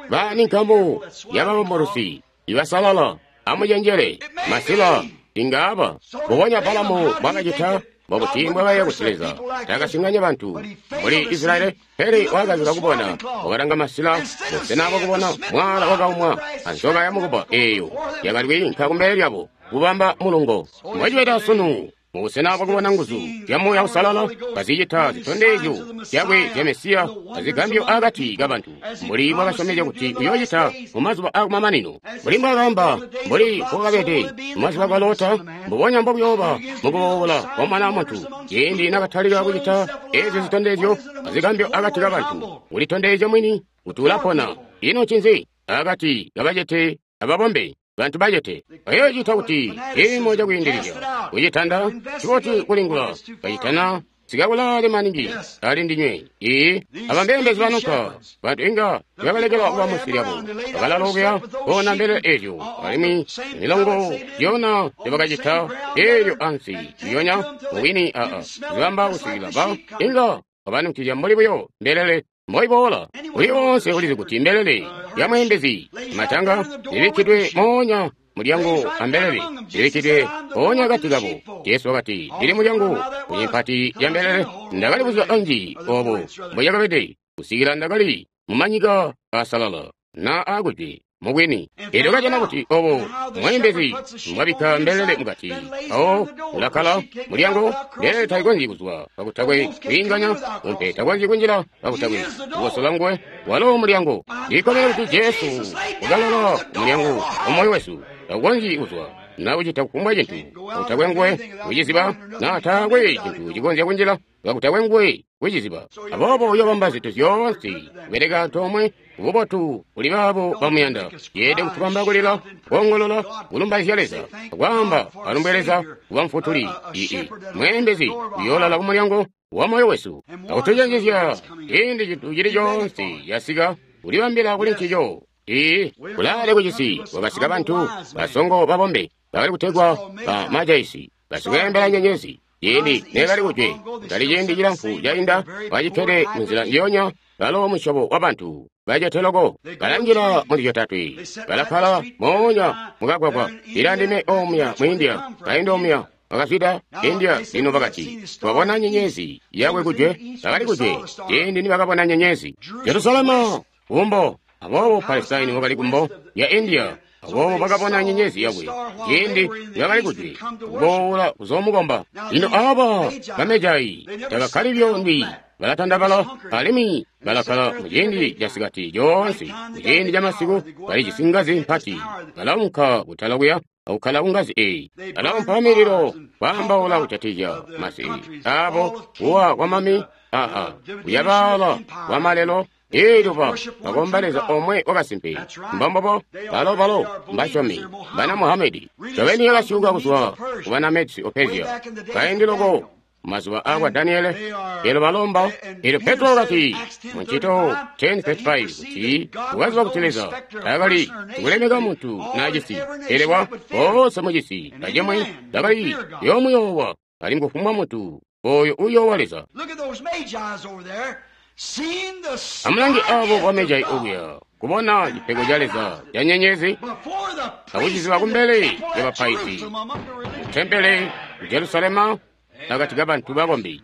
Bani nkamu yababomborusi ibasalala, amucenjele masila ingaaba mbubonya Balamu bwakacita. Mbobuti mbwakaiya kuti Leza takasinganya bantu mbuli Israyeli, pele wakazika kubona, wakalanga masila busena bwakubona mwaala wakaumwa anzoka yamukuba eeyo yakali kwiinka kumbele lyabo kubamba mulungo. Mbwacibeda sunu mubusena bwakubona nguzu zya Muuya Uusalala kazicita zitondezyo zyakwe zya Mesiya azigambyo akati kabantu, mbuli bwakasyomezya kuti uyoocita mumazuba aakumamanino, mbuli mbwakaamba, mbuli mbokabede mumazuba kwa Lota, mbubonya mbokuyooba mukuboola kwa Mwana wa Muntu. Ciindi nakatalika kucita eezyo zitondezyo azigambyo akati kabantu, kulitondezya mwini kuti ulapona. Ino ncinzi? Akati kabacete ababombe, bantu bacete. Bayoocita kuti ciimo cakwiindilizya kucitanda ciboti kulingula kacitana sikakulaale maningi ali ndinywe. Ii aba mbeembezi banuka bantu inga tibakalekela kuba munsi lyabo, bakalala okuya koona mbelele ezyo, alimwi milongo yona tebakacita eelyo ansi yonya mubwini aa zibamba kusikila ba inga babanukizya mbuli buyo mbelele mboiboola. Uli wonse ulizi kuti mbelele ya mweembezi matanga ibikkidwe moonya mulyango ambelele ibikkidwe mpoonya akati kabo. Jesu wakati, ndili mulyango kunyempati ya mbelele. Ndakali buzuba anji obo mboyakabede kusikila ndakali mumanyika asalala na akujwe mubwini. Elyo kajana kuti obo mweembezi mbwabikka mbelele mukati, mpawo ulakkala mulyango, mbelele taikonzyi kuzwa kakutakwe kwiinganya, umpe takonzyi kunjila kakutakwe kukosola nguwe. Walo mulyango. Ndikkomene kuti Jesu wakalala mulyango wamoyo wesu, taukonzyi kuzwa na kucita kufumbwa cintu kakutakwe nguwe kuciziba, na taakwe cintu cikonzya kunjila kakutakwe nguwe kuciziba. Aboobo uyobamba zintu zyoonse kubeleka antoomwe kububotu kuli baabo bamuyanda. Yeede kutubamba kulila, koongolola, kulumbaizya Leza, kwaamba alumbwe Leza kuba mufutuli. Ii mweembezi uyoolala kumulyango wa moyo wesu akutucenjezya ciindi cintu cili coonse yasika kulibambila kuli ncico. Ii, kulaale kucisi kwakasika bantu basongo babombe bakali kutegwa ba majaisi, basikweembela nyenyezi. Ciindi nekali kujwe, kutali ciindi cilamfu cainda, bacikkede munzila njiyonya, balo musyobo wa bantu bacete loko, balanjila mu zyotatwe, balakkala moonya mukagwagwa. Ila ndime omuya mu India, kainda omuya bakazwida India. Lino bakati, twabona nyenyezi yakwe kujwe. Bakali kujwe ciindi nibakabona nyenyezi. Jerusalema kumbo, aboobo Palestine wakali kumbo ya India. Aboobo bakabona nyenyezi yakwe ciindi bakali kujwe, kuboola kuzoomukomba. Lino aba bamejai tabakkali byondwi, balatandabala alimwi balakkala muciindi casikati coonse. Muciindi camasiku balijisi ngazi mpati, balaunka kutala kuya akukkala kungazi eyi, balaumpa mililo, kwaambaula kujatikizya masi abo, kuwa kwamami aa kuyabaala kwamalelo. Eelyo bakomba Leza omwe wakasimpe. Mbombobo balo mbasyomi bana Muhamedi. Ncobeni yakasyuka kuzwa ku bana Medsi o Persia kaindi loko mazuba akwa Daniele. Eelyo balomba, eelyo Petro wakati mu Ncito 10:35 kuti ukaziba kuti Leza taakali kulemeka muntu naacisi, pele wa boonse mucisi acimwi bakali yoomuyoowa, alimwi kufumbwa muntu oyo uyoowa Leza. Amulange abo bamejai okuya, kubona cipego ca Leza ca nyenyezi akuciziba kumbele lyabapaizi mutempele ku Jerusalema akati kabantu bakombi.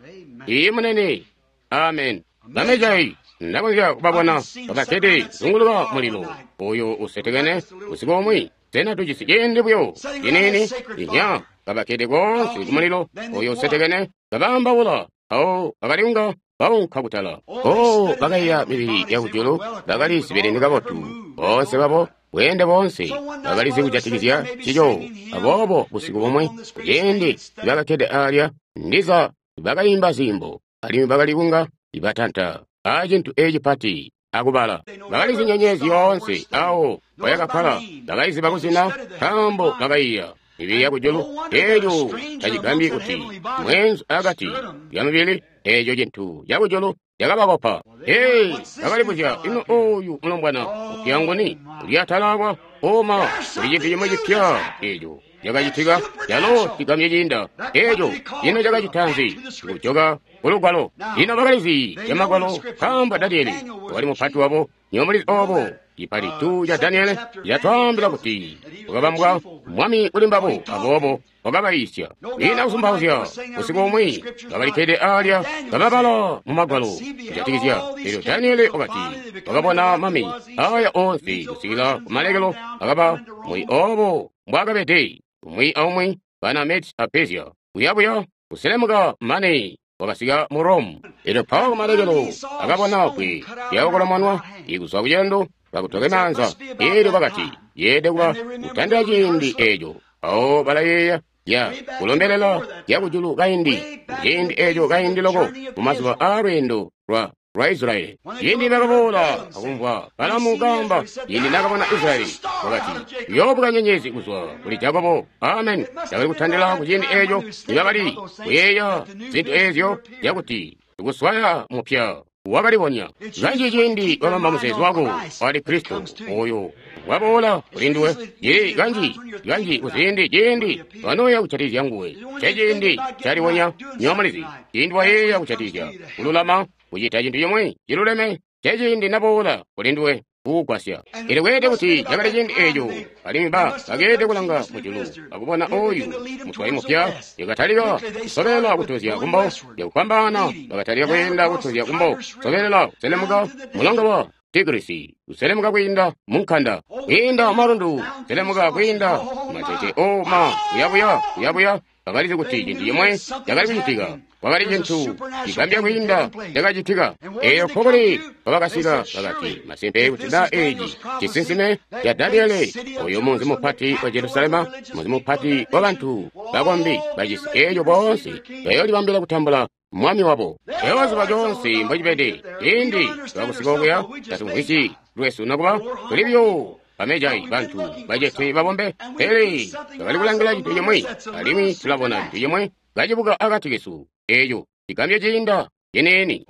Iiyi munene, amen. Bamejai ndakonzya kubabona kabakkede zunguluka mulilo oyo usetekene usiku umwi. Sena tujisi ciindi buyo ciniini? Inya, kabakkede koonse kumulilo oyo usetekene kabaambaula, awo bakaliunga baunka kutala. Oh, bakaiya mibili yakujulu, bakali zibeleni kabotu boonse babo, bweende boonse bakalizi kujatikizya cico. Aboobo busiku bumwe ciindi bakakkede alya, ndiza bakayimba ziimbo, alimwi bakali kunga batanta aacintu eci pati akubala. Bakalizi nyenyezi yoonse awo bayakakkala, bakaiziba kuzina, nkaambo bakaiya mibili yakujulu. Eeco tacigambyi kuti mweenzu akati lya mibili, eeco cintu cakujulu cakabakopa. Ee, bakalibuzya, ino oyu mulombwana upya nguni uli atala oma? Kuli cintu cimwe cipya eeco cakacitika, calo cigambye ciinda. Eeco ino cakacita nzi? Kujoka kulugwalo. Lino bakalizi camagwalo, nkaambo Daniele wakali mupati wabo. Nywebo mulizi obo cipati tu ca Daniele catwaambila kuti wakabambwa mwami kuli mbabo, aboobo wakabayiisya. Ina kuzumbauzya, usiku umwi bakalikkede alya kababala mu magwalo kujatikizya. Elyo Daniele wakati wakabona mami aya oonse kusikila kumalekelo, akaba muli obo mbwaakabede, umwi aumwi bana Meds a Persia, kuyabuya kuselemuka mane wakasika mu Rome. Elyo Paulo kumalekelo akabona kwe lyakokolomonwa ikuzwa kucendo bakutoke maanza. Elyo bakati yeede kuba kutandila ciindi eeco. Awo balayeeya ya kulombelela yakujulu kaindi, ciindi eeco kaindi loko mumazuba aalweendo lwa Israyeli. Ciindi bakaboola akumvwa Balamu kaamba, ciindi nakabona Israyeli, wakati uyoobuka nyenyezi kuzwa kuli Jakobo. Amen. Cakali kutandila ku ciindi eeco nibakali kuyeeya zintu eezyo zyakuti kuswaya mupya wakalibonya. Kanji ciindi wabamba muzeezo wako wali Kristo oyo waboola kuli nduwe, ye kanji kanji kuziindi ciindi wanoya kucatizya nguwe, ceciindi calibonya. Nywebo mulizi, ciindi wayeeya kucatizya kululama, kucita cintu cimwe ciluleme, ceciindi naboola kuli nduwe kukugwasya. Elyo kweelede kuti cakali ciindi eeco, alimwi bakeelede kulanga mujulu akubona oyu mutwayi mupya. Yakatalika kusobelela kutozya kumbo, yakufwambaana bakatalika kweenda kutozya kumbo, sobelela kuselemuka mulonga wa Tigrisi, kuselemuka kwiinda munkanda, kwiinda malundu, kuselemuka kwiinda matete oma, kuyabuya kuyabuya. Bakalizi kuti cintu cimwe cakali kucitika, kwakali cintu cigambya kwiinda cakacitika. Eyo nkokuli kwabakasika, bakati masimpe kuti na eeci cisinsime ca Daniele, oyo munzi mupati wa Jerusalema, munzi mupati wa bantu bakombi bacisi eeco boonse bayoolibambila kutambula mwami wabo. Eyo coonse mbocibede ciindi twakusika okuya, tatumvwisyi lwesu nokuba tuli buyo bamejai bantu bacete babombe, pele bakali kulangila cintu cimwe, alimwi tulabona cintu cimwe kacibuka akati kesu, eeco cigambyo ciinda ciniini.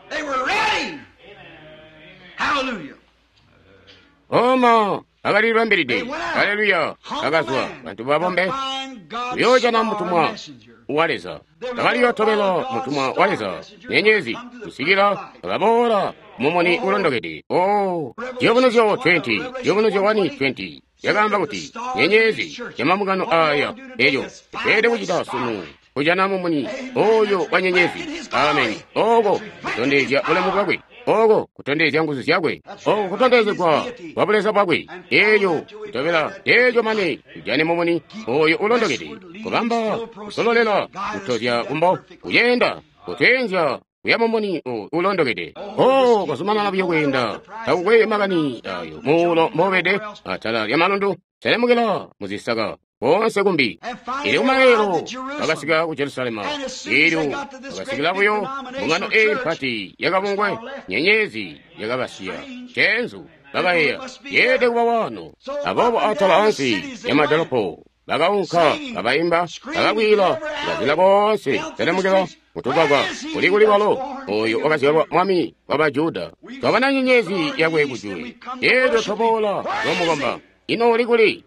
They were ready. Hallelujah. Oma bakali libambilide. Aleluya! Bakazwa bantu babombe kuyoojana mutumwa wa Leza. Bakali yootobela mutumwa wa Leza nyenyezi kusikila bakaboola mumuni ulondokede. Oh, Ciyubunuzyo 20, Ciyubunuzyo 1:20 yakaamba kuti nyenyezi yamambungano aya eyo tweelede kucita sunu kujana mumuni oyo wa nyenyezi. Amen. Oko kutondezya bulemu bwakwe, oko kutondezya nguzu zyakwe, oko kutondezegwa kwa buleza bwakwe. Eyo kutobela eyo mane tujane mumuni oyo ulondokede, kubamba kusololela kutozya kumbo kuyenda kutwenzya kuya mumuni ulondokede. Oh, kuzumanana buyo kweenda takukwe makani ayo muulo mobede atala lya malundu selemukila muzisaka konse kumbi. Ili kumalelo bakasika ku Jerusalema, elyo bakasikila buyo mbungano eyi mpati yakabungwe, nyenyezi yakabasiya cenzu bakayeeya yeede kuba wano. Aboobo atala ansi ya madolopo bakaunka kabaimba bakakwila kazila konse selemukila kutugwagwa kuli kuli walo oyo wakazyalwa mwami wa Bajuda. Twabona nyenyezi yakwe kujulu, elyo twaboola lwamukomba. Ino uli kuli?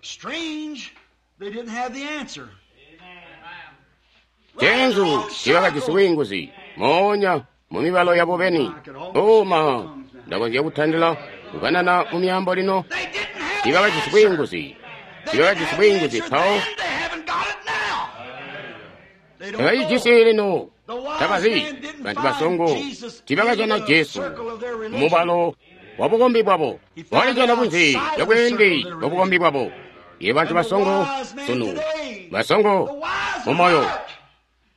Cenzu tiibakajisi bwiinguzi moonya mu mibalo yabo beni. Uma ndakonzya kutandila kukanana mu myaambo lino. Tiibakajisi bwiinguzi, tiibakajisi bwiinguzi mpawo tabacijisi lino. Tabazi bantu basongo tiibakajana Jesu mubalo wa bukombi bwabo, wakalijana kunze lya bweende bwa bukombi bwabo. Ye bantu basongo sunu, basongo mumoyo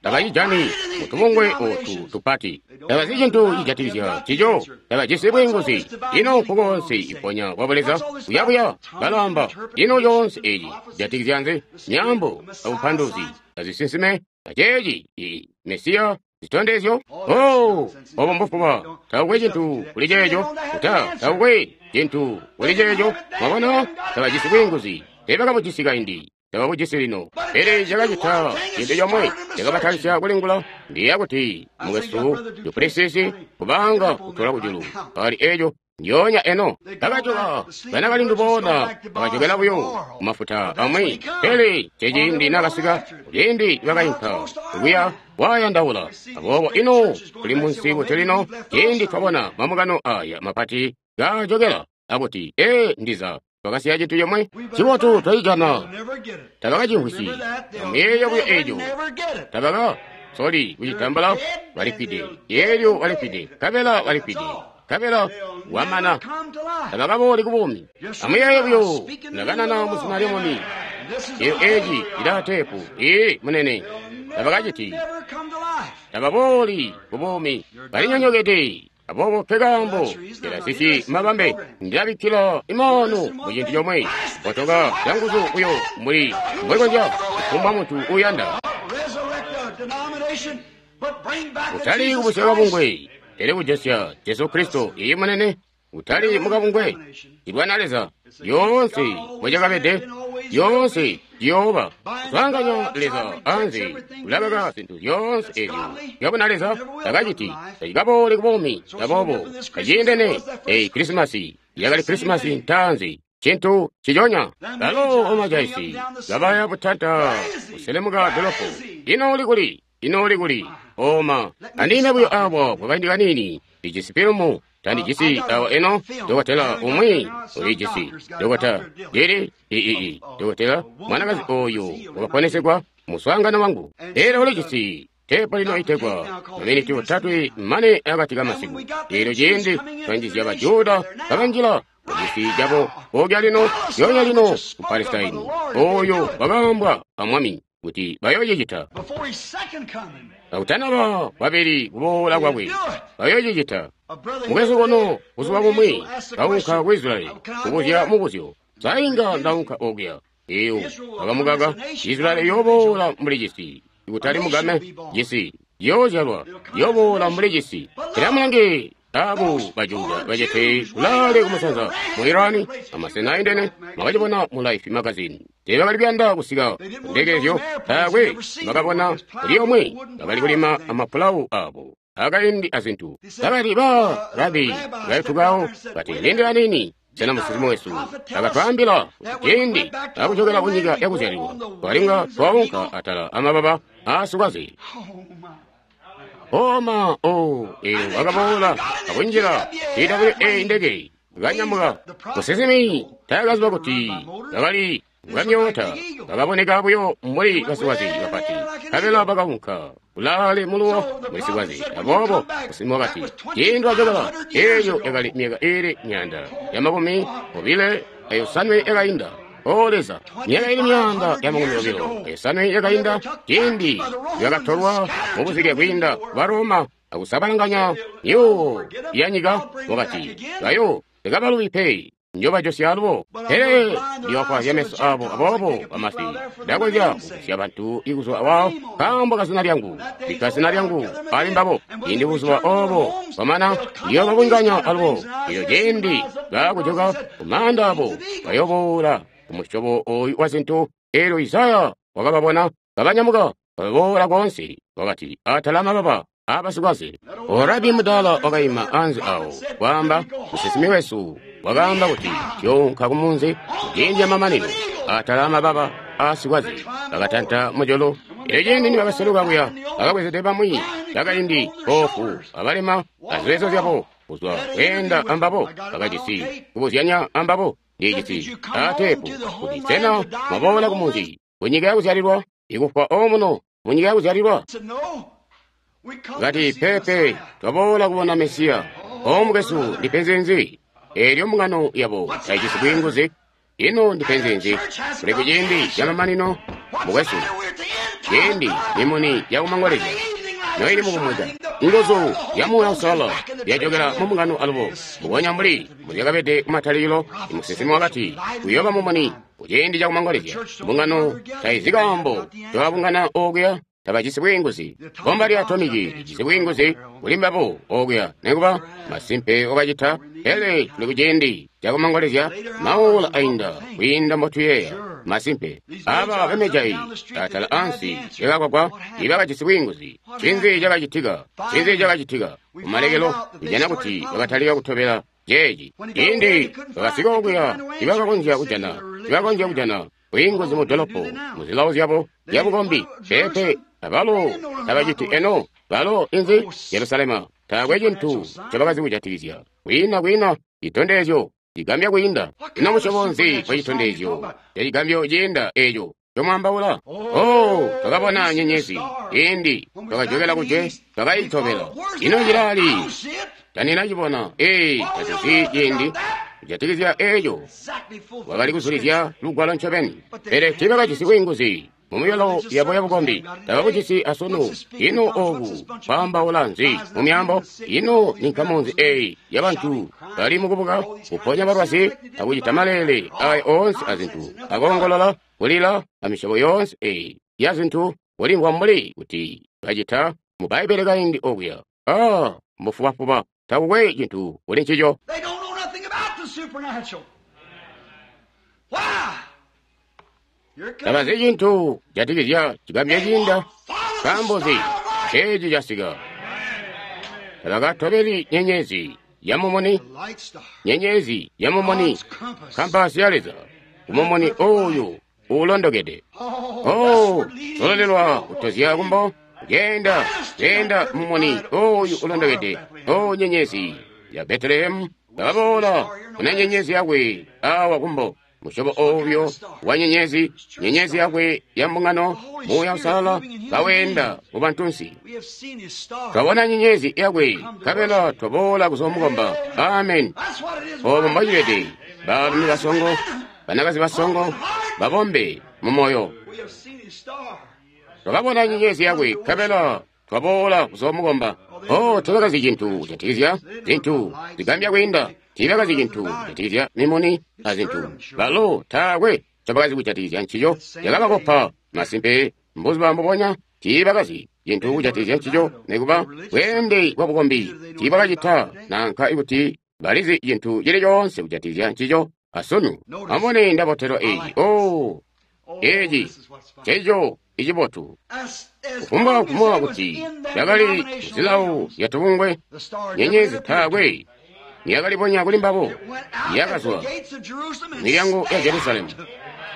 tabacijani mutubungwe otu tupati, tabazi cintu cijatikizya cico, tabajisi bwiinguzi. Ino nkukoonse iponya kwa buleza kuyabuya balaamba ino yoonse eyi cijatikizya nzi? Myaambo abupanduluzi azisinsime aceeci i Mesiya zitondezyo. Oh, obo mbufuba. Takukwe cintu kuli ceeco. Kuta takukwe cintu kuli ceeco. Mwabona, tabajisi bwiinguzi. Teebakabujisi kaindi, tababujisi lino. Pele cakacita cintu comwe cakabatalisya kulingula ndiya kuti mukwesu Duplessis kubanga kutola kujulu ali eco ndyoonya eno. Bakajoka banakalindu boona bakajokela buyo kumafuta amwi. Pele ceciindi nakasika kuciindi bakainka kuya wayandaula. Aboobo ino tuli munsi kuti lino ciindi twabona mambungano aya mapati gajokela akuti ee ndiza twakasiya cintu comwe cibotu twacijana. Tabakacimvwisyi amuyeeya buyo eco, tabaka soli kucitambala. Balifwide elyo balifwide kabela balifwide kabela wamana, tabakabooli kubuumi. Amuyeeye buyo ndakanana muzina lya Mwami. Eyo eci ilaa teepu ee munene. Tabakaciti, tababooli kubuumi, balinyonyokede. Aboobo nkekaambo ndilasisi mabambe, ndilabikkila imaanu mu cintu comwe, kotoka canguzu buyo mbuli mbwekonzya kufumbwa muntu uuyanda. Kutali kubusya kabungwe, pele kujosya Jesu Kristo iyi munene, kutali mukabungwe. Ilwana Leza yoonse mbwecakabede, yoonse ciyooba kuswaanganya Leza anze kulabaka zintu zyoonse ezyo zyabona Leza takaciti tacikaboole kubuumi. Aboobo taciindene eyi Krisimasi yakali Krisimasi ntaanzi, cintu ciconya. Balo omajaisi kabaya butanta kuselemuka dolopo. Ino uli kuli? Ino uli kuli? Oma andime buyo awa kwakaindi kaniini. Ndijisi filumu. Tandijisi awa eno. Dokotela umwi ulijisi. Dokota lili ii dokotela mwanakazi oyu wakaponesegwa muswaangano wangu. Elyo ulijisi teepu lino itegwa maminiti 3 mane akati kamasiku. Elyo ciindi twanjizya Bajuda bakanjila mucisi cabo kokya lino yonya lino ku Palestine oyo wakaambwa a Mwami kuti bayoocicita kakutanaba kwabili kuboola kwakwe, bayoocicita. Mukwesu kono buzuba bumwi kaunka ku Israeli kubuzya mubuzyo, sainga ndaunka okuya. Eyo bakamukaka. Israeli yooboola mbuli cisi, kutali mugame cisi yoozyalwa yooboola mbuli cisi. Pele amulange abo Bajuda bacete kulaale kumusanza mu Irani amasena aindene, mwakacibona mu Life magazine. Teebakali kuyanda kusika kundekezyo, taakwe bakabona kuli omwe. Bakali kulima amapulawu abo akaindi azintu. Bakati ba rabi baitukawo bati lindila nini. Sena musinsimi wesu akatwaambila kuti ciindi akujokela kunyika yakuzyalilwa twalinga twaunka atala amababa aasikwaze? Oma o eelyo wakaboola akunjila TWA ndeke kanyamuka. Musinsimi taakaziba kuti bakali bamyoota bakaboneka buyo mbuli basikwaze bapati, nkabela bakaunka kulaale muluwo muli sikwaze. Aboobo musinsimi wakati, ciindi wajokela, eeyo yakali myaka iili 225 yakainda. O Leza, myaka iili 225 yakainda, ciindi yakatolwa mubuzike kwiinda ba Roma akusabalanganya myuuwo ya nyika, wakati, bayo tekabalubi pe, njobajosya alubo. Pele ndiyofwazya meso abo, aboobo bamasi ndakonzya kugusya bantu ikuzwa wawo nkaambo kazina lyangu, bikka zina lyangu ali mbabo. Ciindi buzuba obo bwamana, ndiyobabunganya alubo. Eelyo ciindi baakujoka kumaanda abo, bayoboola kumusyobo oyu wa zintu. Eelyo Isaya wakababona kabanyamuka baboola koonse, wakati, atala amababa aabasikwaze. Orabi mudaala wakaima anze awo, kwaamba, musinsimi wesu wakaamba kuti tuyounka kumunzi ciindi camamanino atala amababa aasikwaze. Bakatanta mujulu. Eelyo ciindi nibakaseluka kuya, bakabwezede bamwi bakaindi boofu abalema aziwezo zyabo kuzwa kweenda ambabo, bakajisi kubuzyanya ambabo. Ndijisi aateepu kuti sena mwaboola kumunzi kunyika yakuzyalilwa, ikufwa omuno munyika yakuzyalilwa? Kati, pepe, twaboola kubona Mesiya. O mukwesu, ndipenzi nzi? Eelyo mbungano yabo taijisi bwiinguzi. Ino ndipenzi nzi? Kuli kuciindi camamanino, mukwesu, ciindi mimuni yakumangolezya noili mukumweka, nguzu ya Muuya Uusalala yajokela mu mbungano alubo, mbubonya mbuli mbuzyakabede kumatalikilo. Musinsimi wakati kuyooba mumuni kuciindi cakumangolezya. Mbungano taizi kaambo twabungana okuya, tabajisi bwiinguzi. Bomba lya atomiki lijisi bwiinguzi kuli mbabo okuya, nekuba masimpe wakacita. Pele tuli kuciindi cakumangolezya, maula ainda kwiinda mbotuyeeya. Masimpe aba bamejayi atala ansi yakakwakwa ibakajisi bwiinguzi. Ncinzi cakacitika? Ncinzi cakacitika? Kumalekelo kujana kuti bakatalika kutobela ceeci. Ciindi bakasika okuya, ibakakonzya kujana bwiinguzi mu dolopo muzilawo zyabo zyabukombi. Pepe, abalo tabaciti eno. Balo inzi Jerusalema taakwe cintu ncobakazi kujatikizya. Kwiina citondezyo cigambya kwiinda. Ino musyobo nzi wa citondezyo cacigambyo ciinda eeco comwaambaula? Oh, twakabona nyenyezi ciindi twakajokela kujwe, twakaitobela. Ino cilali? Taninacibona. Ee, tatuzi ciindi kujatikizya eeco. Wakali kuzulizya lugwalo ncobeni, pele tiibakajisi bwiinguzi mumuyolo yabo yabukombi. Tabakujisi asunu. Ino oku kwaambaula nzi mu myaambo? Ino ni nkamu nzi eyi yabantu bali mukubuka, kuponya balwazi akucita maleele aya oonse azintu, akoongolola, kulila, amisyobo yoonse eyi ya zintu, kulimvwa mbuli kuti bacita mu Bbaibbele kaindi okuya? Ah, mbufubafuba, takukwe cintu kuli ncico. Tabazi cintu jatikizya cigambyo ciinda. Nkaambo nzi? Ceeci casika. Tabakatobeli nyenyezi ya mumuni, nyenyezi ya mumuni, kampasi ya Leza, kumumuni oyu uulondokede. Oh, sololelwa kutozya kumbo, kugenda genda mumuni oyu ulondokede. Oh, nyenyezi ya Betelehemu, bakaboola kuna nyenyezi yakwe awa kumbo. Musyobo oyo wa nyenyezi, nyenyezi yakwe ya mbungano, Muuya Uusalala kawenda mu bantunsi. Twabona nyenyezi yakwe, nkabela twaboola kuzomukomba. Amen. Obo mbocibede. Baalumi basongo, banakazi basongo, babombe mu moyo. Twakabona nyenyezi yakwe, nkabela twaboola kuzomukomba. Oh, tebakazi cintu kujatikizya zintu zigambya kwiinda. Tiibakazi cintu kujatikizya mimuni azintu. Balo taakwe ncobakazi kujatikizya ncico. Cakabakopa masimpe mbuzuba mbubonya. Tiibakazi cintu kujatikizya ncico, nikuba bweende bwa bukombi. Tiibakacita nanka ikuti balizi cintu cili coonse kujatikizya ncico asunu. Amubone ndabotelwa eeci. Oh, eeci nceco icibotu. Kufumbwa kumuwa kuti cakali muzilawo zyatubungwe, nyenyezi taakwe niyakalibonya kuli mbabo, It went out at yakazwa the gates of Jerusalem and milyango ya stayed Jerusalemu out.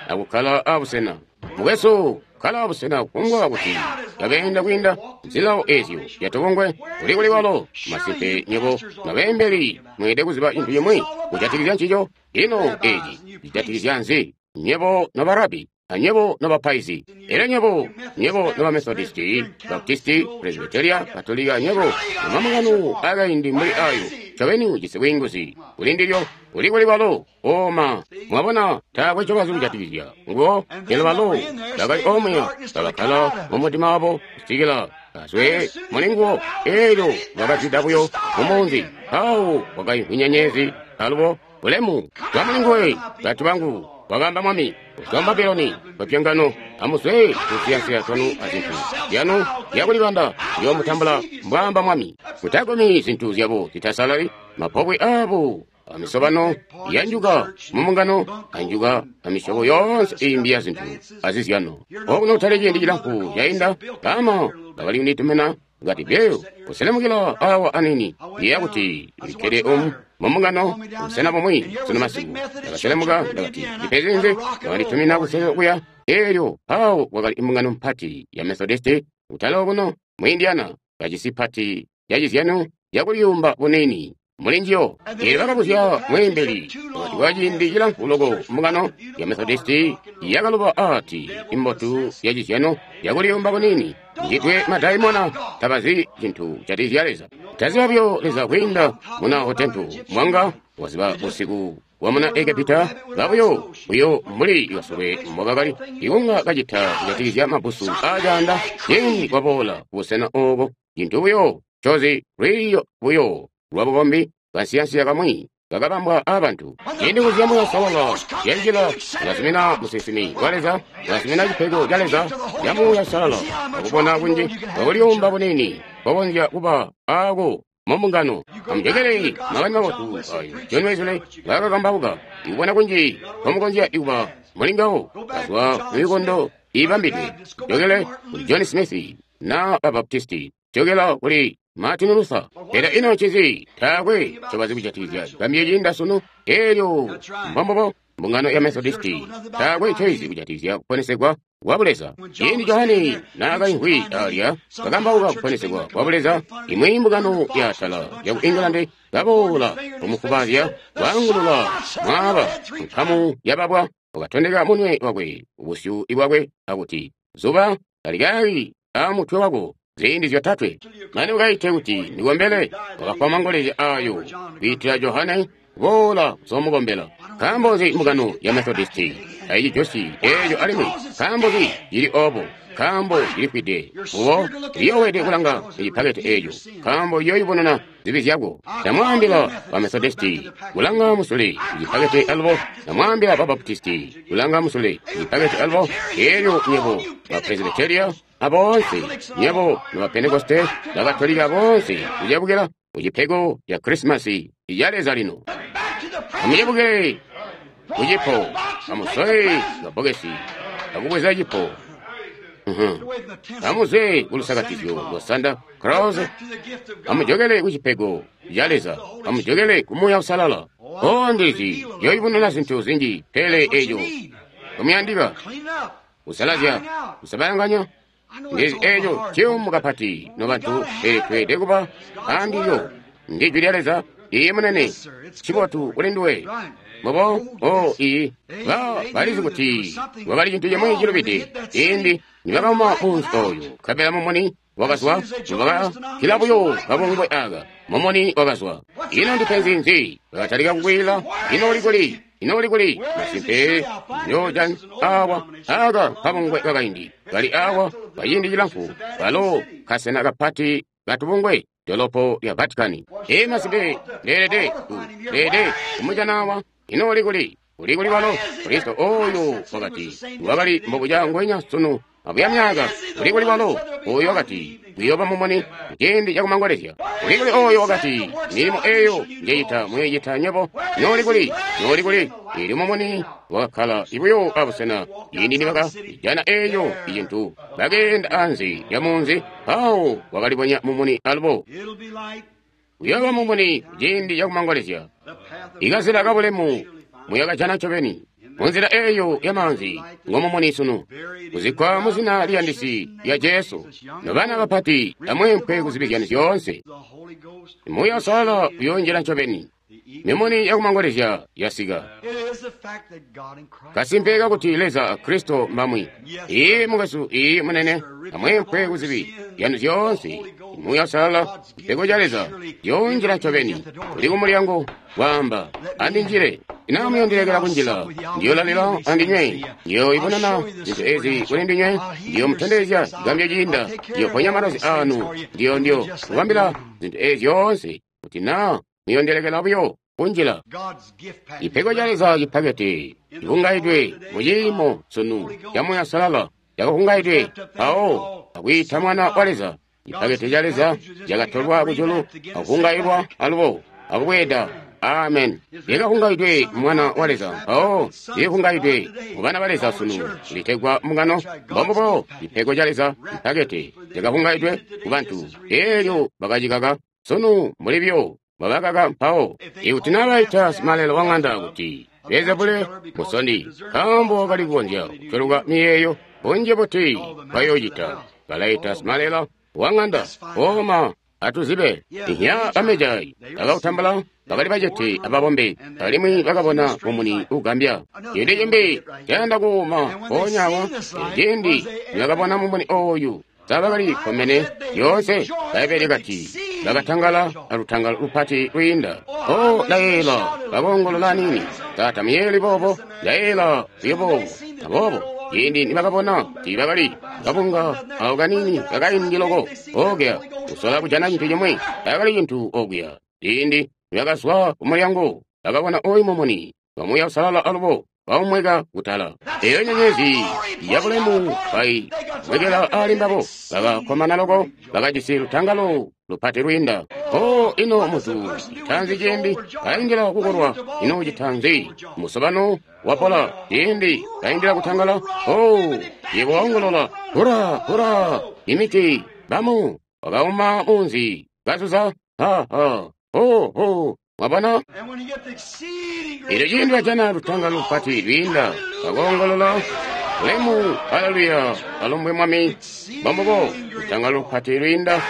akukkala abusena. Mukwesu, kkala abusena kungwa kuti yakeenda kwiinda zilawo ezyo yatubungwe kuli kuli kwalo. Masimpe nyebo nabeembeli mweelede kuziba cintu cimwi kujatikizya ncico. Ino eci cijatikizya nzi? Nyebo nobarabi, anyebo nobapaizi, elyo nyebo, nyebo nobamethodisti, baptisti, presbyteria, katolika, nyebo nomamungano akaindi mbuli ayo, ncobeni ujisi bwiinguzi kuli ndilyo, kuli kuli kwalo. Oma, mwabona, taakwe ncobazi kujatikizya nguwo. Elyo balo bakali omuya bakakkala mumutima wabo kusikila bazwe muli nguwo. Elyo bakazwida buyo mumunzi, awo kwakaimvwi nyenyezi alubo bulemu bwa mulinguwe. Bantu bangu, wakaamba Mwami, kuzwa mu Babuloni bapyangano, amuzwe tunsiyansiya twanu azintu zyanu zyakulibanda, ndiyoomutambula, mbwaamba Mwami. Mutagumi zintu zyabo zitasalali, mapobwe aabo amisobano yanjuka mumungano, anjuka amisyobo yoonse iimbi ya zintu azizyano. Okuno kutali ciindi cilamfu cainda, baama bakali kunditumina ngati byeyo kuselemukila awa anini iya kuti ndikkede omu mumungano busena bumwi sunu masiku. Ndakaselemuka, ndakati ndipezinze, bakanditumina kuselelo kuya. Elyo awo kwakali imbungano mpati ya Methodisti kutala okuno mu Indiana, kajisi pati ya cizyano yakuliyumba bunini muli njiyo. Elyo bakabuzya mweembeli, wakati kwa ciindi cilamfu loko mbungano ya Methodisti yakaluba ati imbotu ya cizyano yakuliyumba bunini njitwe madaimona tabazi cintu kujatikizya Leza. Taziba buyo Leza kwiinda muna hotentu mwanga waziba busiku bwa muna Egepita babuyo buyo mbuli basokwe mbobakali ikunga kacita kujatikizya mabusu acaanda ciindi kwaboola kubusena ooko. Cintu buyo cozi lwiiyo buyo lwabukombi kansiyansiya kamwi kakabambwa abantu. Ciindi kuzya Muuya Uusalala yanjila, ulazumina musinsimi wa Leza, ulazumina cipego ca Leza ca Muuya Uusalala, akubona kunji kwakuliyumba bunini kokonzya kuba aako mumbungano. Amujokele makani mabotu ayo John Wesley ngaakakambauka, ikubona kunji komukonzya kuba mulingawo kazwa mumikondo iibambidwe. Jokele kuli John Smith na Babaptisti, jokela kuli Martin Luther. Pele ino ncinzi? Taakwe ncobazi kujatikizya gambyo ciinda sunu. Elyo mbombubo mbungano ya Methodisti taakwe ncoizi kujatikizya kuponesegwa kwa Buleza. Ciindi Johane naakaimvwi alya kakambauka kuponesegwa kwa Buleza, imwi mbungano yaatala yaku England kaboola kumufubazya kwaangulula mwaaba nkamu yababwa, wakatondeka munwe wakwe ubusyu bwakwe akuti, zuba talikali amutwe wako ziindi zyotatwe mane ukaite kuti ndikombele. Wakafwa mangolezya ayo kwiitila Johane boola kuzomukombela. Nkaambo nzi mbungano ya Methodisti tayicijosyi eeco alimwi? Nkaambo nzi cili oobo? Nkaambo cilifwide ubo liyoowede kulanga icipakete eeco, nkaambo iyooyubununa zibi zyako. Ndamwaambila ba Methodisti kulanga musule icipakete alubo, ndamwaambila ba Baptisti kulanga musule icipakete alubo, elyo nyebo ba Presbyteria aboonse, nyebo noba Pentekoste, Bakatolika boonse kucebukila kucipego ca Krisimasi ica Leza lino. Back to the present. Amucebukile kucipo, amusole kabbokesi akubweza cipo. Away from the tinsel Amuzwe of kulusakatizyo Santa lwa Claus. Santa Claus, Back to the gift of God. amujokele kucipego ca Leza, amujokele ku Muuya Uusalala. O ndizi yoyubununa zintu zinji, pele That's what you eco need. kumuyandika Clean up. kusalazya kusabalanganya. I know Ndizi it's all eco hard. ciyumu kapati nobantu, pele tweelede kuba andilyo. Ndi jwi lya Leza, iye munene, cibotu kuli nduwe. Mbobo, o iyi, ba balizi kuti kwakali cintu cimwi cilubide ciindi nibakauma munzi oyo, nkabela mumuni wakazwa, nibakakila buyo kabungwe aka, mumuni wakazwa. Ino ndipenzi nzi? Bakatalika kukwila, ino uli kuli? Ino uli kuli? Masimpe, njoja awa aka kabungwe kakaindi kali awa kaciindi cilamfu, kalo kasena kapati katubungwe dolopo lya Vatican. Ee masimpe, ndeelede ndeelede kumujana Ino uli kuli? Uli kuli kwalo? Kristo oyo wakati wakali mbobuca ngwenya sunu abuya myaka. Uli kuli kwalo? Oyo wakati kuyoba mumuni ciindi cakumangolezya. Uli kuli oyo wakati milimo eyo njeyita muyicita nyebo. Ino uli kuli? Ino uli kuli? Ili mumuni wakakkala ibuyo abusena ciindi nibaka jana eyo icintu bakeenda anze ya munzi, awo wakalibonya mumuni alubo. It'll be light. Uyooba mumuni ciindi cakumangolezya. Ikazila kabulemu muyakajana ncobeni. Munzila eyo yamaanzi ngomumuni sunu. Kuzikkwa muzina liyandisi lya Jesu. Nobana bapati amweempwe kuzibi zyanu zyoonse. Muuya Uusalala uyoonjila ncobeni. Mimuni yakumangolezya yasika. Kasimpe kakuti Leza a Kristo mbamwi. Iye mukwesu, iye munene, amweempwe kuzibi zyanu zyoonse. Muuya Uusalala, cipego ca Leza, yoonjila ncobeni. Uli kumulyango waamba, andinjile. Ina muyondilekela kunjila, ndiyolalila andinywe, ndiyoibonana zintu ezi kuli ndinywe, ndiyomutondezya cigambyo ciinda, ndiyoponya malwazi anu, ndiyo kubambila zintu ezi zyoonse, kuti na muyondilekela buyo kunjila. Cipego ca Leza cipakete cihungaidwe muciimo sunu ca Muuya Uusalala cakahungaidwe mpawo akwiita Mwana wa Leza. Cipakete ca Leza cakatolwa kujulu akuhungailwa alubo akubweeda. Amen. Lyakahungaidwe Mwana wa Leza mpawo lihungaidwe mu bana ba Leza sunu litegwa mbungano. Mbombubo cipego ca Leza cipakete cakahungaidwe ku bantu eelyo bakacikaka sunu muli byo babakaka mpawo. Ikuti nabaita simalelo wa ŋanda kuti Beelzebule musondi, nkaambo wakali kukonzya kutweluka miyeeyo bunji buti bayoocita. Balaita simalelo wa ŋanda ooma atuzibe. Ihya bamejayi bakautambula bakali bacete ababombe alimwi bakabona mumuni ugambya. Ciindi cimbi cayanda kuuma mpoonya awo ciindi nibakabona mumuni ooyu sabakali komene yoonse. Bbaibbele kati bakatangala alutangalo lupati lwiinda. O layeela bakoongolola nini taata muyeli boobo layeela buyo boobo. Aboobo ciindi nibakabona kuti bakali kabunga awo kanini kakaindi loko okuya kusola kujana cintu cimwi takali cintu okuya. Ciindi nibakazwa kumulyango bakabona oyu mumuni wa Muuya Uusalala alubo baumweka kutala. Eyo nyenyezi yabulemu bai mwekela ali mbabo bakakkomana loko bakajisi lutangalo lupati lwiinda. O ino muntu citanzi ciindi kaindila kukolwa, ino citanzi musobano wapola ciindi kaindila kutangala. O yebo waongolola hura hura imiti bamu wakauma munzi kazuza ha ha ho ho. Mwabona? Elyo ciindi bajana lutangalo lupati lwiinda bakoongolola bulemu, haleluya, alumbwe Mwami. Mbombubo lutangalo lupati lwiinda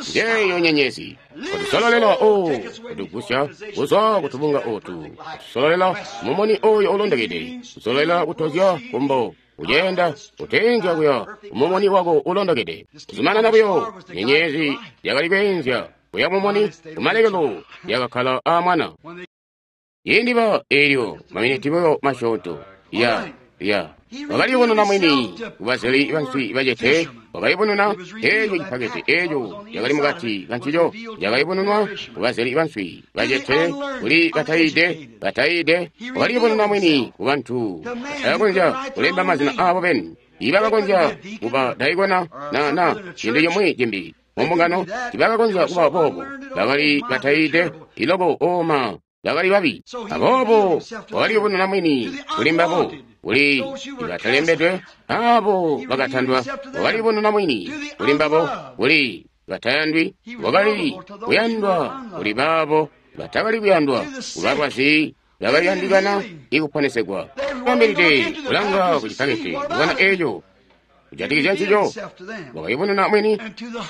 njeyo nyenyezi kutusololela o kutugusya kuzwa kutubunga otu, kutusololela mumuni oyo ulondokede, kusololela kutozya kumbo, kujeenda kuteenzya kuya mumuni wako ulondokede. Kuzumanana buyo nyenyezi yakali kweenzya kuya mumuni kumalekelo yakakkala a mwana. Ciindi ba eelyo maminiti buyo masyoonto ya wakalibonena mwini kubazeli banswi bacete, wakalibonena eeco cipakete eeco yakali mukati kancico, yakalibonenwa kubazeli banswi bacete kuli batayiide, wakalibonena mwini kubantu batakonzya kulemba mazina aabo beni, ibakakonzya kuba daikona na cintu cimwi cimbi mumbungano tibakakonzya kuba boobo, bakali batayiide iloko ooma bakali babi. Aboobo wakalibonena mwini kuli mbabo, kuli batalembedwe abo bakatandwa, wakalibonena mwini kuli mbabo, kuli batayandwi, wakali kuyandwa kuli baabo batakali kuyandwa, kubalwazi bakaliyandikana ikuponesegwa. Bambilide kulanga kucipakete kubona eeco kujatikizya ncico, wakalibonena mwini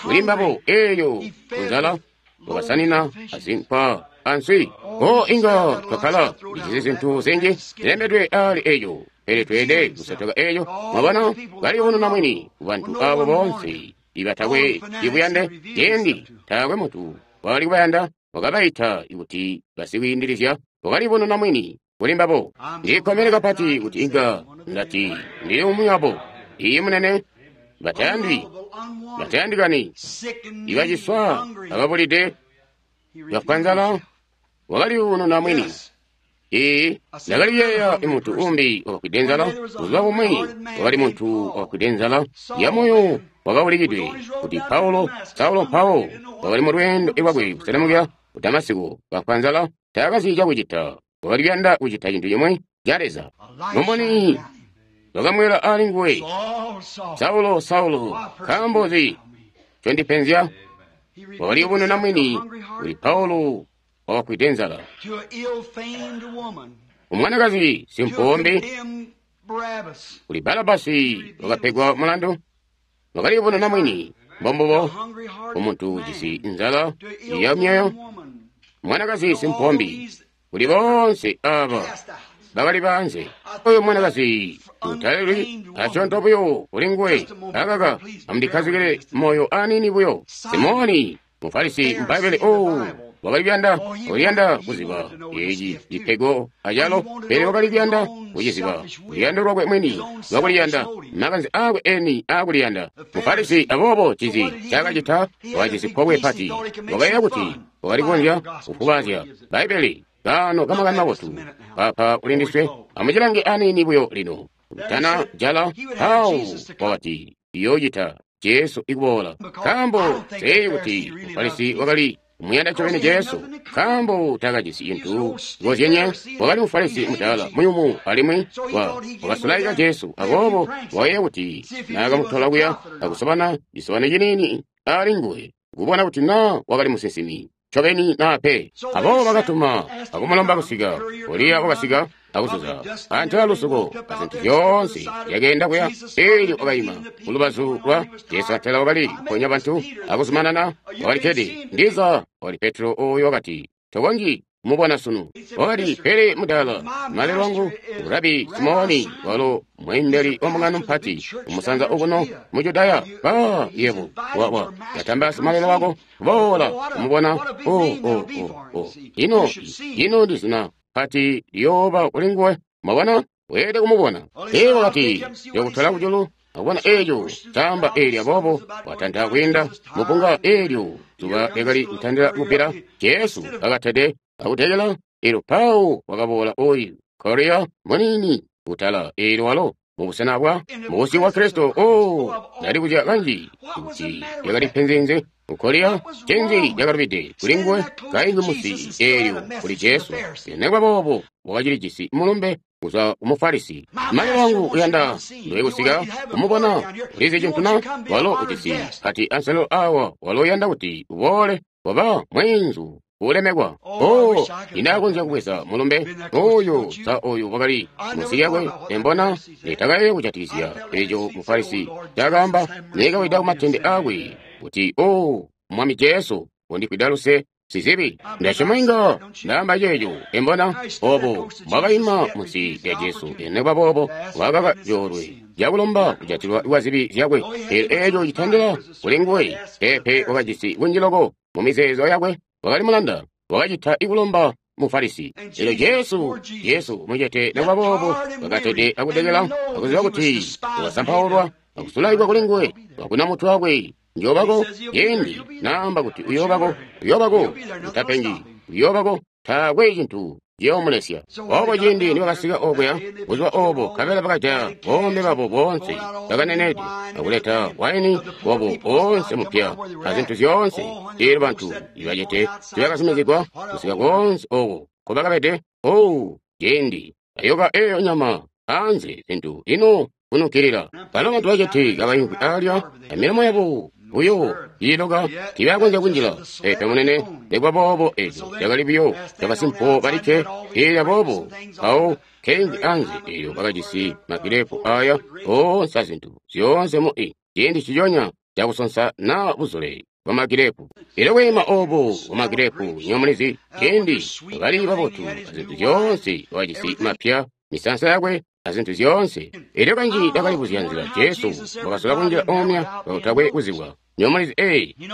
kuli mbabo eeyo kunzala, wakasanina azinkwa answi. O inga twakkala lijisi zintu zinji zilembedwe ali eeco, pele tweede kusotoka eeco. Mwabona, kalibonena mwini kubantu abo boonse ibatakwe ibuyande. Ciindi taakwe muntu wakali kubayanda, wakabaita kuti basikwiindilizya, wakalibonena mwini kuli mbabo. Ndikkomene kapati kuti inga ndati ndili umwi wabo. Iye munene, batayandwi, batayandikani, ibaciswa ababulide, bafwa nzala, wakalibonena mwini. Ee, ndakaliyeeya muntu umbi wakafwide nzala. Buzuba bumwi wakali muntu wakafwide nzala ya moyo wakaulikidwe kuti Paulo, Saulo mpawo wakali mu lweendo lwakwe kuselemukila ku Damasiko, kafwa nzala, taakazi cakucita, wakali kuyanda kucita cintu cimwi ca Leza. Mumuni wakamwela ali nguwe, Saulo, Saulo, nkaambo nzi condipenzya? Wakaliyubununa mwini kuli Paulo wakafwide nzala. Umwanakazi simpombe kuli Barabasi wakapegwa mulandu. Wakaliyubununa mwini mbombubo umuntu ujisi nzala ya myoyo. Mwanakazi simpombi kuli bonse aba bakali banze. Oyo mwanakazi utalelwi asyoonto buyo kuli nguwe. Akaka amundikhazikile moyo anini buyo. Simoni Mufarisi Mbaibbele wakali kuyanda kuliyanda kuziba eci cipego acalo, pele wakali kuyanda kuciziba luyando lwakwe mwini lwakuliyanda, makanze akwe eni akuliyanda. Mufarisi aboobo cizi cakacita wakajisi pobwe pati, wakayeeya kuti wakali kukonzya kufubazya Bbaibbele kaano kamakani mabotu papa kulindiswe. Amucilange anini buyo lino tana jala pawu wakati iyoocita Jesu ikuboola, nkaambo seyi kuti Mufarisi wakali kumuyanda ncobeni Jesu, nkaambo takajisi cintu cikozyenye. Wakali Mufarisi mudaala muyumu alimwi wakasulaika Jesu, aboobo wakayeeya kuti naakamutola kuya akusobana cisobano ciniini ali nguwe kubona kuti naa wakali musinsimi ncobeni naa pe. Aboobo bakatuma akumulomba kusika. Eliya wakasika akuzuza antela lusuko azintu zyoonse zyakeenda kuya. Eelyo wakayima kulubazu lwa Jesu, antela wakali kuponya bantu akuzumanana. Wakali kkede ndiza wakali Petro oyo wakati, tokonzyi kumubona sunu. Wakati, pele mudaala malelo wangu Rabi Simoni walo mweembeli wa mbungano mpati umusanza okuno mu Judaya, ba yebo wa yatamba simalelo wako boola kumubona. Ino ndi zina pati liyooba kuli nguwe. Mwabona, weelede kumubona. Ee wakati yokutola kujulu akubona eeco caamba eelyo, aboobo watanta kwiinda mupunga. Eelyo zuba lyakali kutandila kubbila. Jesu akatede akutekela. Eelyo Paulo wakaboola oyu Korea muniini kutala eelyo walo mubusena bwa mubusyu bwa Kristo. Ndalibuzya kanji kuti lyakali penzi Korea cenzi lyakalubide kuli nguwe kaimbi musi eelyo kuli Jesu. Nekuba boobo wakacilijisi mulumbe kuzwa ku Mufarisi. Malelo wangu uyanda ndoye kusika kumubona. Ulizi cintu na walo ujisi kati anselelo awa, walo uyanda kuti uboole waba mweenzu ulemekwa. Indakonzya kubweza mulumbe oyo sa oyu wakali munsi lyakwe. Embona nitakaye kujatikizya eco Mufarisi cakaamba, nekawida kumatende akwe kuti, Mwami Jesu, undifwida luse sizibi. Ndasyoma inga ndaamba ceeco. Embona obo mbwakaima munsi lya Jesu, nekuba boobo wakaka coolwe cakulomba kujatilwa kwa zibi zyakwe. Eelyo eeco citandila kuli nguwe. Pepe wakajisi kunji loko mu mizeezo yakwe, wakali mulanda, wakacita ikulomba Mufarisi. Eelyo Jesu mucete nekuba boobo wakatede akutekela akuziba kuti wakasampaulwa akusulaikwa kuli nguwe, wakuna mutwe wakwe. Njoobako yendi naamba kuti uyoobako, uyoobako, utapengi, uyoobako, taakwe cintu ciyoomulesya. Obo ciindi nibakasika okuya buzuba obo, nkabela bakajaya boombe babo boonse bakanenede akuleta waini wabo oonse mupya azintu zyoonse. Eelyo bantu ibacete tibakazumizigwa kusika koonse oko nkobakabede. Ciindi ayoka eyo nyama anze zintu ino kunukilila. Balo bantu bacete kabaimvwi alya amilomo yabo buyo iiloka tibakonzya kunjila. Pepe munene, nekuba boobo eco cakali buyo cabasimpo balikke. Eelyo aboobo mpawo keimvwi anze eelyo bakajisi magirepu aya oonse azintu zyoonse mu ciindi ciconya cakusonsa naa buzule bwa magirepu. Eelyo kwiima obo bwa magirepu nyomulizi ciindi bakali babotu azintu zyoonse, wakajisi mapya misansa yakwe azintu zyoonse. Eelyo kanji ndakalibuzya nzila Jesu wakasola kunjila omya kakutakwe kuzibwa. Nyomulizi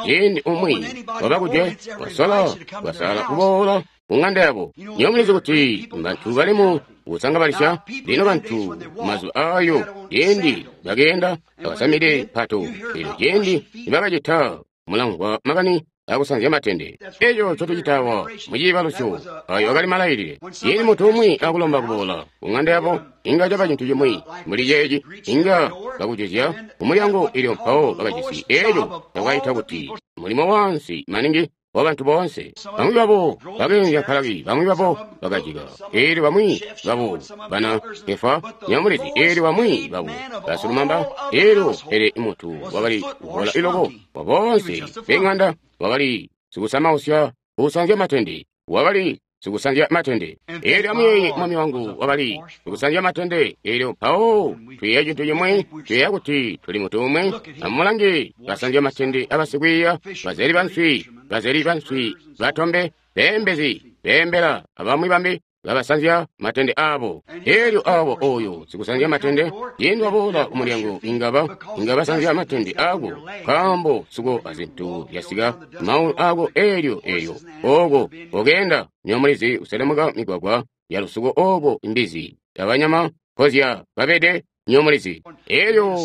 ciindi umwi wabakujwe wasola wasala kuboola ku ng'anda yabo. Nyomulizi kuti bantu bali mu kusangabalisya. Lino bantu mazuba ayo ciindi bakeenda bakasamide mpato. Eelyo ciindi nibakacita mulamvwa makani akusanzya matende. Eco ncotucitawa muciibalusyo ayo akali malailile. Ciindi muntu umwi akulomba kuboola ku ng'anda yabo, inga caba cintu cimwi mbuli ceeci, inga bakujuzya kumulyango. Eelyo mpawo bakajisi eco cakaita kuti mulimo wansi maningi. wa bantu boonse. Bamwi babo bakeenzya nkalaki, bamwi babo bakajika, eelyo bamwi babo bana efa nyamulizi, eelyo bamwi babo basilumamba, eelyo pele muntu wakali kuvola iloko wa boonse beng'anda wakali sikusamausya usanzya matende, wakali sikusanzya matende. Eelyo amuyeeye mwami wangu wakali sikusanzya matende. Eelyo mpawo tuyeeya cintu cimwe, tuyeeya kuti tuli mutu umwe. Amulange basanzya matende abasikwiiya, bazeli banswi, bazeli banswi batombe, beembezi, beembela, abamwi bambi babasanzya matende abo. Eelyo abo oyo sikusanzya matende ciindi waboola kumulyango inga basanzya matende ako, nkaambo suko azintu zyasika maulu ako. Eelyo eelyo oko okeenda nyomulizi uselemuka migwagwa ya lusuko oko imbizi abanyama kozya babede nyomulizi. Eelyo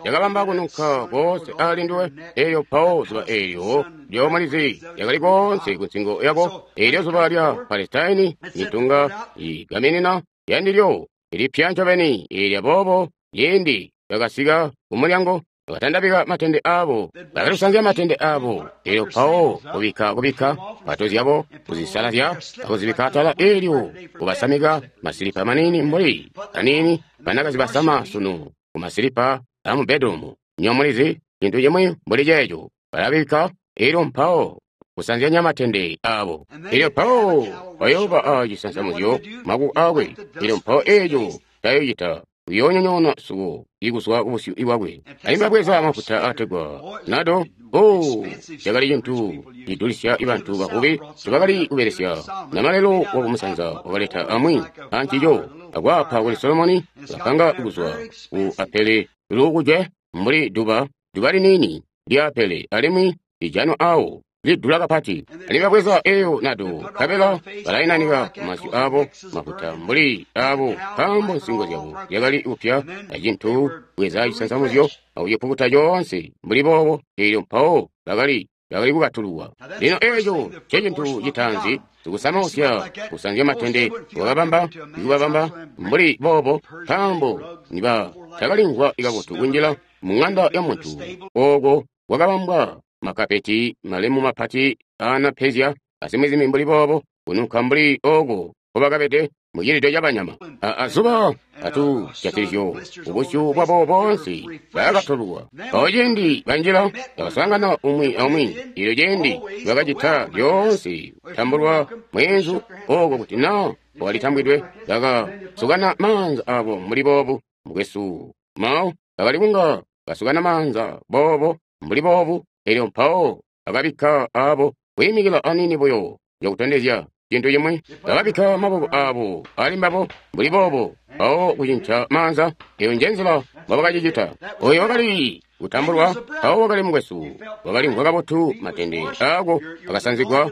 yakabamba kununka koonse ali nduwe. Eelyo mpawo zuba eelyo lyomulizi lyakali koonse ku nsingo yako. Eelyo zuba lya Palestaini mitunga igaminina yandilyo ilipya ncobeni. Eelyo aboobo ciindi bakasika kumulyango bakatandabika matende abo, bakatusanzya matende abo. Eelyo mpawo kubikka mpato zyabo kuzisalazya akuzibikka atala. Eelyo kubasamika masilipa manini mbuli kanini banakazi basama sunu kumasilipa amu bedroom nyomulizi, cintu cimwi mbuli ceeco balabikka. Eelyo mpawo kusanzyanya matende abo. Eelyo mpawo bayooba a cisansamuzyo makuko akwe. Eelyo mpawo eeco tayocita uyoonyonyoona suko ikuzwa kubusyu bwakwe. Alimwi babweza mafuta ategwa nado. O, cakali cintu cidulisya bantu bavubi ncobakali kubelesya. Namalelo wakumusanza wakaleta amwi ancico akwaapa kuli Solomoni. Bakapanga kuzwa ku apele lukujwe mbuli duba, duba liniini lya apele, alimwi lijanwa awo lidula kapati. Alimwi babweza eyo nado nkabela balainanika kumasyu abo mafuta mbuli abo, nkaambo nsingo zyabo zyakali kupya acintu bweza cisansamuzyo akucipukuta coonse mbuli boobo. Eelyo mpawo bakali kukatululwa. Lino eeco ncecintu citaanzi sikusamausya kusanzya matende wakabamba ikubabamba mbuli boobo, nkaambo niba takalimvwa kabotu kunjila mu ng'anda ya muntu ooko kwakabambwa makapeti malemu mapati aanapezya azimwi mbuli boobo, kununka mbuli ooko nkobakabede mucilido cabanyama. Azuba atujatilizyo ubusyu bwabo boonse bakatululwa. Mpawo ciindi banjila bakaswaangana umwi aumwi. Eelyo ciindi bakacita lyoonse kutambulwa mweenzu ooko kuti naa walitambwidwe, bakasukana maanza abo mbuli boobu. Mukwesu Mao bakali kunga basukana maanza boobo mbuli boobu. Eelyo mpawo bakabikka abo kwiimikila aniini buyo cakutondezya cintu cimwi. Bakabikka maboko abo ali mbabo mbuli boobo, mpawo kucinca maanza. Eyo njenzila mbobakacicita. Oyo wakali kutambulwa, mpawo wakali mukwesu, wakalimvwa kabotu, matende ako akasanzigwa,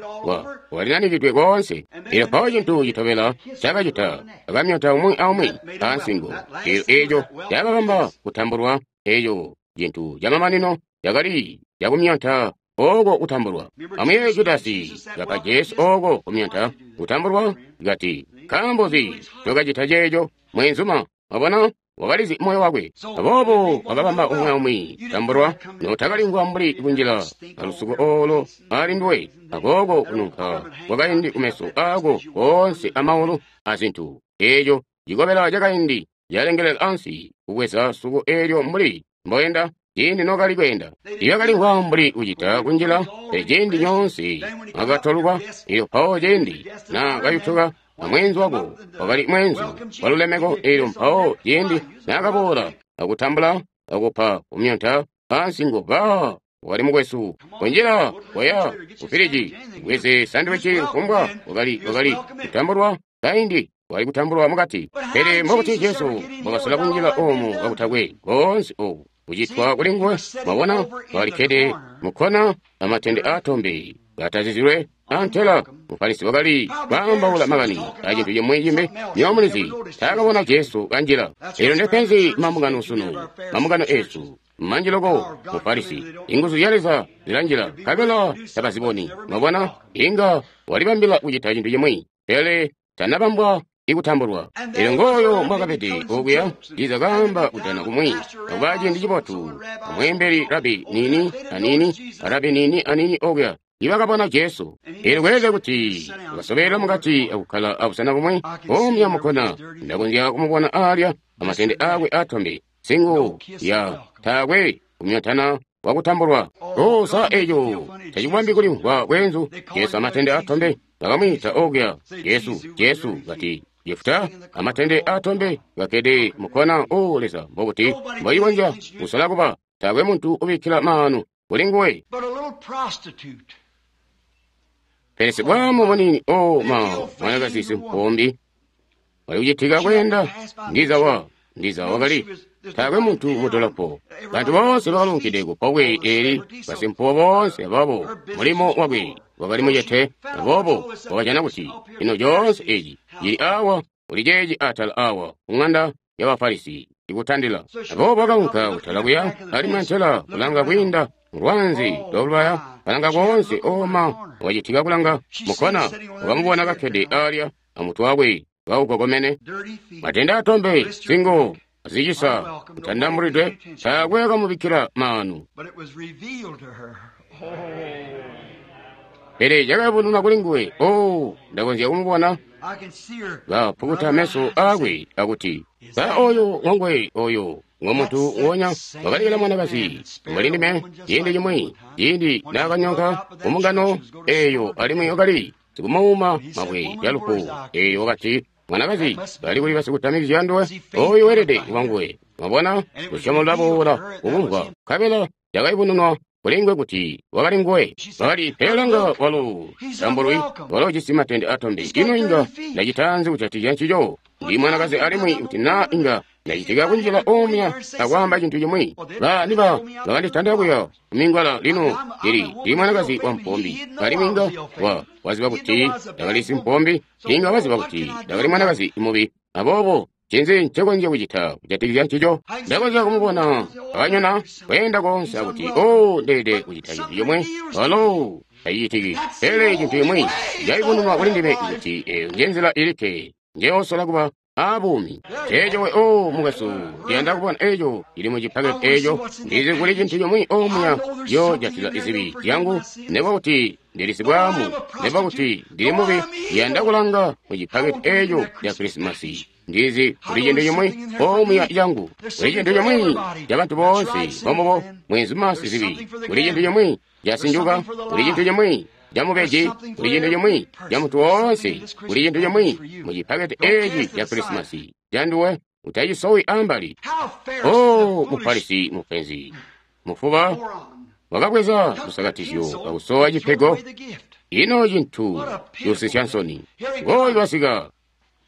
walinanikidwe koonse. Eelyo mpawo cintu citobela cakacita, akamyota umwi aumwi ansingo. Eelyo eeco cakabamba kutambulwa. Eeco cintu camamanino cakali cakumyonta oko kutambulwa. Amuyeeye Judasi kapa Jesu oko kumyonta kutambulwa, kati, nkaambo nzi ncokacita ceeco, mweenzuma? Wabona, wakalizi moyo wakwe. Aboobo wakabamba umwi aumwi tambulwa, notakalimvwa mbuli kunjila alusuko olo ali nduwe, akooko kununka kwakaindi kumeso ako koonse amaulu azintu. Eeco cikobela cakaindi calengelela ansi kubweza suko eelyo mbuli mboyenda ciindi nokali kweenda. Ibakalimvwa mbuli kucita kunjila, pele ciindi nyoonse mwakatolwa. Eelyo mpawo ciindi naakayutuka amweenzu wako wakali mweenzu walulemeko. Eelyo mpawo ciindi naakaboola akutambula akupa kumyonta ansingo, ba wakali mukwesu. Kunjila koya kufiliji bweze sandiwici kufumbwa wakali kutambulwa kaindi wakali kutambulwa mukati. Pele mbobuti Jesu mbwakasola kunjila omu kakutakwe koonse oku kucitwa kuli nguwe? Mwabona, wakalikkede mukkona amatende aatombe katazizilwe antela Mufarisi wakali kwaambaula makani acintu cimwi cimbi. Nyomulizi taakabona Jesu kanjila. Eelyo ndepenzi mambungano sunu, mambungano eesu manji loko. Mufarisi, inguzu zya Leza zilanjila nkabela tabaziboni. Mwabona, inga walibambila kucita cintu cimwi, pele tanabambwa ikutambulwa. Eelyo ngooyo mbwakabede okuya. Ndiza kaamba kujana kumwi akuba ciindi cibotu amweembeli rabi nini anini, rabi nini anini okuya. ibakabona Jesu. Eelyo kweelede kuti wakasobelela mukati akukkala abusena bumwe omya mukkona. Ndakonzya kumubona alya amatende akwe atombe, singu ya taakwe kumyotana wakutambulwa. O, sa eco tacibambi kulimvwa bweenzu. Jesu amatende atombe bakamwiita okuya. Jesu, Jesu kati Jefuta amatende atombe gakkede mukkona. O Leza, mbokuti mboikonzya kusola kuba taakwe muntu ubikkila maanu kuli nguwe. But a little prostitute. Pele sibwaamu munini, o ma, mwanakazi simpombi wali kucitika kweenda ndiza ndiza wakali taakwe muntu mudolopo. Bantu bonse bakalunkide ku pobwe eli, basimpuwo bonse ababo mulimo wakwe wakali mucete, aboobo wakajana kuti ino coonse eci cili awa uli ceeci atala awa ku ng'anda y'Abafarisi ikutandila. Aboobo wakaunka kutala kuya alimwi antela kulanga kwiinda lwanzi lwalubaya, kalanga koonse oma wacitika kulanga mukkona, wakamubona kakkede alya amutwe wakwe kawugogomene. Dirty feet. Matenda atombe, singo azicisa, kutandambulidwe, taakwe akamubikkila maanu. But it was revealed to her. Oh, Pele cakayubununwa kuli nguwe. O, ndakonzya kumubona I can see her. kapukuta meso akwe akuti, sa oyo ngongwe oyo ngomuntu wonya wakalikila mwanakazi mbuli ndime ciindi cimwi, ciindi naakanyonka kumungano eyo alimwi wakali sikumuuma mabwe yalufu eyo wakati, mwanakazi bali kuli basikutamikizya nduwe, oyo weelede kuba nguwe. Mwabona, lusyomo lwaboola kukumvwa, nkabela cakayubununwa kuli nguwe kuti wakali nguwe. Bakali pelanga walo tambulwi, walo ujisi matende atombe. Ino inga ndacitanzi kujatikizya ncico? Ndi mwanakazi alimwi kuti naa inga ndacitika kunjila omya akwaamba cintu cimwi. Ba niba bakanditanda kuya kumingwala lino lili ndi mwanakazi wa mpombi, alimwi inga waziba kuti ndakali simpombi, inga waziba kuti ndakali mwanakazi mubi. Aboobo ncinzi ncekonzya kucita kujatikizya ncico? Ndakonzya kumubona akanyona kweenda koonse akuti, o, ndeelede kucita cintu cimwe. Walo tacicitiki. Pele cintu cimwi cayubununwa kuli ndime kuti eyo njenzila ilikke njeyosola kuba abuumi. Eeco we, o mukwesu, ndiyanda kubona eco cili mu cipaketi eco. Ndizi kuli cintu cimwi omuya ciyojatila izibi zyangu, nekuba kuti ndili sibwaamu, nekuba kuti ndili mubi. Ndiyanda kulanga mu cipaketi eco ca Krisimasi. Ndizi kuli cintu cimwi omuya cangu, kuli cintu cimwi ca bantu bonse bomubo mwenzuma sizibi, kuli cintu cimwi ca sinjuka, kuli cintu cimwi ca mubeji, kuli cintu cimwi ca muntu woonse, kuli cintu cimwi mu cipaketi eci ca Krisimasi canduwe. Utacisowi ambali. How Pharisee, O the foolish Mufarisi mupenzi mufuba moron, wakabweza took the lusakatizyo pencil kakusowa and threw cipego. away the gift. Ino cintu cuusisya nsoni. Ngooyu wasika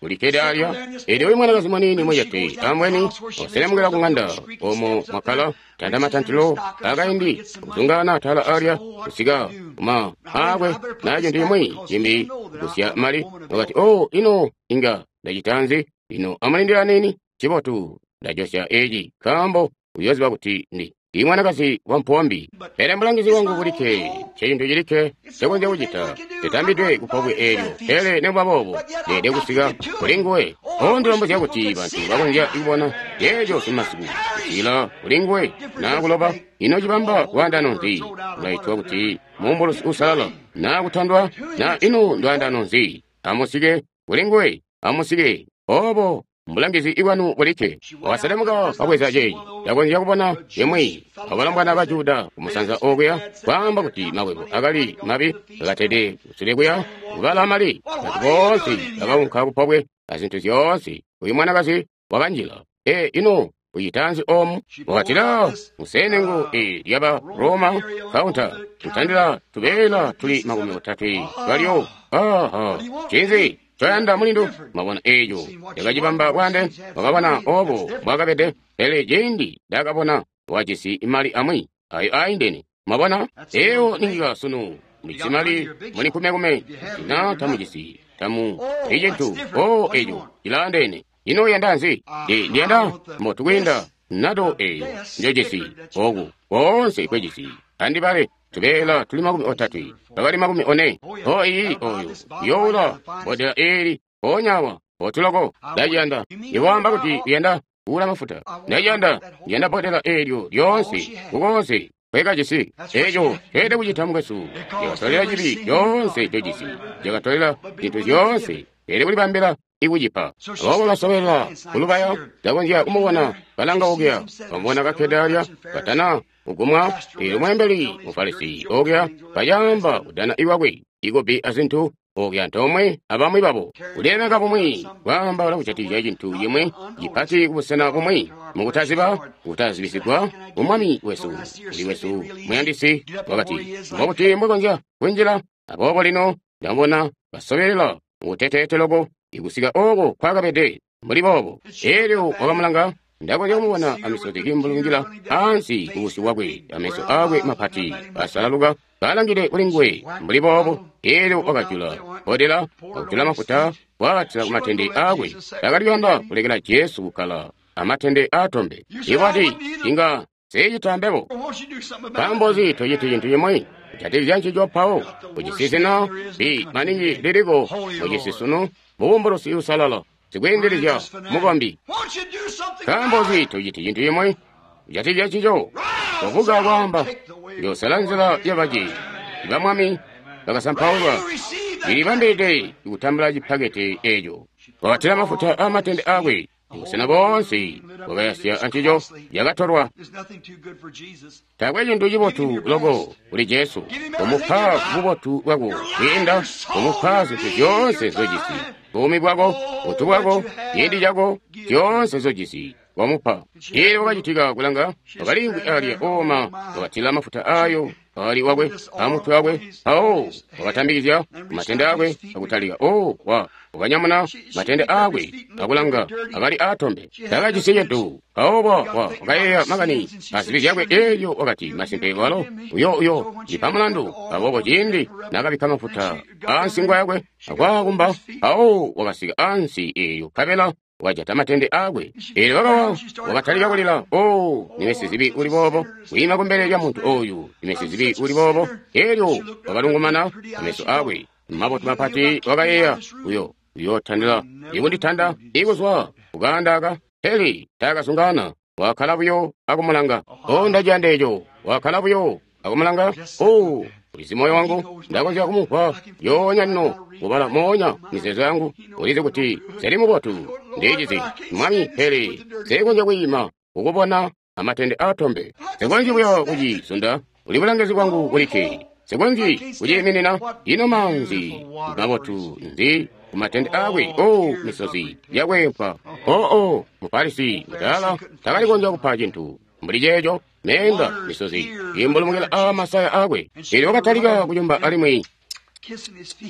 ulikkede alya. Eelyo uyu mwanakazi mwanini mucete ambweni waselemukila ku ng'anda omo mwakkala tanda matantilo akaindi kuzungaana atala alya kusika kuma akwe na cintu cimwi cimbi kusya mali. Wakati, o, ino inga ndacitanzi? Ino amulindila nini? Cibotu ndajosya eci nkaambo uyoziba kuti ndi mwanakazi wa mpombi. Pele mulangizi wangu bulikke ncecintu cilikke ncekonzya kucita, nditambidwe kupobwe eelyo. Pele nekuba boobo ndeelede kusika kuli nguwe. O, ndilombozya kuti bantu bakonzya kubona ceeco simasiku kusikila kuli nguwe naa kuloba. Ino cibamba lwaandano nzi? Ulaitwa kuti muumbulusi uusalala naa kutandwa naa ino ndwaandano nzi? Amusike kuli nguwe, amusike obo mbulangizi bwanu bulikke. Wakaselemuka kabweza ceeci. Ndakonzya kubona imwi abalombwana ba Juda kumusanza okuya kwaamba kuti makwebo akali mabi, akatede kusule kuya kubala mali. Bantu boonse bakaunka kupobwe azintu zyoonse. Uyu mwanakazi wakanjila. E, ino ucitanzi omu? Wakatila musenengo e lyaba Roma kaunta kutandila tubeela tuli 30 balyo. Aha, cinzi coyanda mulindu? Mwabona eco yakacibamba bwande, wakabona obo bwakabede. Pele ciindi ndakabona wajisi mali amwi ayo aindene. Mwabona eyo ninyika sunu mulijisi mali muli nkumekume, na tamujisi tamu icintu. O, eco cilaandene. Ino uyanda nzi? Ndiyanda mbotukwiinda nato eyo njojisi oku koonse kwejisi. Andibale tubeela tuli 30 bakali 40. O iyi oyo youla bodela eli poonyawa potuloko. Ndaciyanda iwaamba kuti uyanda kuula mafuta. Ndaciyanda ndiyanda bodela eelyo lyoonse kukoonse. Nkwe kajisi. Eco ceelede kucita, mukwesu. Cakatolela cibi coonse ncojisi. Cakatolela zintu zyoonse. Ceelede kulibambila ikucipa. Aboobo basobelela kulubaya, ndakonzya kumubona kalanga okuya, bamubona kakkede alya, katana kugumwa. Eelyo mweembeli Mufarisi okuya kacaamba kudana iwakwe ikopi azintu okuya antoomwe abamwi babo. Kulilemeka bumwi, kwaambaula kujatikizya cintu cimwi cipati kubusena bumwi, mukutaziba, kutazibisigwa ku Mwami wesu, kuli wesu muyandisi, wakati, mbobuti mbwekonzya kunjila? Aboobo lino ndamubona kasobelela mukuteteete loko ikusika oko kwakabede mbuli boobo. Elyo wakamulanga, ndakonzya kumubona amisozi kiimbulungila ansi kubusyu bwakwe, ameso akwe mapati asalaluka kalangide kuli nguwe mbuli boobo. Elyo wakajula bbodela akutila mafuta kwaatila kumatende akwe. Takali kuyanda kulekela Jesu kukkala amatende aatombe. Iwati, inga nsecita mbebo. Nkaambo nzi tociti cintu cimwi kujatikizya ncico mpawo? Ujisi zina bi maningi liliko mucisi sunu, mubumbulusi uusalala, sikwiindilizya, mukombi. Nkaambo nzi tociti cintu cimwi kujatikizya ncico? Kobuka kwaamba, Njoosala nzila yabaci ba Mwami bakasampaulwa. Ndilibambilide kutambula cipakete eco. Wakatila mafuta aamatende akwe. Busena boonse bwakayasya ancico yakatolwa. Taakwe cintu cibotu loko kuli Jesu kumupa bubotu bwako kwiinda kumupa zintu zyoonse nzojisi, buumi bwako, buntu bwako, ciindi cako, zyoonse nzojisi wamupa. Elyo wakacitika kulanga, wakaliimvwi alya ooma, wakatila mafuta ayo ali wakwe amutwe wakwe, mpawo wakatambikizya matende akwe akutalika. O wa wakanyamuna matende akwe akulanga, akali aatombe, takajisi cintu. Mpawo wa wakayeeya makani azibi zyakwe. Elyo wakati, masimpe walo uyo ndipa mulandu. Aboobo ciindi nakabikka mafuta aansingo yakwe akwaakumba, mpawo wakasika ansi eeyo nkabela wakajata matende akwe. Elyo wakawa, wakatalika kulila. O, ndime sizibi uli boobo, kwiima kumbele lya muntu oyu, ndime sizibi uli boobo. Elyo wakalungumana ameso akwe mabotu mapati, wakayeeya, uyo uyootandila ikunditanda ikuzwa kukaanda aka. Pele taakazungaana, wakkala buyo akumulanga. O, ndaciyanda eco. Wakkala buyo akumulanga. O, ulizi moyo wangu, ndakonzya kumumvwa yoonya lino kubala moonya mizeezo yangu. Ulizi kuti nseli mubotu, ndicizi Mwami, pele nsekonzya kwiima kukubona amatende aatombe. Nsekonzyi buyo kucizunda, uli bulangizi bwangu bulikke. Nsekonzyi kuciiminina. Ino maanzi mabotu nzi kumatende akwe? O, misozi yakwempa. Oo, Mufarisi mudaala takali konzya kupa cintu mbuli ceeco. Meenda misozi imbulumukila a masaya akwe. Elyo wakatalika kuyumba alimwi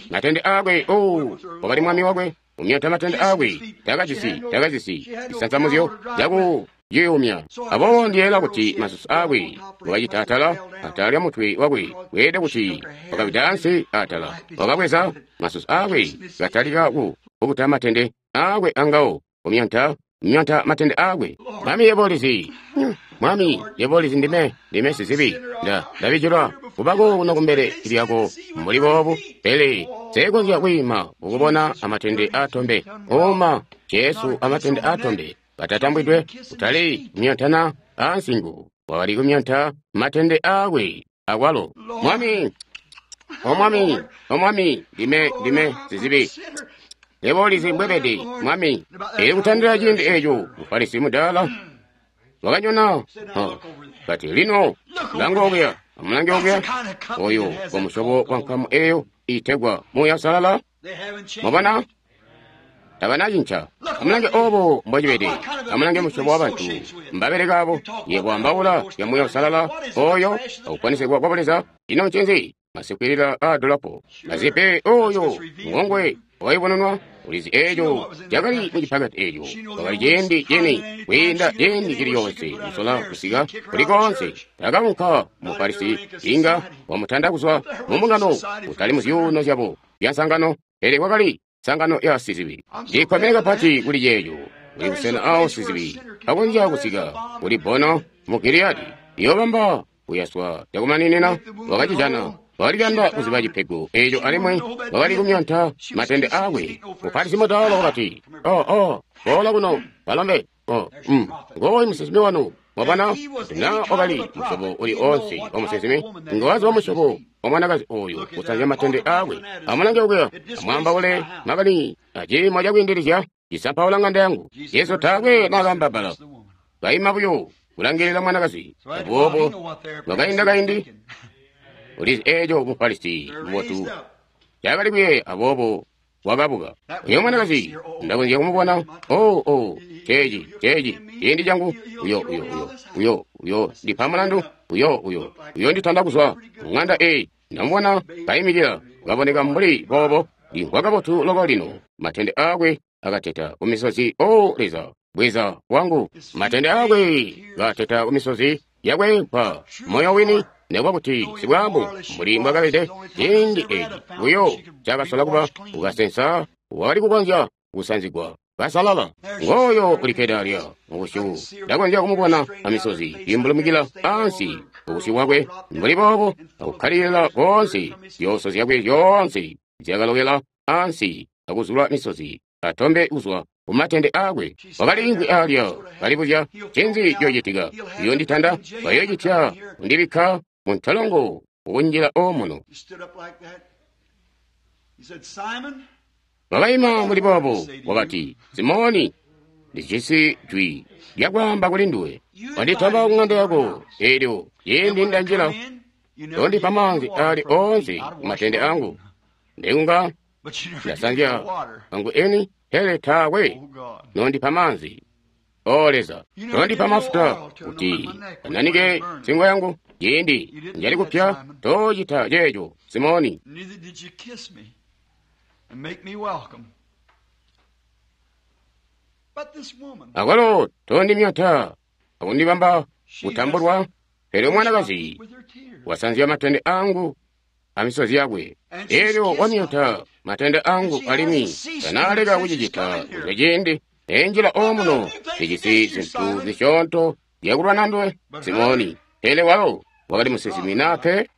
matende akwe. O, wakali mwami wakwe umyota matende akwe. Takajisi cisansamuzyo caku yiyumya. Aboobo ndiyeeyela kuti masusu akwe wakacita atala atala lya mutwe wakwe, kweelede kuti wakawida ansi atala. Wakabweza masusu akwe katalika kupukuta matende akwe angawo, kumyonta myonta matende akwe. Mwami, yebo ulizi, Mwami, yebo ulizi ndime sizibi. Ndabijilwa kubako kuno kumbele lyako mbuli boobu, pele nsekonzya kwiima kukubona amatende aatombe. Oma Jesu amatende aatombe katatambwidwe, kutali kumyontana aansingo, wakali kumyonta matende akwe akwalo. Mwami, O Mwami, O Mwami, ndime sizibi. Yebo ulizi mbwebede, Mwami. Elyo kutandila ciindi eco, Mufarisi mudaala wakanyona, kati, lino langa okuya, amulange okuya, oyo wa musyobo wa nkamu eyo iitegwa Muuya Uusalala. Mwabona? Tabanacinca. Amulange obo mbocibede. Amulange musyobo wa bantu mbabeleka abo. Yebo ambaula ya Muuya Uusalala oyo akuponesegwa kwa Buleza. Ino ncinzi? Masikwilila a dolapo. Mazipe oyo ngongwe wakayubununwa. Ulizi eco cakali mu cipaketi eco. Wakali ciindi cini kwiinda ciindi cili coonse kusola kusika kuli koonse. Takaunka Mufarisi inga wamutanda kuzwa mu mbungano, kutali mu zyuuno zyabo zya nsangano, pele kwakali nsangano ya sizibi. Ndikkomene kapati kuli ceeco. Kuli busena awo sizibi akonzya kusika kuli bono mu Giliyadi. Iyobamba kuyaswa cakumaninina. Wakacijana. Wakali kuyanda kuziba cipego eco alimwi wakali kumyonta matende akwe. Mufarisi mudaala wakati, Oh, oh, boola kuno, balombe. Ngooyu musinsimi wanu. Mwabona, na wakali musyobo uli oonse wa musinsimi, ngawazi wa musyobo wa mwanakazi oyu kusanzya matende aakwe. Amulange okuya, amwaambaule makani aciimo cakwiindilizya cisampaula ng'anda yangu. Jesu taakwe naakaamba bbala, kaima buyo kulangilila mwanakazi. Aboobo kwakainda kaindi, ulizi eeco Mufarisi mubotu cakali kuyeeya, aboobo wakabuka. Uyo mwanakazi ndakonzya kumubona. Oh, ceeci ciindi changu. Uyo ndipa mulandu. Uyo nditanda kuzwa ng'anda eyi. Ndamubona kaimikila, kaboneka mbuli boobo. Ndimvwa kabotu loko lino. Matende aakwe akateta kumisozi. O Leza, bweza wangu. Matende aakwe kateta kumisozi yakwe mpa moyo wini. Nekuba kuti sibwambu mbuli mbwakabede ciindi eci buyo cakasola kuba ukasensa, wakali kukonzya kusanzigwa kasalala. Ngooyo ulikkede alya mubusyu, ndakonzya kumubona amisozi imbulumukila ansi ubusyu bwakwe mbuli boobo, akukkalilila koonse. Zyooso zyakwe zyoonse zyakalokela ansi akuzula misozi atombe kuzwa kumatende aakwe. Wakaliimvwi alya kalibuzya, ncinzi ciyocitika? Uyonditanda, bayocitya kundibikka muntolongo ukunjila omuno. Wakaima mbuli boobo, wakati, Simoni, ndijisi jwi lyakwaamba kuli nduwe. Wanditamba kuŋanda yako, eelyo ciindi ndanjila, tondipa maanzi aali oonse kumatende angu. Ndikunga ndasanzya angu eni, pele taakwe nondipa maanzi. O Leza, tondipa mafuta kuti ananike nsingo yangu. Ciindi njali kupya, tocita ceeco, Simoni. Akwalo tondimyata akundibamba kutambulwa, pele mwanakazi wasanzya matende angu amisozi yakwe. Eelyo wamyata matende angu alimwi tanaaleka kucicita kuzwa ciindi enjila omuno. Ndijisi zintu zisyoonto zyakulwana nduwe, Simoni. Pele walo wakali musinsimi nape.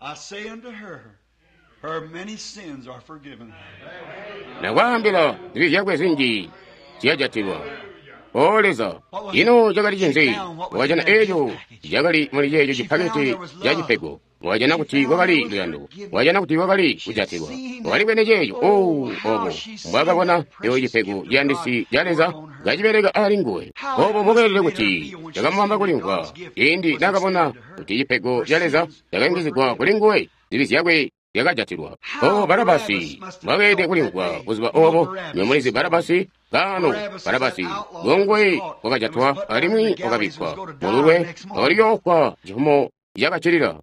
Nakwaambila zibi zyakwe zinji ziyajatilwa. O Leza, ino cakali cinzi? Wakajana eeco cakali muli ceeco cipaketi ca cipego. Wakajana kuti kwakali luyando. Wakajana kuti kwakali kujatilwa. Wakali bwene ceeco. Oh, obo mbwakabona eco cipego ciyandisi ca Leza kacibeleka ali nguwe. Obo mbwakeelede kuti cakamubamba kulimvwa ciindi nakabona kuti cipego ca Leza cakayungizigwa kuli nguwe, zibi zyakwe zyakajatilwa. O Barabasi mbwakeelede kulimvwa buzuba obo. Nyomulizi Barabasi kaano. Barabasi ngongwe wakajatwa alimwi wakabikkwa mululwe, wakali yoofwa cifumo cakacilila.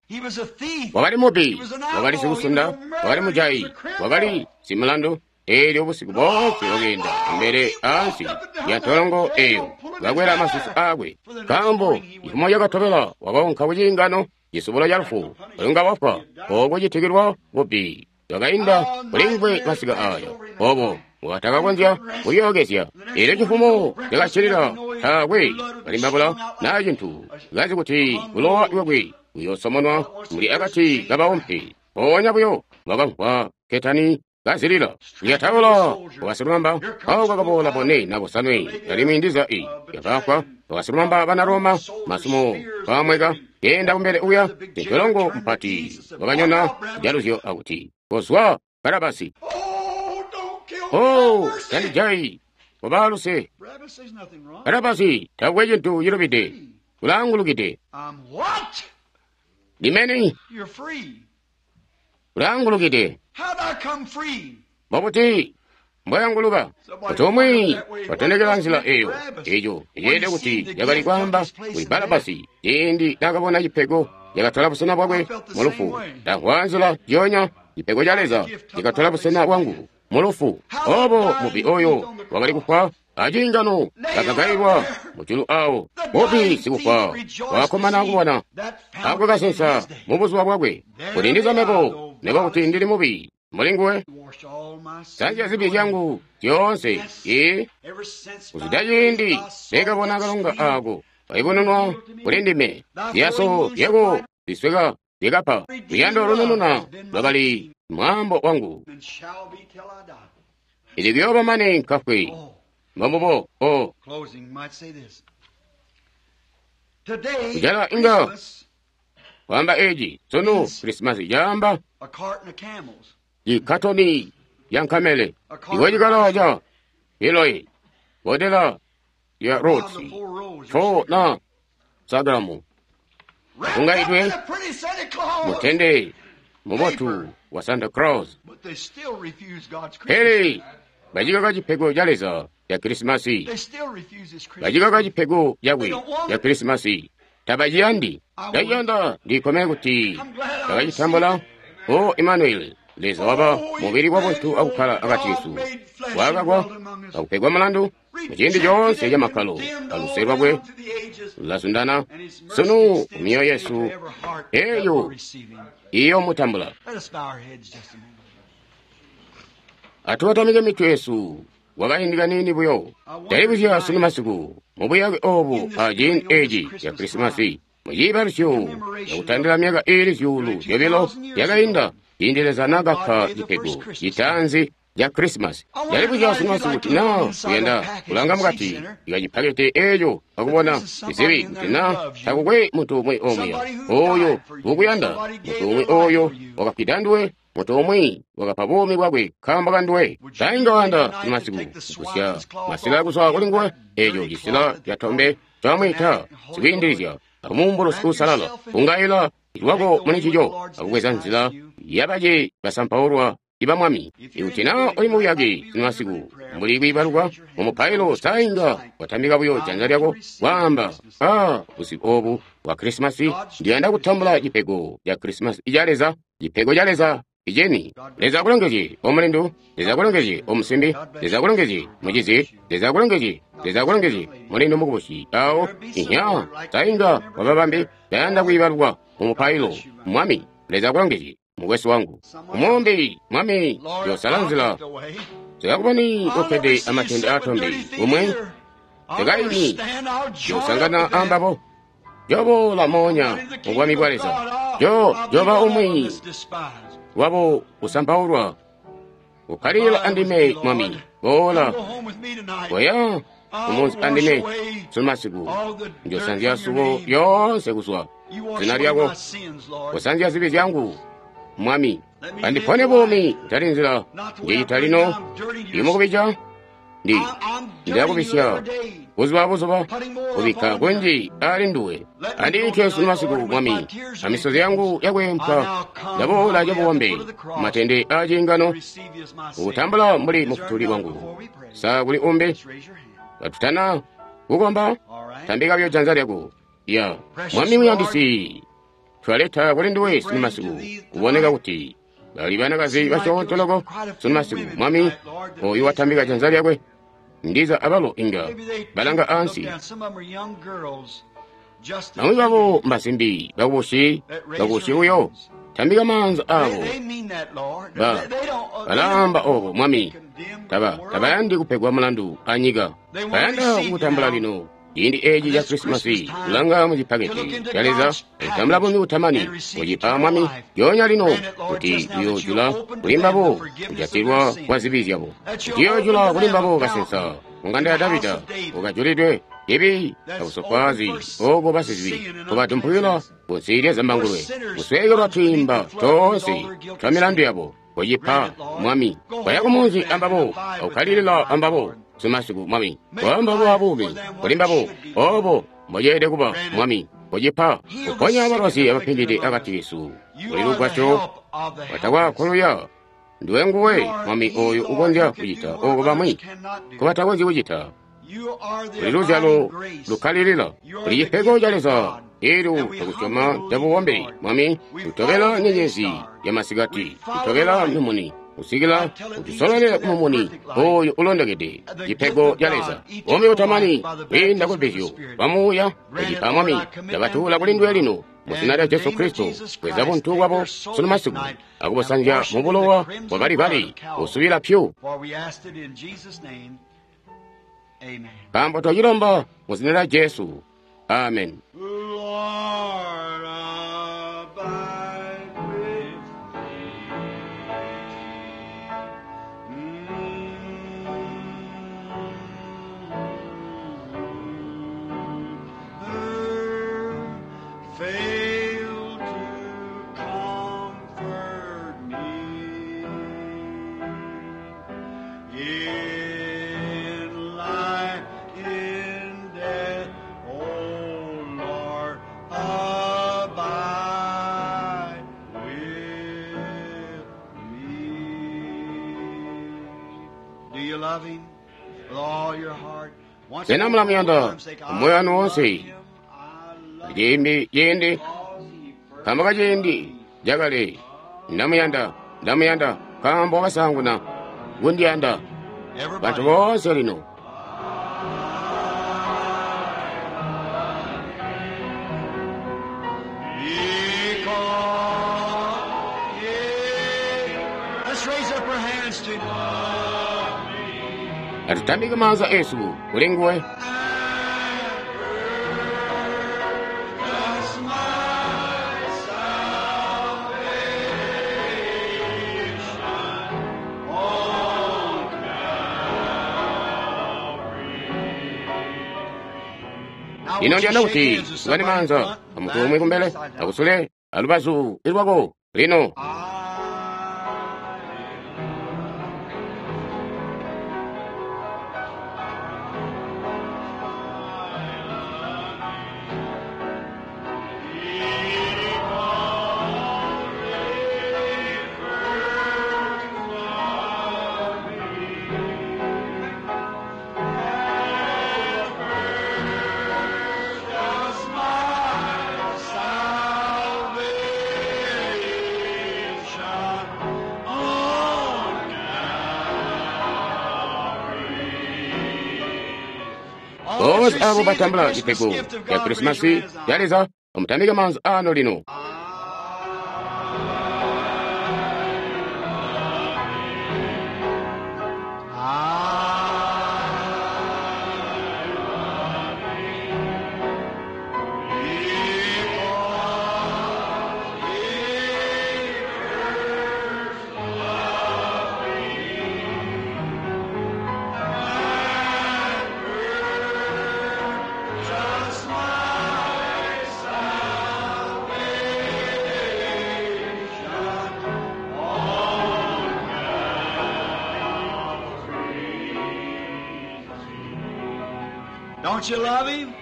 Wakali mubi, wakali sikusunda, wakali mujayi, wakali simulandu. Eelyo busiku boonse wakeenda mbele ansi ya ntolongo eyo, kakwela masusu aakwe. Nkaambo cifumo cakatobela wakaunka kuciingano cisubulo ca lufu, ulunga wafwa ooko citikilwa bubi. Wakainda kulimvwe masika aya, obo watakakonzya kulyokezya. Eelyo cifumo cakacilila taakwe kalimbabula naa cintu, kazi kuti bulowa bwakwe buyoosomonwa muli akati kabawumpe. Mpoonya buyo wakamvwa ketani kazilila lyataula wakasilumamba. Awo kakaboola bone na bosanwe alimwi ndiza i yakafwa. Wakasilumamba bana Roma masumo kamweka kenda kumbele uya ntolongo mpati wakanyona jaluzyo akuti, kozwa Barabasi. Oh, tandijayi, kobaluse. Barabasi takwe cintu cilubide, ulaangulukide. Ndimeni ulaangulukide. Mbobuti mbwayanguluka? Kuti umwi watondekela nzila eyo, eco iceelede kuti yakali kwaamba kuli Barabasi ciindi nakabona cipego cakatola busena bwakwe mulufu. Ndamvwa nzila njionya cipego ca Leza cakatola busena bwangu mulufu. Obo mubi oyo wakali kufwa aciingano kakagailwa mujulu awo. Mubi sikufwa wakakkomana kubona ako kasensa mubuzuba bwakwe. Kuti ndizameko nekuba kuti ndili mubi muli nguwe, sanzya zibi zyangu zyoonse. Ee, kuzwida ciindi nekabona kalonga ako kaibonenwa kuli ndime, ziyaso zyako zisweka zyakapa. Luyando lunununa lwakali mwaambo wangu. Ili kuyooba mane nkafwe. Mbombubo. O. Kujala inga kwaamba eci sunu Krisimasi caamba ikatoni ya nkamele, ikocikala ca Eloi, bodela ya Rotsi, fo na Sagamu. Ungaitwe mutende mubotu wa Santa Claus. Pele bacikaka cipego ca Leza ya Krisimasi, bacikaka cipego cakwe ya Krisimasi, tabaciyandi. Ndaciyanda ndikomene kuti bakacitambula. O Emmanuel, Leza waba mubili wa buntu akukkala akati kesu, wakakwa akupegwa mulandu muciindi coonse ca makkalo aluse lwakwe lulazundana sunu mumyoyo yesu eyo iyomutambula. Atubatamike mitwe yesu kwakaindi kaniini buyo. Ndalibuzya sunu masiku mubuyake obu aciindi eci ca Krisimasi, muciibalusyo cakutandila myaka iili 200 yakainda ciindi Leza naakapa cipego citaanzi ca Krisimasi. Ndalibuzya sunu masiku kuti naa kuyanda kulanga mukati ikacipakete eco akubona izibi kuti naa takukwe muntu umwi omuya oyo ukuyanda, muntu umwi oyo wakafwida nduwe, muntu umwi wakapa buumi bwakwe nkaambo kanduwe. Tainga wayanda sunu masiku kugusya masila kuzwa kuli nguwe, eco cisila catombe camwita sikwiindilizya akumuumbulusi uusalala ungaila lwako muli ncico akubweza nzila yabace basampaulwa iba Mwami. Ikuti naa uli mubuyake sunu masiku mbuli kwiibaluka mumupailo, sainga watambika buyo janza lyako kwaamba, a busiku obu bwa Krisimasi ndiyanda kutambula cipego ca Krisimasi ca Leza, cipego ca Leza iceni. Leza akulongezye omulindu, Leza akulongezye omusimbi, Leza akulongezye mucizi, Leza akulongezye, Leza akulongezye mulindu mukubusi. Awo inya sainga wababambi ndayanda kwiibalukwa mumupailo. Mwami Leza akulongezye mukwesu wangu umumbi. Mwami yosala nzila sikakuboni ukkede amatende atombe umwe sikaimi yosangana ambabo joboola moonya mubwami bwa Leza. Joba umwi wabo usampaulwa ukkalila andime. Mwami boola koya umunzi andime sunu masiku, njosanzya suwo yoonse kuzwa zina lyako, usanzya zibi zyangu. Mwami andipone buumi kutali nzila njecita lino, ndimukubija ndi ndakubisya buzuba buzuba kubikka kunji ali nduwe. Andiite sunu masiku Mwami, amisozi yangu yakwempwa ndaboola cabuwambe matende a ciingano kutambula mbuli mufutuli wangu. Sa kuli umbi katutana kukomba? Tambika buyo janza lyako. Ya Mwami muyandisi, twaleta kuli nduwe sunu masiku. Kuboneka kuti bali banakazi basyoonto loko sunu masiku. Mwami oyu watambika janza lyakwe, ndiza abalo inga balanga ansi. Bamwi babo mbasimbi bakubusi, bakubusi uyo tambika maanza abo. Balaamba obo Mwami, tabayandi kupegwa mulandu anyika, bayanda kukutambula lino ciindi eci ca Krisimasi, kulanga mucipaketi ca Leza kutambula buumi butamani. Kucipa Mwami lyoonya lino kuti uyoojula kuli mbabo kujatilwa kwa zibi zyabo, kuti uyoojula kuli mbabo kasensa munganda ya Davida ukajulidwe cibi abusofwaazi obo basizibi kubadumpukila kunsi lya zambangulwe kusweekelwa twiimba toonse twa milandu yabo. Kucipa Mwami kwaya kumunzi ambabo akukkalilila ambabo sumasiku. Mwami kwamba buumi kuli mbabo obo mboceelede kuba. Mwami kucipa kuponya abalwazi abapindide akati kesu kuli lugwasyo watakwakuluya ndiwe nguwe Mwami oyo ukonzya kucita oko bamwi nkobatakonzyi kucita. Kuli luzyalo lukkalilila, kuli cipego ca Leza elyo takusyoma cabuwombe. Mwami tutobela nyenyezi ya masikati, tutobela mumuni kusikila utusololele mumuni oyo ulondokede, cipego ca Leza, buumi butamani kwiinda kubbizyo lwa Muuya. Kucipa Mwami ndabatuula kuli nduwe lino mu zina lya Jesu Kristo. Bweza buntu bwabo sunu masiku akubusanzya mu bulowa bwa Kalibali busubila pyu, nkaambo twacilomba mu zina lya Jesu. Amen. Lord, abide with me. Fail to comfort me. In life, in death, O Lord, abide with me. Do you love him with all your heart? Once Sena more, mulamuyanda for time's sake, I moyo wanu love wonse? him, I love him Ciindi ciindi because he first nkaambo kaciindi cakale ndamuyanda ndamuyanda nkaambo wakasaanguna kundiyanda. Bantu Everybody. boonse lino Because he- Let's raise up our hands to atitambike maanza esu kuli nguwe. That's my salvation. On Calvary. Now, Lino won't you ndiyanda shake kuti hands with tugane somebody in maanza front and amuntu back umwe and kumbele upside down. akusule alubazu ilwako lino. Bonse abo batambula cipego ya Krisimasi ya Leza amutambike maanza ano lino. Just my salvation on Calvary. Don't you love him?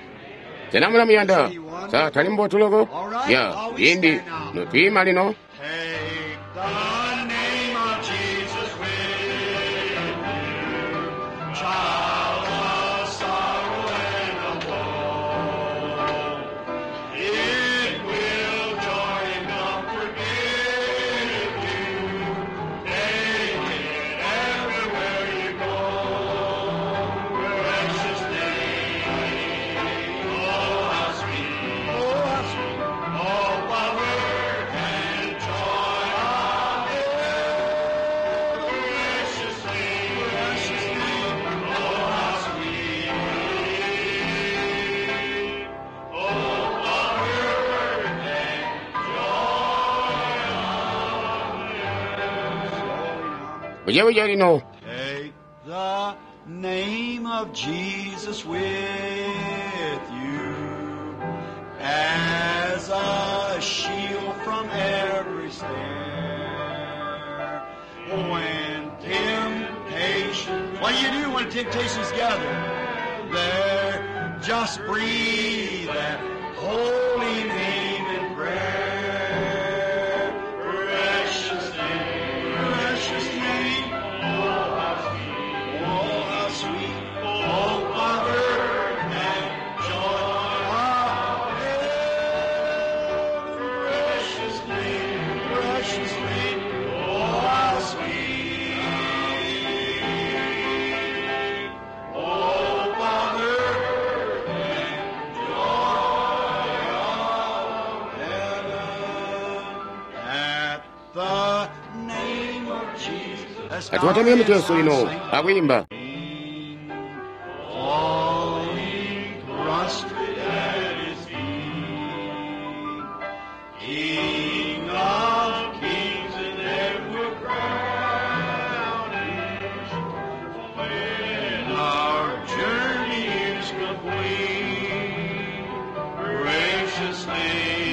Sena mulamuyanda sa tali mbotu loko ya ciindi notwiima lino. Take the name of Jesus with you, child of sorrow and of woe. It will joy and comfort give you. Take it everywhere you go. Precious name, oh how sweet, oh how sweet, oh power and joy of heaven. Precious name, precious name, oh how sweet, oh power and joy of heaven. Bujebuje lino. Take the name of Jesus with you as a shield from every snare. When temptation, what do you do when temptations gather? There, just breathe that holy name in prayer. Precious name, precious name. Oh, how sweet, oh, how sweet, oh, Father and joy of heaven. Precious name, precious name, oh, how sweet. Oh, Father and joy of heaven. At the name of Jesus. Let's bow our Atiwatamike heads mitu yesu now and lino sing. akuyimba. Falling prostrate at his feet, King of kings and ever crown him. When our journey is complete, precious name.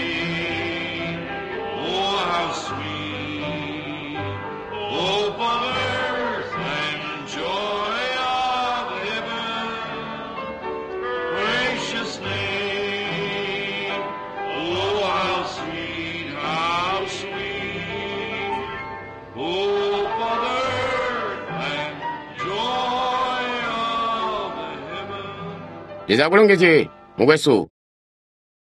Leza akulongezye, mukwesu.